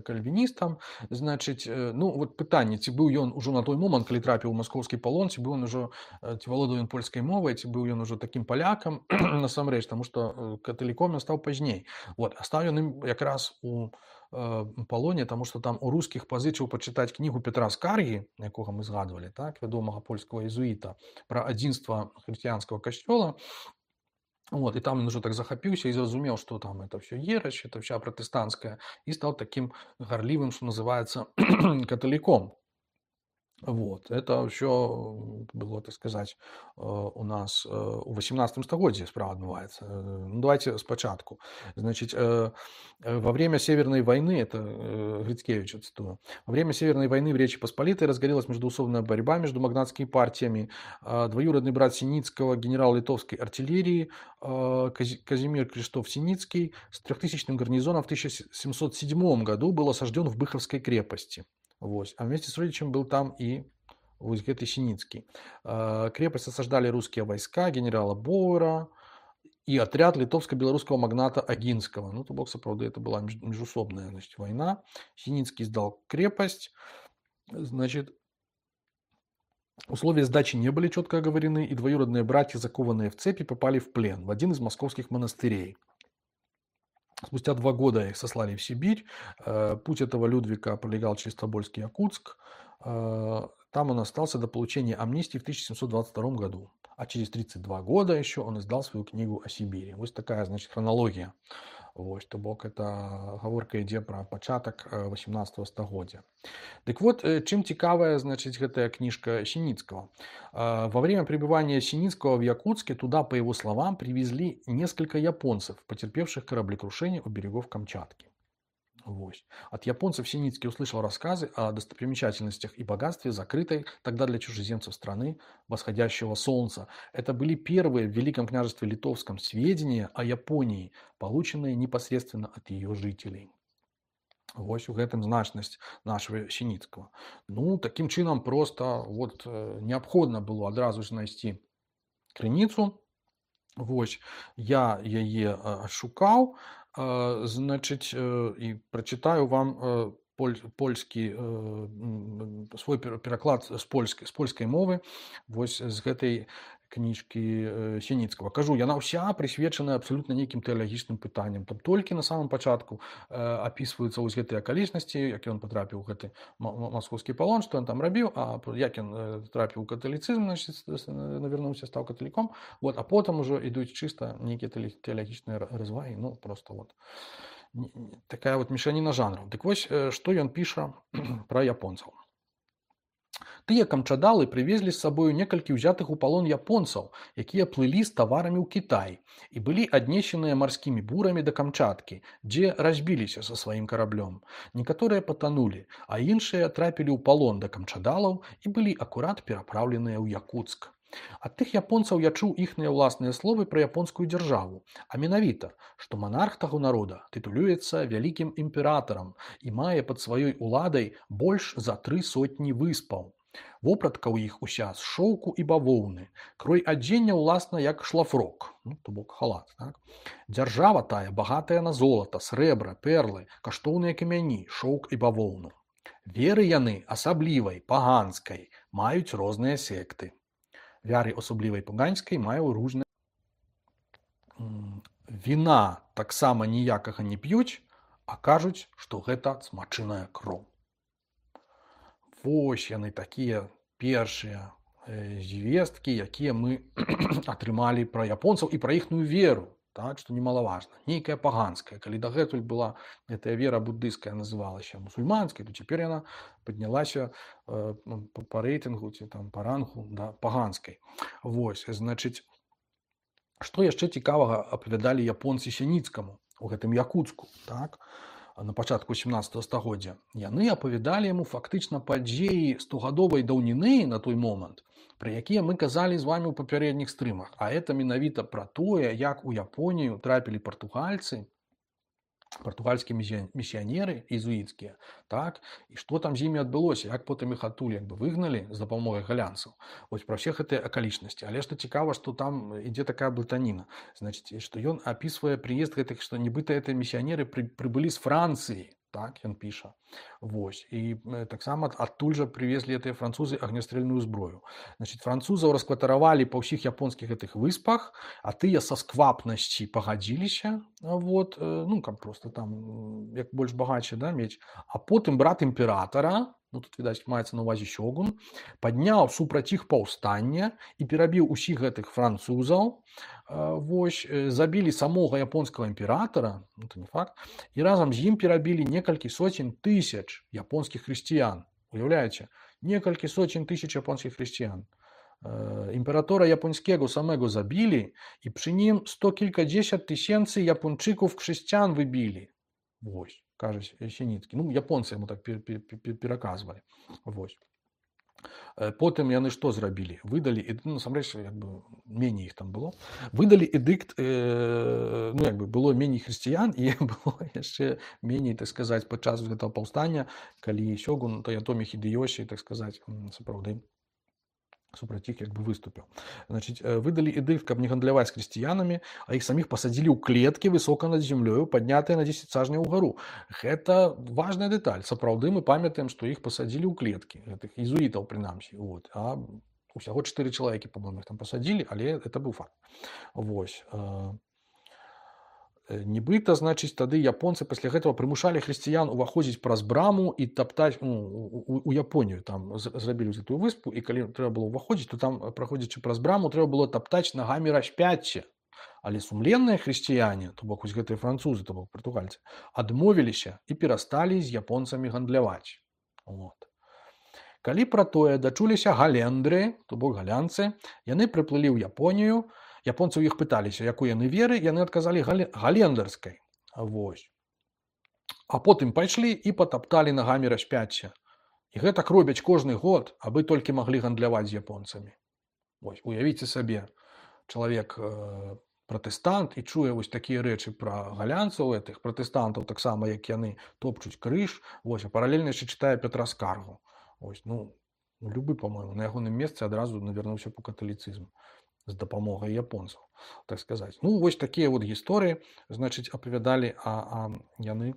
кальвіністам, значыць, ну вот пытанне, ці быў ён ужо на той момант, калі трапіў у маскоўскі палон, ці быў ён ужо, ці валодаў ён польскай мовай, ці быў ён ужо такім палякам насамрэч, таму што каталіком ён стаў пазней. Вот, а стаў ён ім якраз у палоне, таму што там у рускіх пазычыў пачытаць кнігу Петра Скаргі, якога мы згадвалі, так, вядомага польскага езуіта, пра адзінства хрысціянскага касцёла. Вот, и там он уже так захапіўся и зразумеў, что там это все ересь, это вся протестантская, и стал таким горливым, что называется, католиком. Вот, это все было, так сказать, у нас у восемнадцатом стагоддзі справа адбываецца. Ну, давайте спачатку. Значит, во время Северной войны, это Грицкевича цитую, во время Северной войны в Речи Посполитой разгорелась междоусобная борьба между магнатскими партиями. Двоюродный брат Синицкого, генерал литовской артиллерии Казимир Криштоф-Синицкий с трехтысячным гарнизоном в тысяча семьсот седьмом году был осажден в Быховской крепости. Вот. А вместе с родичем был там и вот гэты Синицкий. Крепость осаждали русские войска генерала Боуэра и отряд литовско-белорусского магната Агинского. Ну, то бок, сапраўды, это была междусобная, значит, война. Синицкий сдал крепость. Значит, условия сдачи не были четко оговорены, и двоюродные братья, закованные в цепи, попали в плен в один из московских монастырей. Спустя два года их сослали в Сибирь. Путь этого Людвика пролегал через Тобольск и Якутск. Там он остался до получения амнистии в тысяча семьсот двадцать втором году. А через тридцать два года еще он издал свою книгу о Сибири. Вот такая, значит, хронология. Вот, то бок, это гаворка ідзе пра пачатак восемнадцатого стагоддзя. Так вот, чем цікавая, значит, гэтая книжка Синицкого. Во время пребывания Синицкого в Якутске туда, по его словам, привезли несколько японцев, потерпевших кораблекрушение у берегов Камчатки. Вот. От японцев Синицкий услышал рассказы о достопримечательностях и богатстве закрытой тогда для чужеземцев страны восходящего солнца. Это были первые в Великом княжестве Литовском сведения о Японии, полученные непосредственно от ее жителей. Вось у гэтым значнасць нашего Синицкого. Ну, таким чынам просто вот неабходна было адразу знайсці крыніцу. Вось, я яе шукаў, значыць, і прачытаю вам польскі свой пераклад з польскай, з польскай мовы вось з гэтай кніжкі Сініцкага. Кажу, яна ўся прысвечана абсалютна нейкім тэалагічным пытанням. Там толькі на самом пачатку апісваюцца вось гэтыя акалічнасці, як ён патрапіў у гэты маскоўскі палон, што ён там рабіў, а як ён трапіў у каталіцызм, навярнуўся, стаў каталіком. Вот, а потым ужо ідуць чыста нейкія тэалагічныя развагі. Ну, просто вот такая вот мешаніна жанраў. Дык вось, што ён піша пра японцаў. Тыя камчадалы прывезлі з сабою некалькі ўзятых у палон японцаў, якія плылі з таварамі ў Кітай і былі аднесеныя марскімі бурамі да Камчаткі, дзе разбіліся са сваім караблём. Некаторыя патанулі, а іншыя трапілі ў палон да камчадалаў і былі акурат перапраўленыя ў Якутск. Ад тых японцаў я чуў іхныя ўласныя словы пра японскую дзяржаву, а менавіта, што манарх таго народа тытулюецца вялікім імператарам і мае пад сваёй уладай больш за тры сотні выспаў. Вопратка ў іх уся з шоўку і бавоўны, крой адзення ўласна як шлафрок, ну, то бок халат. Так? Дзяржава тая багатая на золата, срэбра, перлы, каштоўныя камяні, шоўк і бавоўну. Веры яны асаблівай, паганскай, маюць розныя секты. Вяры асаблівай паганскай маюць różne. Віна таксама ніякага не п'юць, а кажуць, што гэта смачыная кроў. Вось яны такія першыя звесткі, якія мы атрымалі пра японцаў і пра іхную веру, так, што немалаважна. Нейкая паганская. Калі дагэтуль была гэтая вера буддыйская называлася мусульманскай, то цяпер яна паднялася э, па рэйтынгу ці там па рангу да, паганскай. Вось, значыць, што яшчэ цікавага апавядалі японцы Сяніцкаму у гэтым Якуцку, так? На пачатку сямнаццатага стагоддзя. Яны апавядалі яму фактычна падзеі стогадовай даўніны на той момант, пра якія мы казалі з вамі ў папярэдніх стрымах. А это менавіта пра тое, як у Японію трапілі партугальцы, партугальскія місіянеры езуіцкія, так, і што там з імі адбылося, як потым іх адтуль як бы выгналі з дапамогай галянцаў. Вось пра ўсе гэтыя акалічнасці. Але што цікава, што там ідзе такая блытаніна. Значыць, што ён апісвае прыезд гэтых, што нібыта гэтыя місіянеры пры, прыбылі з Францыі, так, ён піша. Вось. І таксама адтуль жа прывезлі гэтыя французы агнястрэльную зброю. Значыць, французаў раскватаравалі па ўсіх японскіх гэтых выспах, а тыя са сквапнасці пагадзіліся, вот, ну, каб просто там, як больш багацце, да, мець. А потым брат імператара, ну, тут, відаць, маецца на ўвазе сёгун, падняў супраць іх паўстання і перабіў усіх гэтых французаў, вось, забілі самога японскага імператара, ну, это не факт, і разам з ім перабілі некалькі соцень тысяч японскіх хрысціян. Уяўляеце? Некалькі соцень тысяч японскіх хрысціян. Імператора японского самого забили, и при ним сто кількадесят тисяч япончиков христиан выбили. Вось, каже Сініцкі. Ну, японцы йому так переказывали. Вось. Потым яны што зрабілі? Выдалі, ну, насамрэч, як бы, меней іх там было. Выдалі эдыкт, э, ну, як бы, было меней хрысціян, і было яшчэ меней, так сказаць, падчас гэтага паўстання, калі сёгун Тоётомі Хідэёсі, так сказаць, сапраўды, супраць іх як бы выступіў. Значыць, выдалі эдыкт, каб не гандляваць з хрысціянамі, а іх саміх пасадзілі ў клеткі высока над зямлёю, паднятыя на дзесяць сажняў угару. Гэта важная дэталь. Сапраўды мы памятаем, што іх пасадзілі ў клеткі, гэтых езуітаў прынамсі. Вот. А усяго чатыры чалавекі, па-моему, іх там пасадзілі, але это быў факт. Вось. Нібыта, значыць, тады японцы пасля гэтага прымушалі хрысціян уваходзіць праз браму і таптаць, ну, у, у Японію там зрабілі гэтую выспу, і калі трэба было ўваходзіць, то там, праходзячы праз браму, трэба было таптаць нагамі распяцце. Але сумленныя хрысціяне, то бок вось гэтыя французы, то бок партугальцы, адмовіліся і перасталі з японцамі гандляваць. Вот. Калі пра тое дачуліся галендры, то бок галянцы, яны прыплылі ў Японію. Японцы ў іх пыталіся, якой яны веры, яны адказалі галендерскай. Вось. А потым пайшлі і патапталі нагамі распяцця. І гэтак робяць кожны год, абы толькі маглі гандляваць з японцамі. Вось, уявіце сабе, чалавек э, пратэстант і чуе вось такія рэчы пра галянцаў, гэтых пратэстантаў, таксама, як яны топчуць крыж, вось, а паралельна яшчэ чытае Петра Скаргу. Вось, ну, любы, па-мойму, на ягоным месцы адразу навярнуўся по каталіцызму з дапамогай японцаў, так сказаць. Ну, вось такія вот гісторыі, значыць, апавядалі, а, а яны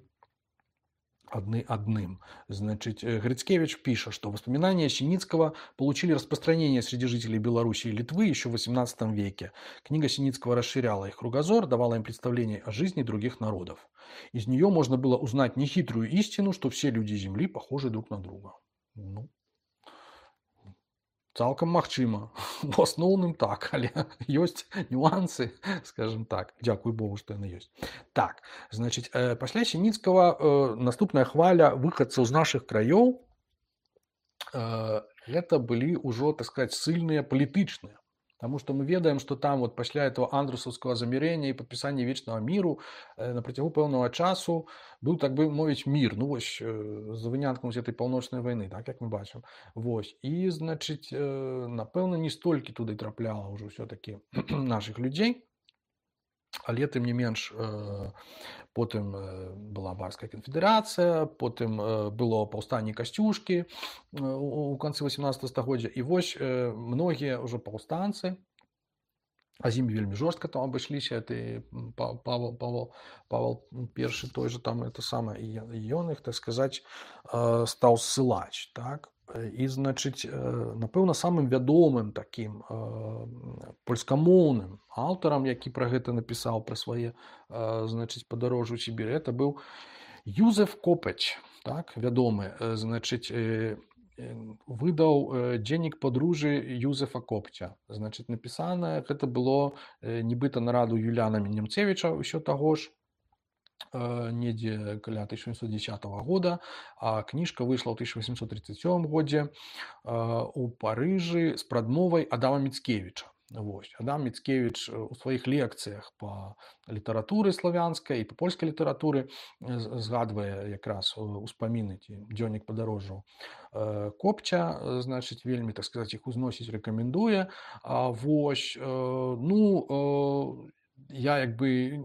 одни одним. Значит, Грицкевич пишет, что воспоминания Синицкого получили распространение среди жителей Белоруссии и Литвы еще в восемнадцатом веке. Книга Синицкого расширяла их кругозор, давала им представление о жизни других народов. Из нее можно было узнать нехитрую истину, что все люди Земли похожи друг на друга. Ну, цалкам магчыма. У асноўным так, але ёсць нюансы, скажем так. Дзякуй Богу, што яны ёсць. Так, значыць, пасля Сініцкага наступная хваля выхадцаў з нашых краёў гэта былі ўжо, так сказаць, сыльныя палітычныя. Потому что мы ведаем, что там вот пасля этого андрусаўскага замірэння і падпісання вечнага міру на працягу пэўнага часу быў, так бы мовіць, мір, ну вось за выняткам гэтай паўночнай вайны, так як мы бачым. Вось. І, значыць, напэўна, не столькі туды трапляла ўжо ўсё-такі нашых людзей, але тым не менш потым была барская канфедэрацыя, потым было паўстанне Касцюшкі у канцы васямнаццатага стагоддзя, і вось многія ўжо паўстанцы, а з імі вельмі жорстка там абышліся, ты Павел, Павел, Павел першы той же там это самае, і ён іх, так сказаць, стаў ссылаць, так? І, значыць, напэўна, самым вядомым такім польскамоўным аўтарам, які пра гэта напісаў, пра свае, значыць, падарожжы ў Сібір, это быў Юзеф Копеч, так, вядомы, значыць, выдаў дзённік падружжы Юзефа Копча. Значыць, напісана гэта было нібыта на раду Юліяна Немцевіча ўсё таго ж, недзе каля тысяча сямсот дзесятага года, а кніжка выйшла ў тысяча васемсот тридцать сёмым годзе у Парыжы з прадмовай Адама Міцкевіча. Вось. Адам Міцкевіч у сваіх лекцыях па літаратуры славянскай і па польскай літаратуры згадвае якраз успаміны ці дзённік падарожжаў Копча, значыць, вельмі, так сказаць, іх узносіць рэкамендуе. Вось, ну, я як бы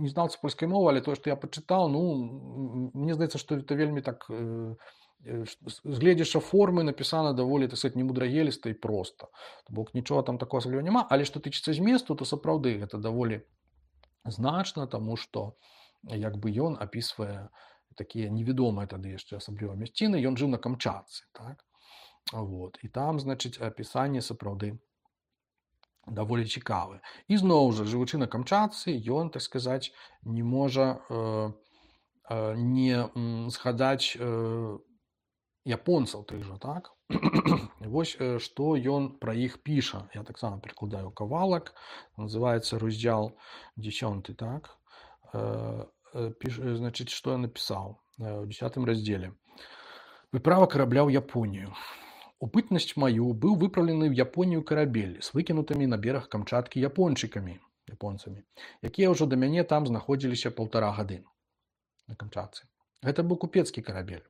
не знаўца польскай мовы, але тое, што я пачытаў, ну, мне здаецца, што это вельмі так, згледзяша формы, напісана даволі, так сказаць, немудрагеліста і проста. То бок нічога там такого асабліва няма, але што тычыцца зместу, то сапраўды гэта даволі значна, таму што як бы ён апісвае такія невядомыя тады яшчэ асабліва мясціны, ён жыў на Камчатцы, так? Вот. І там, значыць, апісанне сапраўды даволі цікавы. І зноў жа, жывучы на Камчатцы, ён, так сказаць, не можа э, э, не згадаць э, японцаў тых жа, так? Вось што ён пра іх піша. Я таксама перакладаю кавалак, называецца раздзел дзесяты, так? Э, піш, значыць, што я напісаў у дзесятым раздзеле. Выправа карабля ў Японію. У пытнасць маю быў выпраўлены ў Японію карабель з выкінутымі на бераг Камчаткі япончыкамі, японцамі, якія ўжо да мяне там знаходзіліся паўтара гады на Камчатцы. Гэта быў купецкі карабель.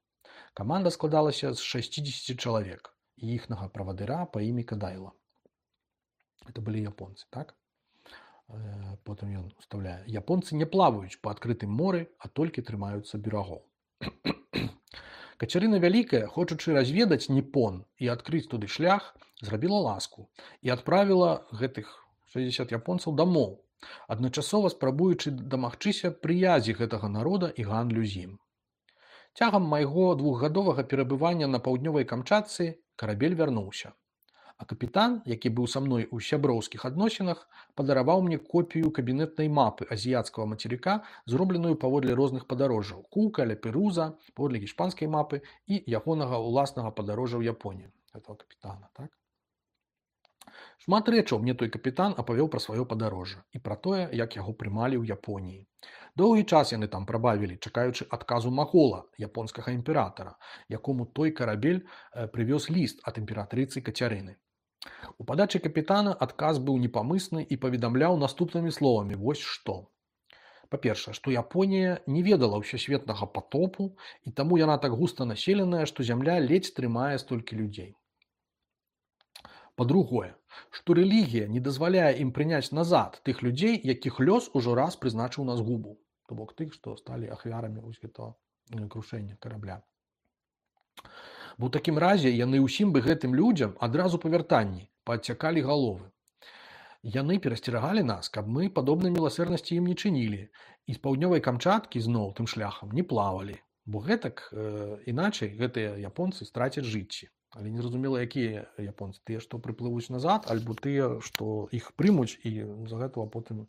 Каманда складалася з шасцідзесяці чалавек і іхнага правадыра па імі Кадайла. Это былі японцы, так? Потым ён уставляе. Японцы не плаваюць па адкрытым моры, а толькі трымаюцца берагоў. Кацярына Вялікая, хочучы разведаць Ніпон і адкрыць туды шлях, зрабіла ласку і адправіла гэтых шэсцьдзесят японцаў дамоў, адначасова спрабуючы дамагчыся прыязі гэтага народа і гандлю з ім. Цягам майго двухгадовага перабывання на паўднёвай Камчатцы карабель вярнуўся, а капітан, які быў са мной у сяброўскіх адносінах, падараваў мне копію кабінетнай мапы азіяцкага мацерыка, зробленую паводле розных падарожжаў Кука, Ля-Перуза, паводле іспанскай мапы і ягонага ўласнага падарожжа ў Японію, гэтага капітана, так? Шмат рэчаў мне той капітан апавёў пра сваё падарожжа і пра тое, як яго прымалі ў Японіі. Доўгі час яны там прабавілі, чакаючы адказу Магола, японскага імператара, якому той карабель прывёз ліст ад імператрыцы Кацярыны. У падачы капітана адказ быў непамысны і паведамляў наступнымі словамі вось што. Па-першае, што Японія не ведала ўсесветнага патопу, і таму яна так густа населеная, што зямля ледзь трымае столькі людзей. Па-другое, што рэлігія не дазваляе ім прыняць назад тых людзей, якіх лёс ужо раз прызначыў на згубу, то бок тых, што сталі ахвярамі вось гэтага крушэння карабля. Бо ў такім разе яны ўсім бы гэтым людзям адразу па вяртанні паадсякалі галовы. Яны перасцерагалі нас, каб мы падобнай міласэрнасці ім не чынілі і з паўднёвай Камчаткі зноў тым шляхам не плавалі, бо гэтак э, іначай гэтыя японцы страцяць жыцці. Але незразумела, якія японцы, тыя, што прыплывуць назад, альбо тыя, што іх прымуць і з-за гэтага потым,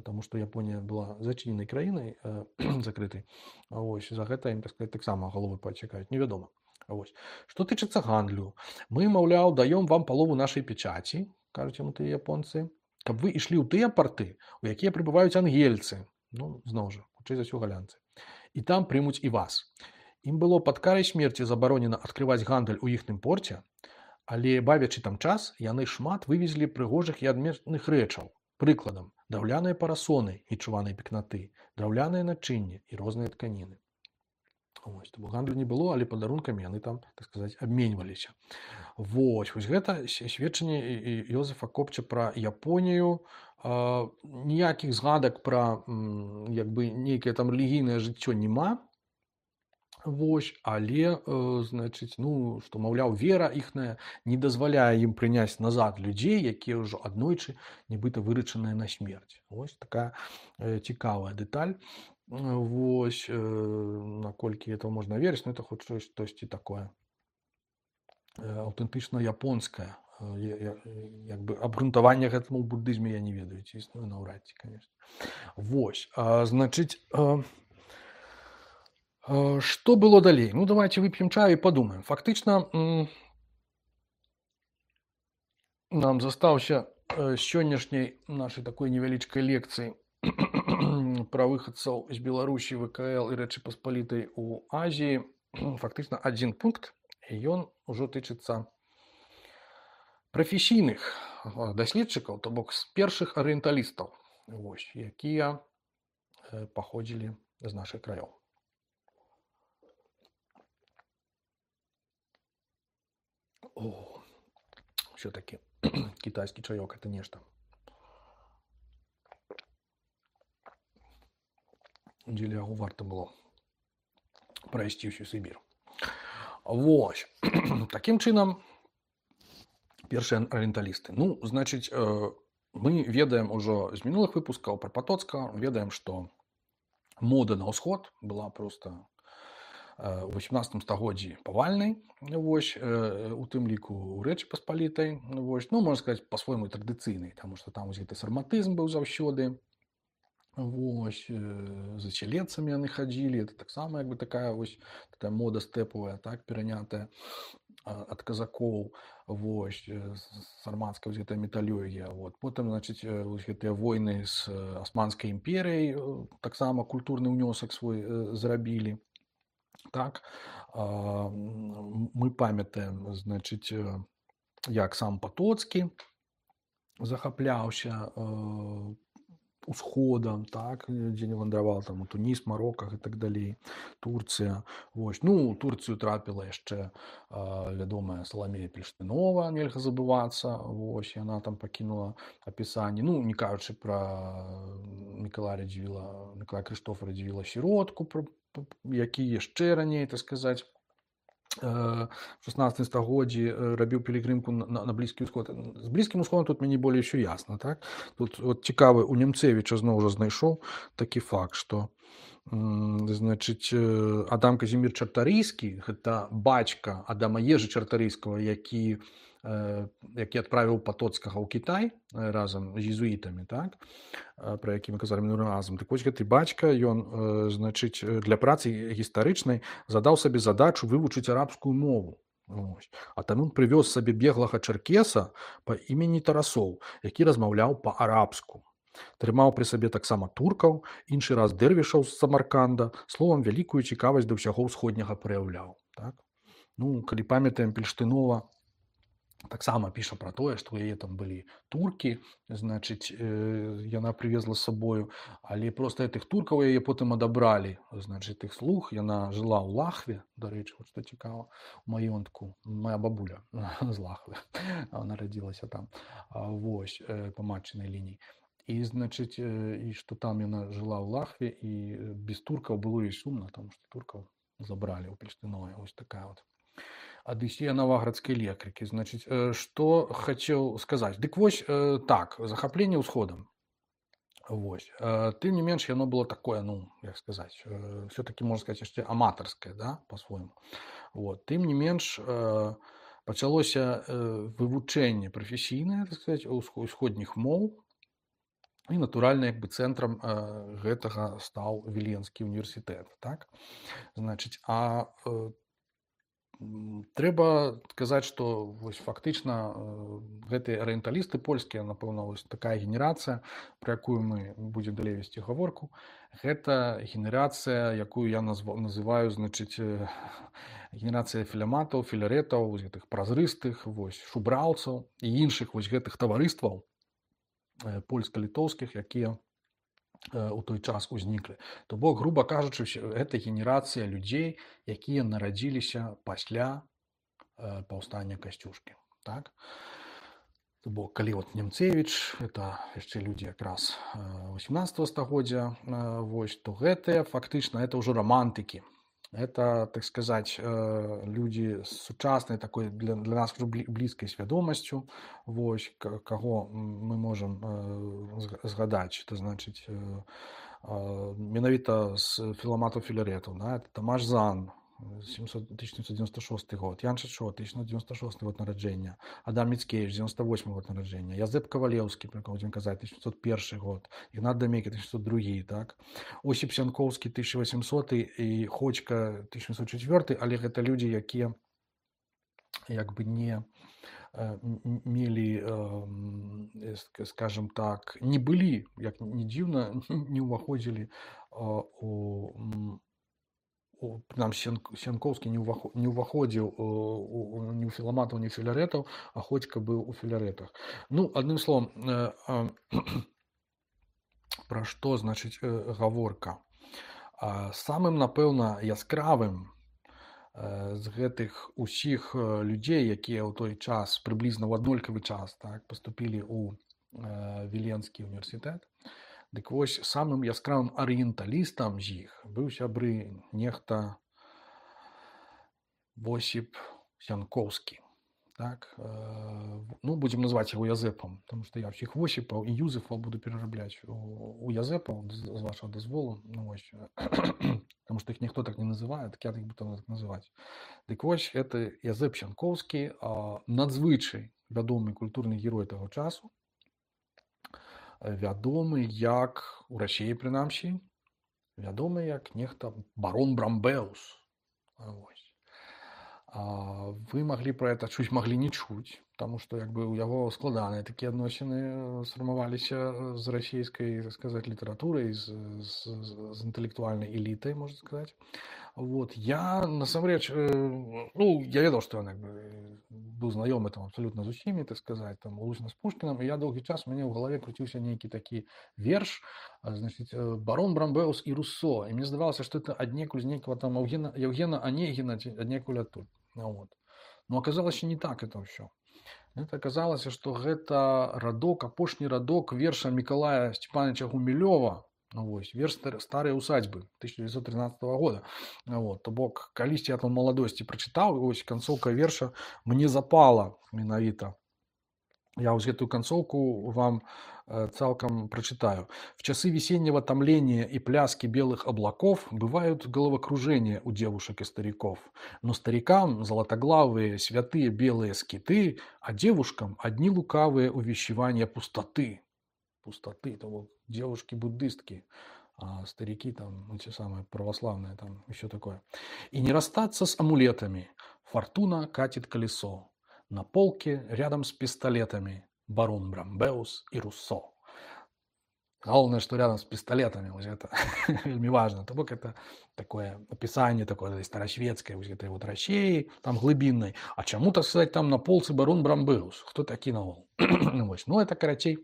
таму што Японія была зачыненай краінай, э, закрытай, ось, за гэта ім, так сказаць, таксама галовы паадсякаюць, невядома. Ось. Што тычыцца гандлю, мы, маўляў, даём вам палову нашай печаці, кажуць яму тыя японцы, каб вы ішлі ў тыя парты, у якія прыбываюць ангельцы, ну, зноў жа, хутчэй за ўсё галянцы, і там прымуць і вас. Ім было пад карай смерці забаронена адкрываць гандаль у іхным порце, Але бавячы там час, яны шмат вывезлі прыгожых і адметных рэчаў. Прыкладам, драўляныя парасоны нечуванай пекнаты, драўляныя начынні і розныя тканіны. Вось, тому гандлю не было, але падарункамі яны там, так сказаць, абменьваліся. Вось, вось гэта сведчанне Йозефа Копча пра Японію. А, ніякіх згадак пра як бы нейкае там рэлігійнае жыццё няма. Вось, але, э, значыць, ну, што, маўляў, вера іхная не дазваляе ім прыняць назад людзей, якія ўжо аднойчы нібыта вырачаныя на смерць. Вось такая э, цікавая дэталь. Вось, э, наколькі этого можна верыць, ну, это хоць штосьці такое э, аўтэнтычна японскае. Э, як бы абгрунтавання гэтаму ў буддызме я не ведаю, ці існуе наўрад ці, конечно. Вось, а, значыць, э, что было далей? Ну, давайте выпьем чаю и подумаем. Фактично, нам застаўся сённяшняй нашай такой невялічкай лекцыі пра выхадцаў з Беларусі, ВКЛ і Рэчы Паспалітай у Азіі. Фактычна адзін пункт, і ён ужо тычыцца прафесійных даследчыкаў, то бок з першых арыенталістаў, вось, якія паходзілі з нашых краёў. О, все-таки китайский чаек это нечто. Удзеля яго варта было прайсці ўсю Сібір. Вось. Такім чынам, першыя арыенталісты. Ну, значыць, мы ведаем ужо з мінулых выпускаў пра Патоцкага, ведаем, што мода на ўсход была проста у васемнаццатым стагоддзі павальнай, вось, у тым ліку ў Рэчы Паспалітай, вось, ну, можна сказаць, па-свойму традыцыйнай, таму што там вось гэты сарматызм быў заўсёды, вось, за целецамі яны хадзілі, это таксама як бы такая вось такая мода стэпавая, так, перанятая ад казакоў, вось, сармацкая вось гэтая металёгія, вот. Потым, значыць, вось гэтыя войны з Асманскай імперыяй таксама культурны ўнёсак свой зрабілі. Так, мы памятаем, значыць, як сам Патоцкі захапляўся усходам, так, дзе не вандраваў, там, у Туніс, Мароках і так далей, Турцыя. Вось, ну, у Турцыю трапіла яшчэ вядомая Саламея Пельштынова, нельга забывацца, вось, яна там пакінула апісанне, ну, не кажучы пра Мікалая Радзівіла, Мікалая Крыштофа Радзівіла сіродку, які яшчэ раней, так сказаць, в шаснаццатым стагоддзі рабіў пілігрымку на, на Блізкі ўсход. З Блізкім усходам тут мне болей ўсё ясна, так? Тут от цікавы, у Нямцевіча зноў жа знайшоў такі факт, што значыць, Адам Казімір Чартарыйскі, гэта бацька Адама Ежы Чартарыйскага, які які адправіў Патоцкага ў Кітай разам з езуітамі, так, пра які мы казалі мінулым разам. Так вось гэты бацька, ён, значыць, для працы гістарычнай задаў сабе задачу вывучыць арабскую мову. Ось. А там ён прывёз сабе беглага чаркеса па імені Тарасоў, які размаўляў па-арабску. Трымаў пры сабе таксама туркаў, іншы раз дэрвішаў з Самарканда, словам, вялікую цікавасць да ўсяго ўсходняга праяўляў. Так? Ну, калі памятаем, Пельштынова таксама піша пра тое, што ў яе там былі туркі, значыць, яна прывезла з сабою, але проста гэтых туркаў яе потым адабралі, значыць, тых слуг, яна жыла ў Лахве, дарэчы, вот што цікава, у маёнтку, моя бабуля з Лахвы, нарадзілася там, вось, па матчынай лініі. І, значыць, і што там яна жыла ў Лахве, і без туркаў было і сумна, таму што туркаў забралі ў Пельштынове, вось такая вот Адысея наваградскай лекаркі. Значыць, што хацеў сказаць? Дык вось, так, захапленне ўсходам. Вось. Тым не менш, яно было такое, ну, як сказаць, все-таки, можна сказаць, яшчэ аматарскае, да, па-свойму. Вот. Тым не менш, пачалося вывучэнне прафесійнае, так сказаць, усходніх моў, і, натуральна, як бы цэнтрам гэтага стаў Віленскі універсітэт, так? Значыць, а трэба сказаць, што вось фактычна гэтыя арыенталісты польскія, напэўна, вось такая генерацыя, пра якую мы будзем далей весці гаворку, гэта генерацыя, якую я называю, значыць, генерацыя філяматаў, філарэтаў, вось гэтых празрыстых, вось шубраўцаў і іншых вось гэтых таварыстваў польска-літоўскіх, якія у той час узніклі. То бок, груба кажучы, гэта генерацыя людзей, якія нарадзіліся пасля паўстання Касцюшкі. Так? То бок, калі от Немцевіч, это яшчэ людзі якраз васемнаццатага стагоддзя, вось, то гэтыя фактычна это ўжо рамантыкі. Это, так сказать, людзі з сучаснай такой для, для нас уже блізкай свядомасцю, вось, каго мы можам згадаць, это значыць менавіта з філаматаў філарэтаў, да? Это Тамаш Зан, тысяча сямьсот девяносто шестой год, Ян Чачо, тысяча девятьсот девяносто шестой год нараджэння, Адам Міцкевіч, девяносто восьмой год нараджэння, Язэп Кавалеўскі, про кого будем казаць, тысяча девятьсот первый год, Ігнат Дамейкі, тысяча девятьсот второй, так? Осип Сянкоўскі, тысяча восьмисотый і Ходзька, тысяча восемьсот четвёртый, але гэта людзі, якія як бы не мелі, скажем так, не былі, як не дзіўна, не ўваходзілі у прынамсі Сянкоўскі не ўваходзіў ні ў філаматаў, ні ў філарэтаў, а Ходзька быў у філарэтах. Ну, адным словам, пра што, значыць, гаворка. Самым, напэўна, яскравым з гэтых усіх людзей, якія ў той час, прыблізна ў аднолькавы час, так, паступілі ў Віленскі універсітэт, дык вось самым яскравым арыенталістам з іх быў сябры нехта Восіп Сянкоўскі. Так? Ну, будзем называць яго Язэпам, потому што я ўсіх Восіпаў і Юзефаў буду перарабляць у Язэпаў, з вашага дазволу, ну, вось, потому што іх ніхто так не называе, так я іх буду так называць. Дык вось, гэта Язэп Сянкоўскі, надзвычай вядомы культурны герой таго часу, вядомы як, у Расіі прынамсі, вядомы як нехта барон Брамбеус. Вось. Вы маглі пра гэта чуць, маглі не чуць, таму што як бы у яго складаныя такія адносіны сфармаваліся з расійскай, так сказаць, літаратурай, з, з, з інтэлектуальнай элітай, можна сказаць. Вот. Я, насамрэч, ну, я ведаў, што ён быў знаёмы там абсалютна з усімі, так сказаць, там, улучна з Пушкінам, і я доўгі час у мяне ў галаве круціўся нейкі такі верш, значыць, барон Брамбеус і Руссо, і мне здавалася, што это аднекуль з нейкага там Евгена, Евгена Онегіна, аднекуль адтуль. Вот. Но аказалася не так это ўсё. Это аказалася, што гэта радок, апошні радок верша Мікалая Сцепановича Гумілёва, вось, верш «Старыя усадьбы» тысяча девятьсот тринадцатого года. Вот. То бок, калісьці я там маладосці прачытаў, вось канцоўка верша мне запала менавіта. Я вот эту концовку вам э, цалком прочитаю. В часы весеннего томления и пляски белых облаков бывают головокружения у девушек и стариков. Но старикам золотоглавые святые белые скиты, а девушкам одни лукавые увещевания пустоты. Пустоты, то вот девушки-буддистки, а старики там, эти самые православные, там еще такое. И не расстаться с амулетами. Фортуна катит колесо. На полке рядом с пистолетами барон Брамбеус и Руссо. Главное, что рядом с пистолетами, вот это вельми важно. То бок это такое описание такое старошведское, вот этой вот России, там глубинной. А чему, так сказать, там на полце барон Брамбеус? Кто такі наогул? Ну, это, карацей,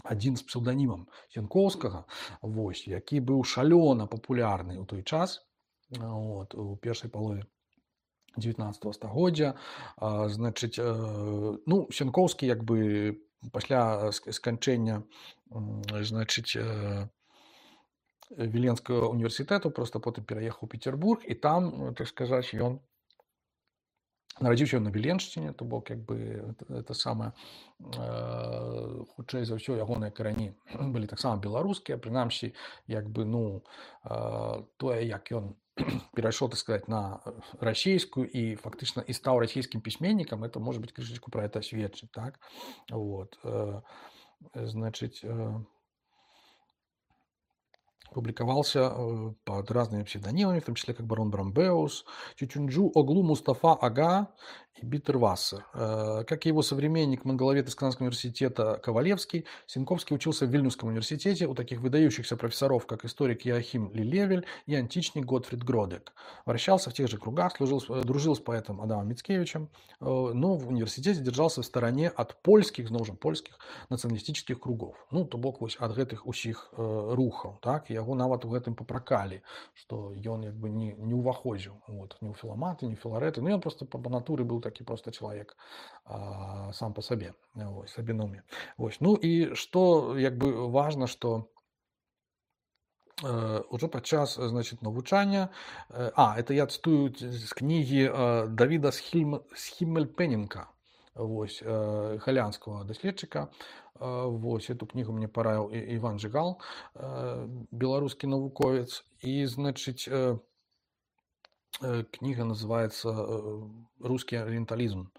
один з псевдонімам Сянкоўскага, вось, які быў шалёна папулярны ў той час, вот, у першай палове дзевятнаццатага стагоддзя. Значыць, ну, Сянкоўскі як бы пасля сканчэння, значыць, Віленскага універсітэту проста потым пераехаў у Петербург, і там, так сказаць, ён нарадзіўся на Віленшчыне, то бок як бы это самае, хутчэй за ўсё ягоныя карані былі таксама беларускія, прынамсі як бы, ну, тое, як ён перайшоў, так сказать, на расійскую і фактычна і стаў расійскім пісьменнікам, это может быть крышечку про это сведчыць, так? Вот. Значыць, Публиковался э, под разными псевдонимами, в том числе как барон Брамбеус, Чучунджу Оглу Мустафа Ага и Биттервассер. Э, Как и его современник, монголовед из Казанского университета Ковалевский, Синковский учился в Вильнюсском университете у таких выдающихся профессоров, как историк Иоахим Лилевель и античник Готфрид Гродек. Вращался в тех же кругах, служил, с- э, дружил с поэтом Адамом Мицкевичем, э, но в университете держался в стороне от польских, зноў жа польских нацыяналістычных кругов. Ну то бок вось ад гэтых усіх э, рухаў, так, яго нават у гэтым папракалі, што ён як бы не, не ўваходзіў вот, ні ў філаматы, ні ў філарэты. Ну ён просто па па натуры быў такі просто чалавек а, сам па сабе, вось, сабінуме. Вось. Ну і што як бы важна, што э, уже падчас значит навучання э, а это я цытую з кнігі э, Давіда Схільм... Схіммельпенінка, вось, э, галянскага даследчыка. Э, вось эту кнігу мне параіў І- Іван Жыгал, э, беларускі навуковец. І значыць э, э, кніга называецца э, рускі арыенталізм.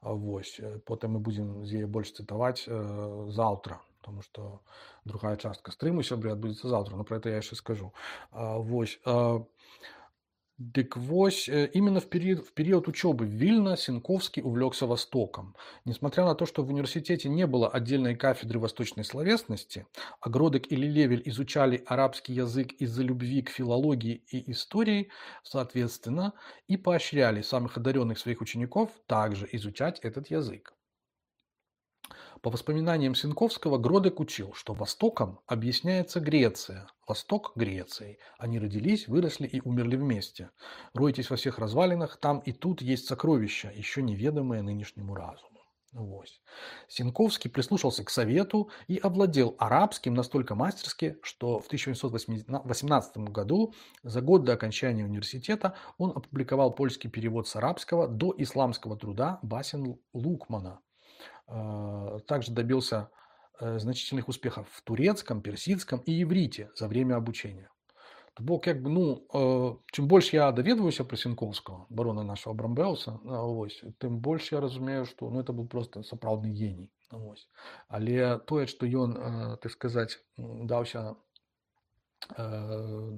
А, вось э, потым мы будзем з яе больш цытаваць э, заўтра, потому что другая частка стрыму сябры адбудзецца заўтра, но про это я яшчэ скажу. А, вось а, Дык вось, э, именно в период, в период учебы в Вильно Синковский увлекся Востоком. Несмотря на то, что в университете не было отдельной кафедры восточной словесности, а Гродек и Лилевель изучали арабский язык из-за любви к филологии и истории, соответственно, и поощряли самых одаренных своих учеников также изучать этот язык. По воспоминаниям Синковского, Гродек учил, что Востоком объясняется Греция, Восток Грецией. Они родились, выросли и умерли вместе. Ройтесь во всех развалинах, там и тут есть сокровища, еще неведомые нынешнему разуму. Вот. Синковский прислушался к совету и овладел арабским настолько мастерски, что в тысяча восемьсот восемнадцатом году, за год до окончания университета, он опубликовал польский перевод с арабского до исламского труда Басен Лукмана. Также добился э, значительных успехов в турецком, персидском и иврите за время обучения. То бок, як бы, ну, э, чым больш я даведваюся пра Сінковскага, барона нашего Брамбеуса, вось, тым больш я разумею, што ну, это быў проста сапраўдны геній. Вось. Але тое, што ён, э, так сказаць, даўся э,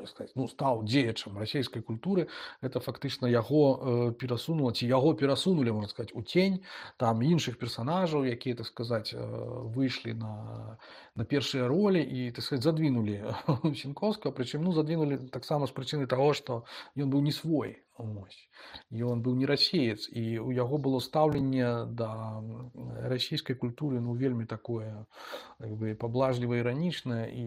сказать, ну, стаў дзеячам расійскай культуры, это фактычна яго э, перасунула ці яго перасунулі, можна сказаць, у тень там іншых персонажаў, якія, так сказаць, э, выйшлі на, на першыя ролі і, так сказаць, задвинулі Сінковскага, прычым ну задвинулі таксама з прычыны таго, што ён быў не свой. Ось. Ён быў не расеец, і у яго было стаўленне да расійскай культуры ну вельмі такое как бы поблажліва іранічнае і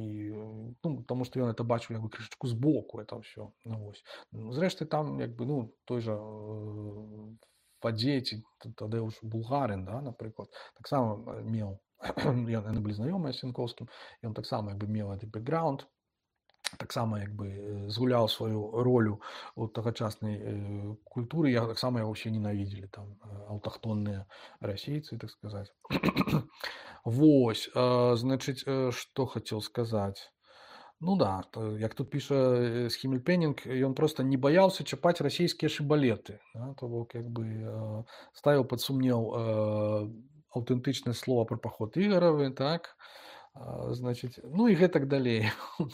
ну, тому што ён это бачыў як бы крышачку збоку это ўсё. Ну, вось. Зрэшты там як бы ну той жа э, Фадзей тады ўж Булгарин, да, напрыклад, таксама меў яны былі знаёмыя з Сінковскім, ён таксама як бы меў гэты бэкграунд, таксама як бы згуляў сваю ролю у тагачаснай э, культуры, я таксама яго ўсе ненавідзелі там аўтахтонныя расейцы, так сказаць. Вось, э, значыць, э, што хацеў сказаць. Ну да, то, як тут піша Схімельпенінг, ён просто не баяўся чапаць расійскія шыбалеты. Да? То бок як бы э, ставіў пад сумнеў э, аўтэнтычнасць слова пра паход Ігаравы, так? Значит, ну і гэтак далей.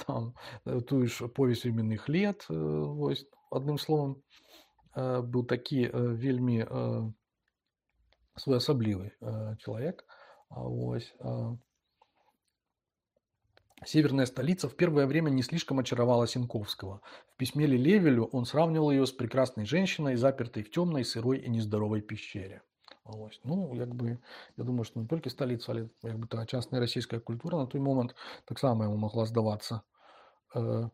Там тую ж повесь временных лет, вось, адным словам, быў такі вельмі своеасаблівы человек. Вось. Северная столица в первое время не слишком очаровала Синковского. В письме Лилевелю он сравнивал ее с прекрасной женщиной, запертой в темной, сырой и нездоровой пещере. Ось. Ну, як бы, я думаю, што не толькі сталіца, але як бы тагачасная расійская культура на той момант таксама яму магла здавацца э,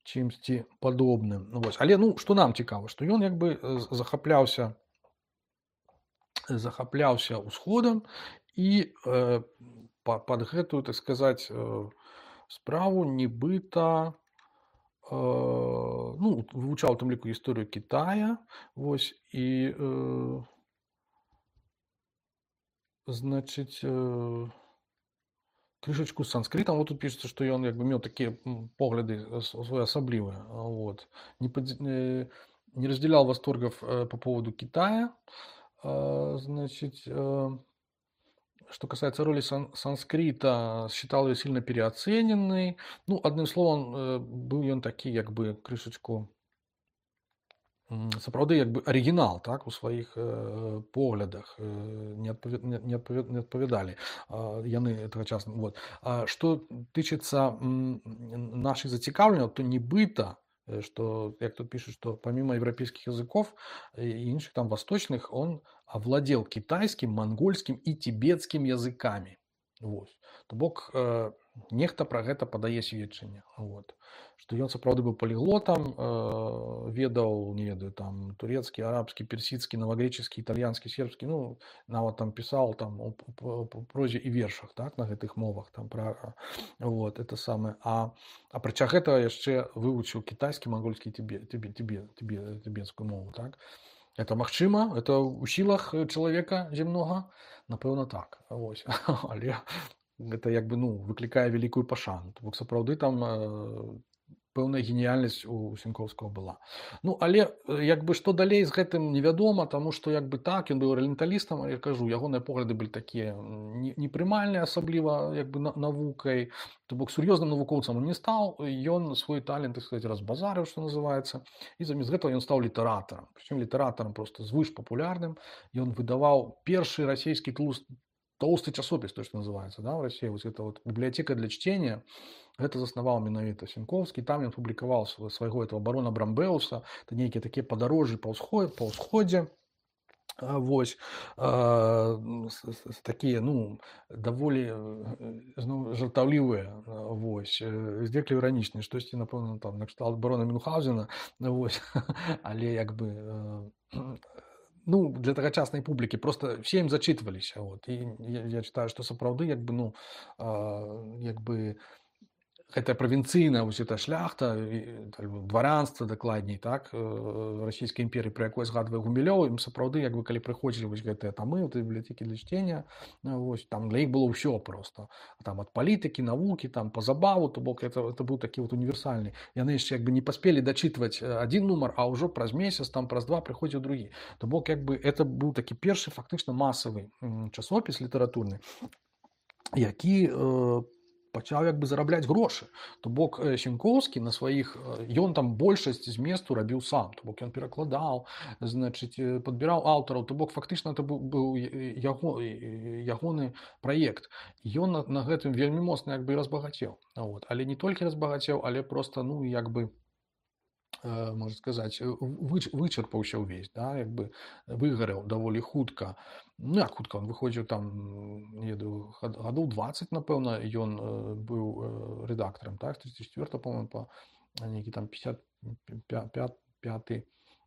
чымсьці падобным. Ну, вось. Але ну, што нам цікава, што ён як бы захапляўся захапляўся ўсходам і э, пад гэтую, так сказаць, э, справу нібыта э, ну, вывучаў у тым ліку гісторыю Китая, вось, і э, значыць э, крышачку з санскрытам. Вот тут пішацца, што ён як бы меў такія погляды своеасаблівыя. Вот. Не, под... не разделял восторгов по поводу Китая. Значит, что касается роли сан санскрита, считал её сильно переоцененной. Ну, адным словам, э, быў ён такі як бы крышачку м, сапраўды як бы арыгінал, так, у сваіх э, поглядах, э, не адпавя не не адпавя не адпавядалі, а, яны тагачасна. Вот. А што тычыцца, м, нашых зацікаўленняў, то нібыта, э, што, як тут пишут, что помимо европейских языков и іншых там восточных, он овладел китайским, монгольским и тибетским языками. Вот. То бок, э, нехта пра гэта падае сведчанне. Вот. Што ён сапраўды быў паліглотам, э, ведаў, не ведаю, там турецкі, арабскі, персідскі, навагрэчаскі, італьянскі, сербскі, ну, нават там пісаў там у п- п- п- прозе і вершах, так, на гэтых мовах, там пра вот, это самае. А апрача гэтага яшчэ вывучыў кітайскі, мангольскі, тибе, тибе, тибе, тибе, тибетскую мову, так. Это магчыма, это ў сілах чалавека зямнога, напэўна, так. Вось. Але гэта як бы, ну, выклікае вялікую пашану. То бок сапраўды там э, пэўная геніяльнасць у Сінькоўскага была. Ну, але э, як бы што далей з гэтым невядома, таму што як бы так, ён быў арыенталістам, я кажу, ягоныя погляды былі такія непрымальныя, асабліва як бы на- навукай. То бок сур'ёзным навукоўцам он не стаў, ён свой талент, так сказать, разбазарыў, што называецца, і замест гэтага ён стаў літаратарам. Прычым літаратарам просто звыш папулярным. Ён выдаваў першы расійскі тлуст толстый часопіс, то, что называется, да, в России, вот это вот библиотека для чтения, это заснавал менавіта Сіньковскі, там ён публікаваў свайго этого барона Брамбеуса, это нейкія такія падарожжы па ўсходзе, па ўсходзе, а, вось, а, с- с- с- такія, ну, даволі э, зноў жартаўлівыя, а, вось, э, здзеклі іранічныя, штосьці, напэўна, там, накшталт барона Мюнхгаузена, вось, але як бы э, ну, для тагачаснай публікі просто все ім зачитваліся. Вот. І я, я читаю, што сапраўды як бы, ну, а, як бы гэтая правінцыйная вось эта шляхта, і, так бы, дваранства дакладней, так, э, расійскай імперыі, пра якое згадвае Гумілёў, ім сапраўды як бы калі прыходзілі вось гэтыя тамы, вот, бібліятэкі для чтення, ну, вось, там для іх было ўсё просто. Там ад палітыкі, навукі, там па забаву, то бок это, это быў такі вот універсальны. Яны яшчэ як бы не паспелі дачытваць адзін нумар, а ўжо праз месяц, там праз два прыходзіў другі. То бок як бы это быў такі першы фактычна масавы м, часопіс літаратурны, які э, пачаў як бы зарабляць грошы. То бок э, Сінькоўскі на сваіх э, ён там большасць зместу рабіў сам, то бок ён перакладаў, значыць, э, падбіраў аўтараў, то бок фактычна это быў, быў э, яго, э, ягоны праект. Ён на, на гэтым вельмі моцна як бы і разбагацеў. Вот. Але не толькі разбагацеў, але просто, ну, як бы э, можна сказаць, э, выч, вычарпаўся ўвесь, да, як бы выгарэў даволі хутка. Ну, як хутка, он выходзіў там, м, не ведаю, гад- гадоў дваццаць, напэўна, ён э, быў э, рэдактарам, так, тридцать четыре, по-моему, па нейкі там пятьдесят пятый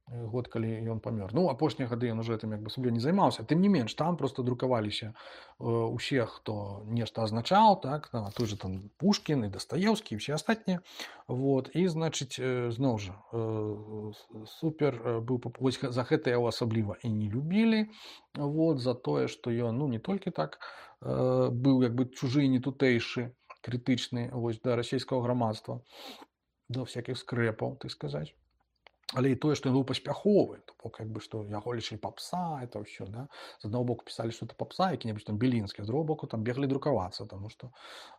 год, калі ён памёр. Ну, апошнія гады ён уже этим як бы сабе не займаўся. Тым не менш, там просто друкаваліся э, усе, хто нешта азначаў, так, а той же там Пушкін і Дастаеўскі і ўсе астатнія. Вот. І, значыць, э, зноў жа, э, с- супер э, быў пап- вось гэ- за гэта яго асабліва і не любілі, вот, за тое, што ён, ну, не толькі так э, быў як бы чужы і не тутэйшы, крытычны, вось, да расійскага грамадства, да всякіх скрэпаў, так сказаць. Але і тое, што ён быў паспяховы, то бок як бы што яго лічылі папса, это ўсё, да. З аднаго боку пісалі, што это папса, які-небудзь там Белінскі, а з другого боку там беглі друкавацца, таму што,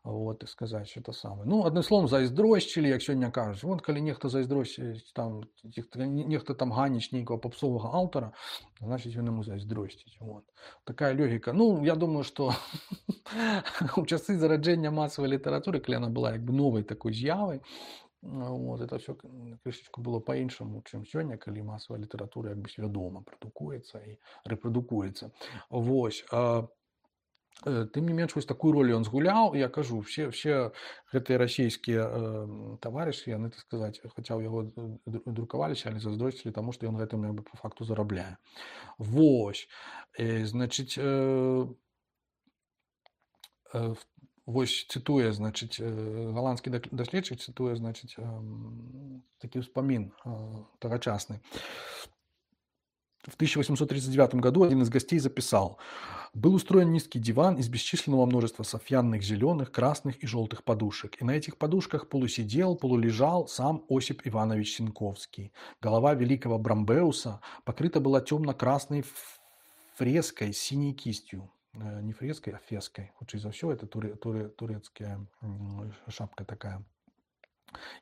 вот, так сказаць, это самае. Ну, адным словам, зайздросцілі, як сёння кажуць. Вон, калі нехта зайздросціць, там, нехта- нехта там ганіць нейкага папсовага аўтара, значыць, ён яму зайздросціць. Вот. Такая логіка. Ну, я думаю, што у часы зараджэння масавай літаратуры, калі яна была як бы новай такой з'явай, вот, это все крышечку было по-іншаму, чым сёння, калі масавая літаратура як бы свядома прадукуецца і рэпрадукуецца. Вось. А, э, тым не менш, вось такую ролю ён згуляў. Я кажу, все, все гэтыя расійскія э, таварышы, яны, так сказаць, хаця ў яго д- друкаваліся, але зайздросцілі таму, што ён гэтым як бы по факту зарабляе. Вось. Э, значыць, э, Э, в- вось цытуе, значыць, э, галандскі дак- даследчык цытуе, значыць, эм, такі ўспамін э, тагачасны. В тысяча восемьсот тридцать девятом году один из гостей записал: «Был устроен низкий диван из бесчисленного множества софьянных зеленых, красных и желтых подушек. И на этих подушках полусидел, полулежал сам Осип Иванович Синковский. Голова великого Брамбеуса покрыта была темно-красной ф- фреской с синей кистью. не фрескай, а фескай. Хутчэй за ўсё, это турэ, турэ, турецкая шапка такая.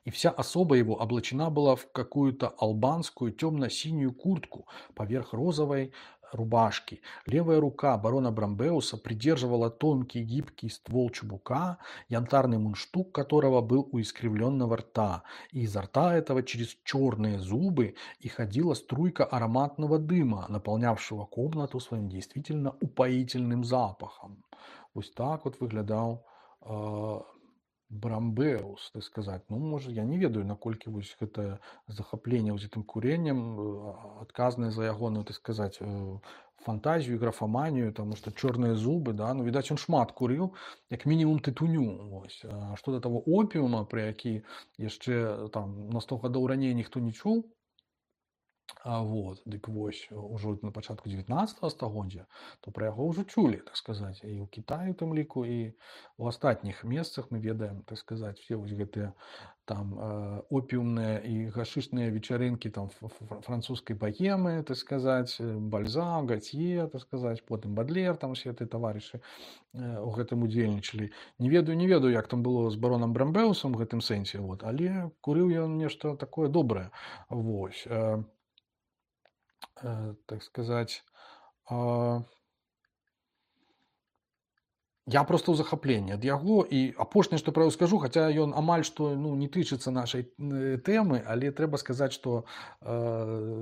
И вся особа его облачена была в какую-то албанскую темно-синюю куртку поверх розовой рубашки. Левая рука барона Брамбеуса придерживала тонкий гибкий ствол чубука, янтарный мундштук которого был у искривленного рта. И изо рта этого через черные зубы и ходила струйка ароматного дыма, наполнявшего комнату своим действительно упоительным запахом. Вот так вот выглядал э, Брамбеус, так сказать. Ну, можа, я не ведаю, наколькі вось гэта захапленне вось гэтым куреннем адказнае за ягоную, так сказать, фантазію і графаманію, таму што чорныя зубы, да, ну, відаць, ён шмат курыў, як мінімум тытуню. Вось. А што да таго опіума, пра які яшчэ там на сто гадоў раней ніхто не чуў, а вот, дык вось, ужо на пачатку дзевятнаццатага стагоддзя, то пра яго ўжо чулі, так сказаць, і ў Кітаі, у тым ліку, і ў астатніх месцах мы ведаем, так сказаць, все вось гэтыя там э, опіумныя і гашышныя вечарынкі там французскай богемы, так сказаць, Бальзак, Гатье, так сказаць, потым Бадлер, там усе гэтыя таварышы э, у гэтым удзельнічалі. Не ведаю, не ведаю, як там было з баронам Брамбеусам у гэтым сэнсе, вот, але курыў ён нешта такое добрае. Вось. Э, э, так сказаць, э, я просто ў захапленні ад яго, і апошняе, што пра яго скажу, хаця ён амаль што ну, не тычыцца нашай тэмы, але трэба сказаць, што э,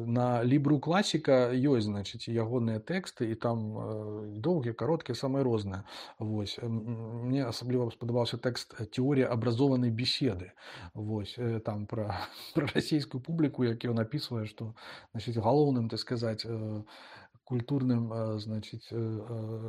на лібру класіка ёсць, значыць, ягоныя тэксты, і там э, доўгія, кароткія, самыя розныя. Вось. Мне асабліва спадабаўся тэкст «Теорія абразованай беседы». Вось. Там пра, пра расійскую публіку, які ён апісвае, што, значыць, галоўным, так сказаць, э, культурным, значит,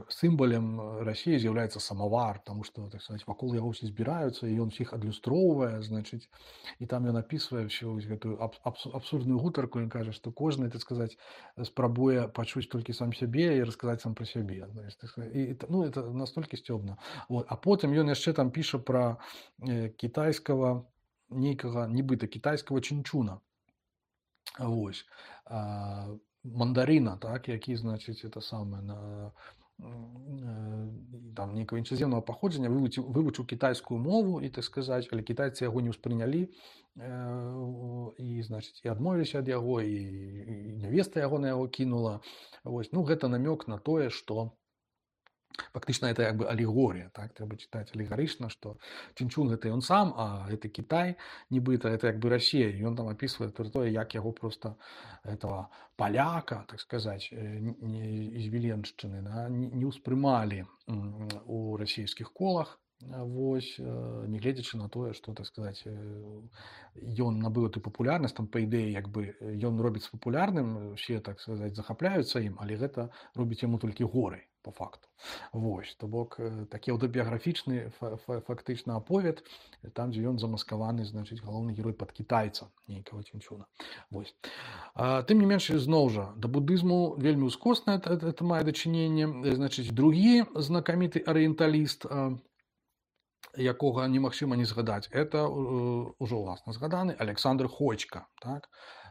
символом России является самовар, потому что, так сказать, вокруг его все збираются, и он всех адлюстроўвае, значит, и там ён описывае всю эту абсурдную гутарку, он кажа, что кожны, так сказать, спрабуе пачуць толькі сам сябе и рассказать сам про сябе. И, ну, это настолько сцёбна. Вот. А потым ён яшчэ там піша про китайского, нейкага, нібыта китайского чинчуна. Вось. Мандарина, так, які, значыць, это самае, на, там, нейкага іншаземнага паходжання, вывучыў, вывучыў кітайскую мову, і, так сказаць, але кітайцы яго не ўспрынялі, і, значыць, і адмовіліся ад яго, і, і нявеста яго на яго кінула. Вось. Ну, гэта намёк на тое, што фактычна это як бы алегорія, так, трэба чытаць алегарычна, што Чинчун гэта ён сам, а гэта Кітай, нібыта, это як бы Расія, і ён там апісвае тое, як яго просто этого паляка, так сказаць, з Віленшчыны, да, не ўспрымалі у расійскіх колах, вось, не гледзячы на тое, што, так сказаць, ён набыў эту папулярнасць, там, па ідэі, як бы, ён робіць папулярным, усе, так сказаць, захапляюцца ім, але гэта робіць яму толькі горай, по факту. Вось, то бок, такі аўтабіяграфічны фактычна аповед, там, дзе ён замаскаваны, значыць, галоўны герой пад кітайца, нейкага Чинчуна. Вось. А, тым не менш, зноў жа, да будызму вельмі ўскосна это, это мае дачыненне. Значыць, другі знакаміты арыенталіст, якога немагчыма не згадаць, это ўжо ўласна згаданы Александр Ходька, так?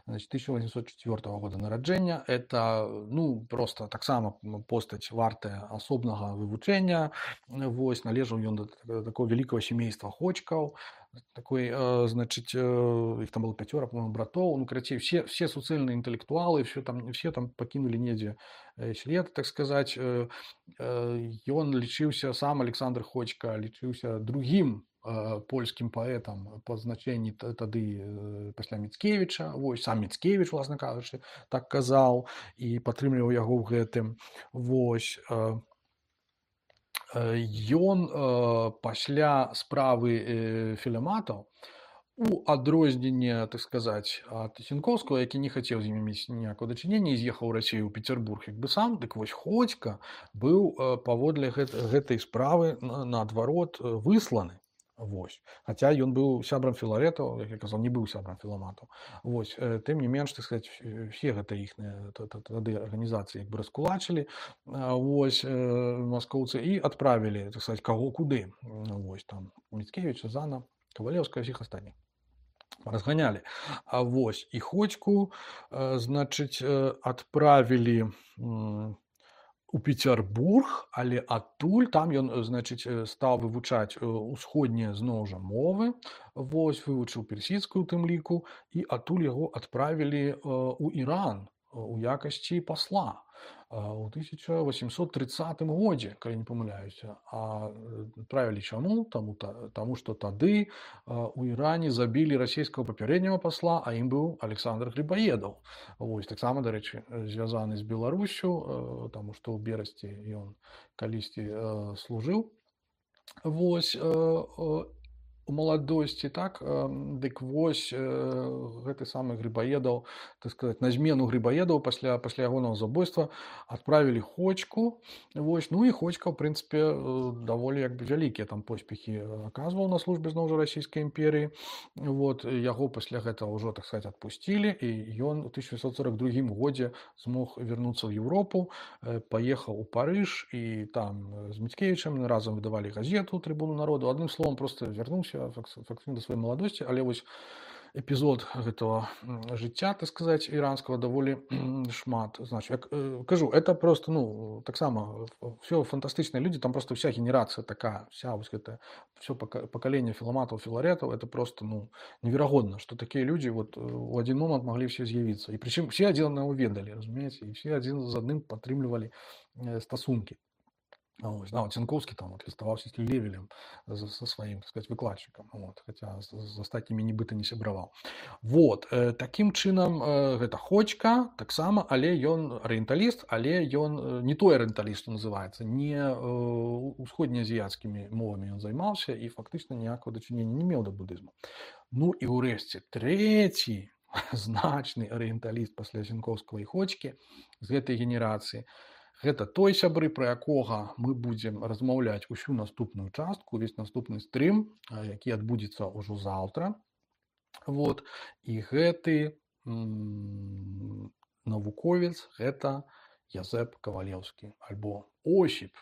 Значит, тысяча восемьсот четвёртого года нараджэння. Это, ну, просто таксама постаць вартая асобнага вывучэння. Вось, належаў ён да такого великого семейства Ходькаў. Такой, значит, их там было пятеро, по-моему, братов. Ну, короче, все, все суцэльныя інтэлектуалы, все там, все там покинули недзе след, так сказать. Ён лічыўся, сам Александр Ходька лічыўся другим польскім паэтам па значэнні тады пасля Міцкевіча. Вось, сам Міцкевіч, власна кажучы, так казаў і падтрымліваў яго ў гэтым. Вось. Ён пасля справы філематаў, у адрозненне, так сказаць, ад Сенковскага, які не хацеў з імі мець ніякага дачынення і з'ехаў у Расію ў Пецярбург як бы сам, дык вось Ходька быў паводле гэтай справы наадварот высланы. Вось. Хаця ён быў сябрам філарэтаў, як я казаў, не быў сябрам філаматаў. Вось. Тым не менш, так сказаць, все гэта іхныя тады арганізацыі як бы раскулачылі, вось, маскоўцы, і адправілі, так сказаць, каго куды. Вось, там, Міцкевіча, Зана, Кавалеўскага, всіх астатніх. Разганялі. А вось, і Ходьку, значыць, адправілі у Петербург, але адтуль там ён, значыць, стаў вывучаць усходнія зноў жа мовы. Вось вывучыў персідскую у тым ліку, і адтуль яго адправілі у Іран у якасці пасла у тысяча восемьсот тридцатым годзе, калі не памыляюся. А адправілі чаму? Таму, таму што тады у Іране забілі расійскага папярэдняга пасла, а ім быў Александр Грибоедов. Вось таксама, дарэчы, звязаны з Беларусю, таму што ў Берасці ён калісьці служыў. Вось у маладосці, так, дык вось гэты самы Грибоедов, так сказаць, на змену Грибоедову пасля пасля ягонага забойства адправілі Хочку. Вось, ну і Хочка, ў прынцыпе, даволі як бы вялікія там поспехі аказваў на службе зноў жа расійскай імперыі. Вот, яго пасля гэтага ўжо, так сказаць, адпусцілі, і ён у тысяча дзевяцьсот сорок другім годзе змог вярнуцца ў Еўропу, паехаў у Парыж, і там з Міцкевічам разам выдавалі газету «Трыбуну народу». Адным словам, проста вярнуўся фактычна да сваёй маладосці, але вось эпізод гэтага жыцця, так сказаць, іранскага даволі шмат значыць. Як кажу, это просто, ну, таксама все фантастычныя людзі, там просто вся генерацыя такая, вся вось гэта, все пакаленне філаматаў, філарэтаў, это просто, ну, неверагодна, што такія людзі вот у адзін момант маглі все з'явіцца. І прычым все адзін аднаго ведалі, разумееце, і все адзін з адным падтрымлівалі стасункі. Ось, да, Цянкоўскі там вот ліставаўся з Левелем, со сваім, так сказать, выкладчыкам, вот, хаця з, з астатнімі нібыта не сябраваў. Вот, э, такім чынам э, гэта Хочка таксама, але ён арыенталіст, але ён не той арыенталіст, што называецца, не э, усходнеазіяцкімі мовамі ён займаўся і фактычна ніякага дачынення не меў да будызму. Ну і ўрэшце трэці значны арыенталіст пасля Цянкоўскага і Хочкі з гэтай генерацыі. Гэта той сябры, пра якога мы будзем размаўляць усю наступную частку, увесь наступны стрым, які адбудзецца ўжо заўтра. Вот. І гэты м- навуковец гэта Язэп Кавалеўскі, альбо Осіп,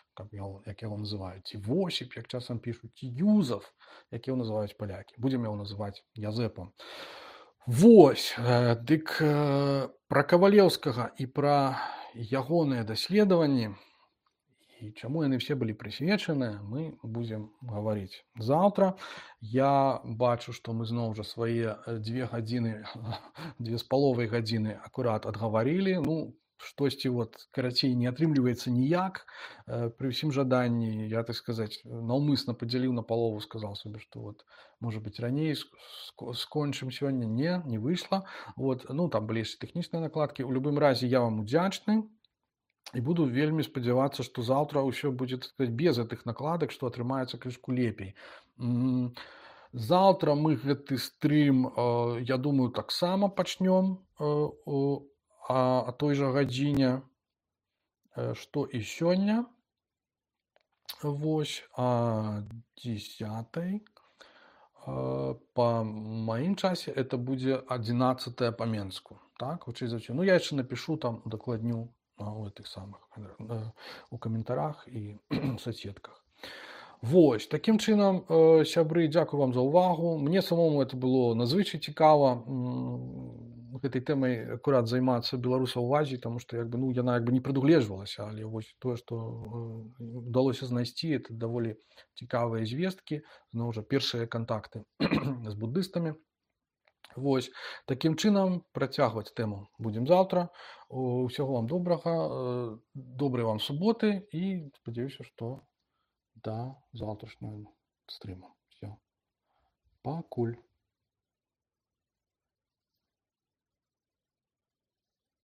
як яго называюць, ці Восіп, як часам пішуць, ці Юзаф, як яго называюць палякі. Будзем яго называць Язэпам. Вось, дык пра Кавалеўскага і пра ягоныя даследаванні і чаму яны все былі прысвечаныя, мы будзем гаварыць заўтра. Я бачу, што мы зноў жа свае дзве гадзіны, дзве з паловай гадзіны акурат адгаварылі. Ну, штосьці вот карацей не атрымліваецца ніяк. Пры ўсім жаданні, я, так сказаць, наўмысна падзяліў на палову, сказаў сабе, што вот, можа быць, раней скончым сёння. Не, не выйшла. Вот, ну, там былі яшчэ тэхнічныя накладкі. У любым разе я вам удзячны і буду вельмі спадзявацца, што заўтра ўсё будзе, так сказаць, без гэтых накладак, што атрымаецца крышку лепей. Заўтра мы гэты стрым, я думаю, таксама пачнём а той жа гадзіне, што і сёння. Вось, а дзесятай. Па маім часе это будзе адзінаццатая па Менску. Так, вычай за ўсё. Ну, я яшчэ напішу там, удакладню у гэтых самых, у каментарах і соцсетках. Вось, такім чынам, сябры, дзякую вам за ўвагу. Мне самому это было надзвычай цікава гэтай тэмай акурат займацца беларусаў у Азіі, таму што як бы, ну, яна як бы не прадугледжвалася, але вось тое, што удалося знайсці, это даволі цікавыя звесткі, зноў жа першыя кантакты з буддыстамі. Вось, такім чынам працягваць тэму будзем заўтра. Усяго вам добрага, добрай вам суботы і спадзяюся, што да заўтрашняга стрыма. Все. Пакуль.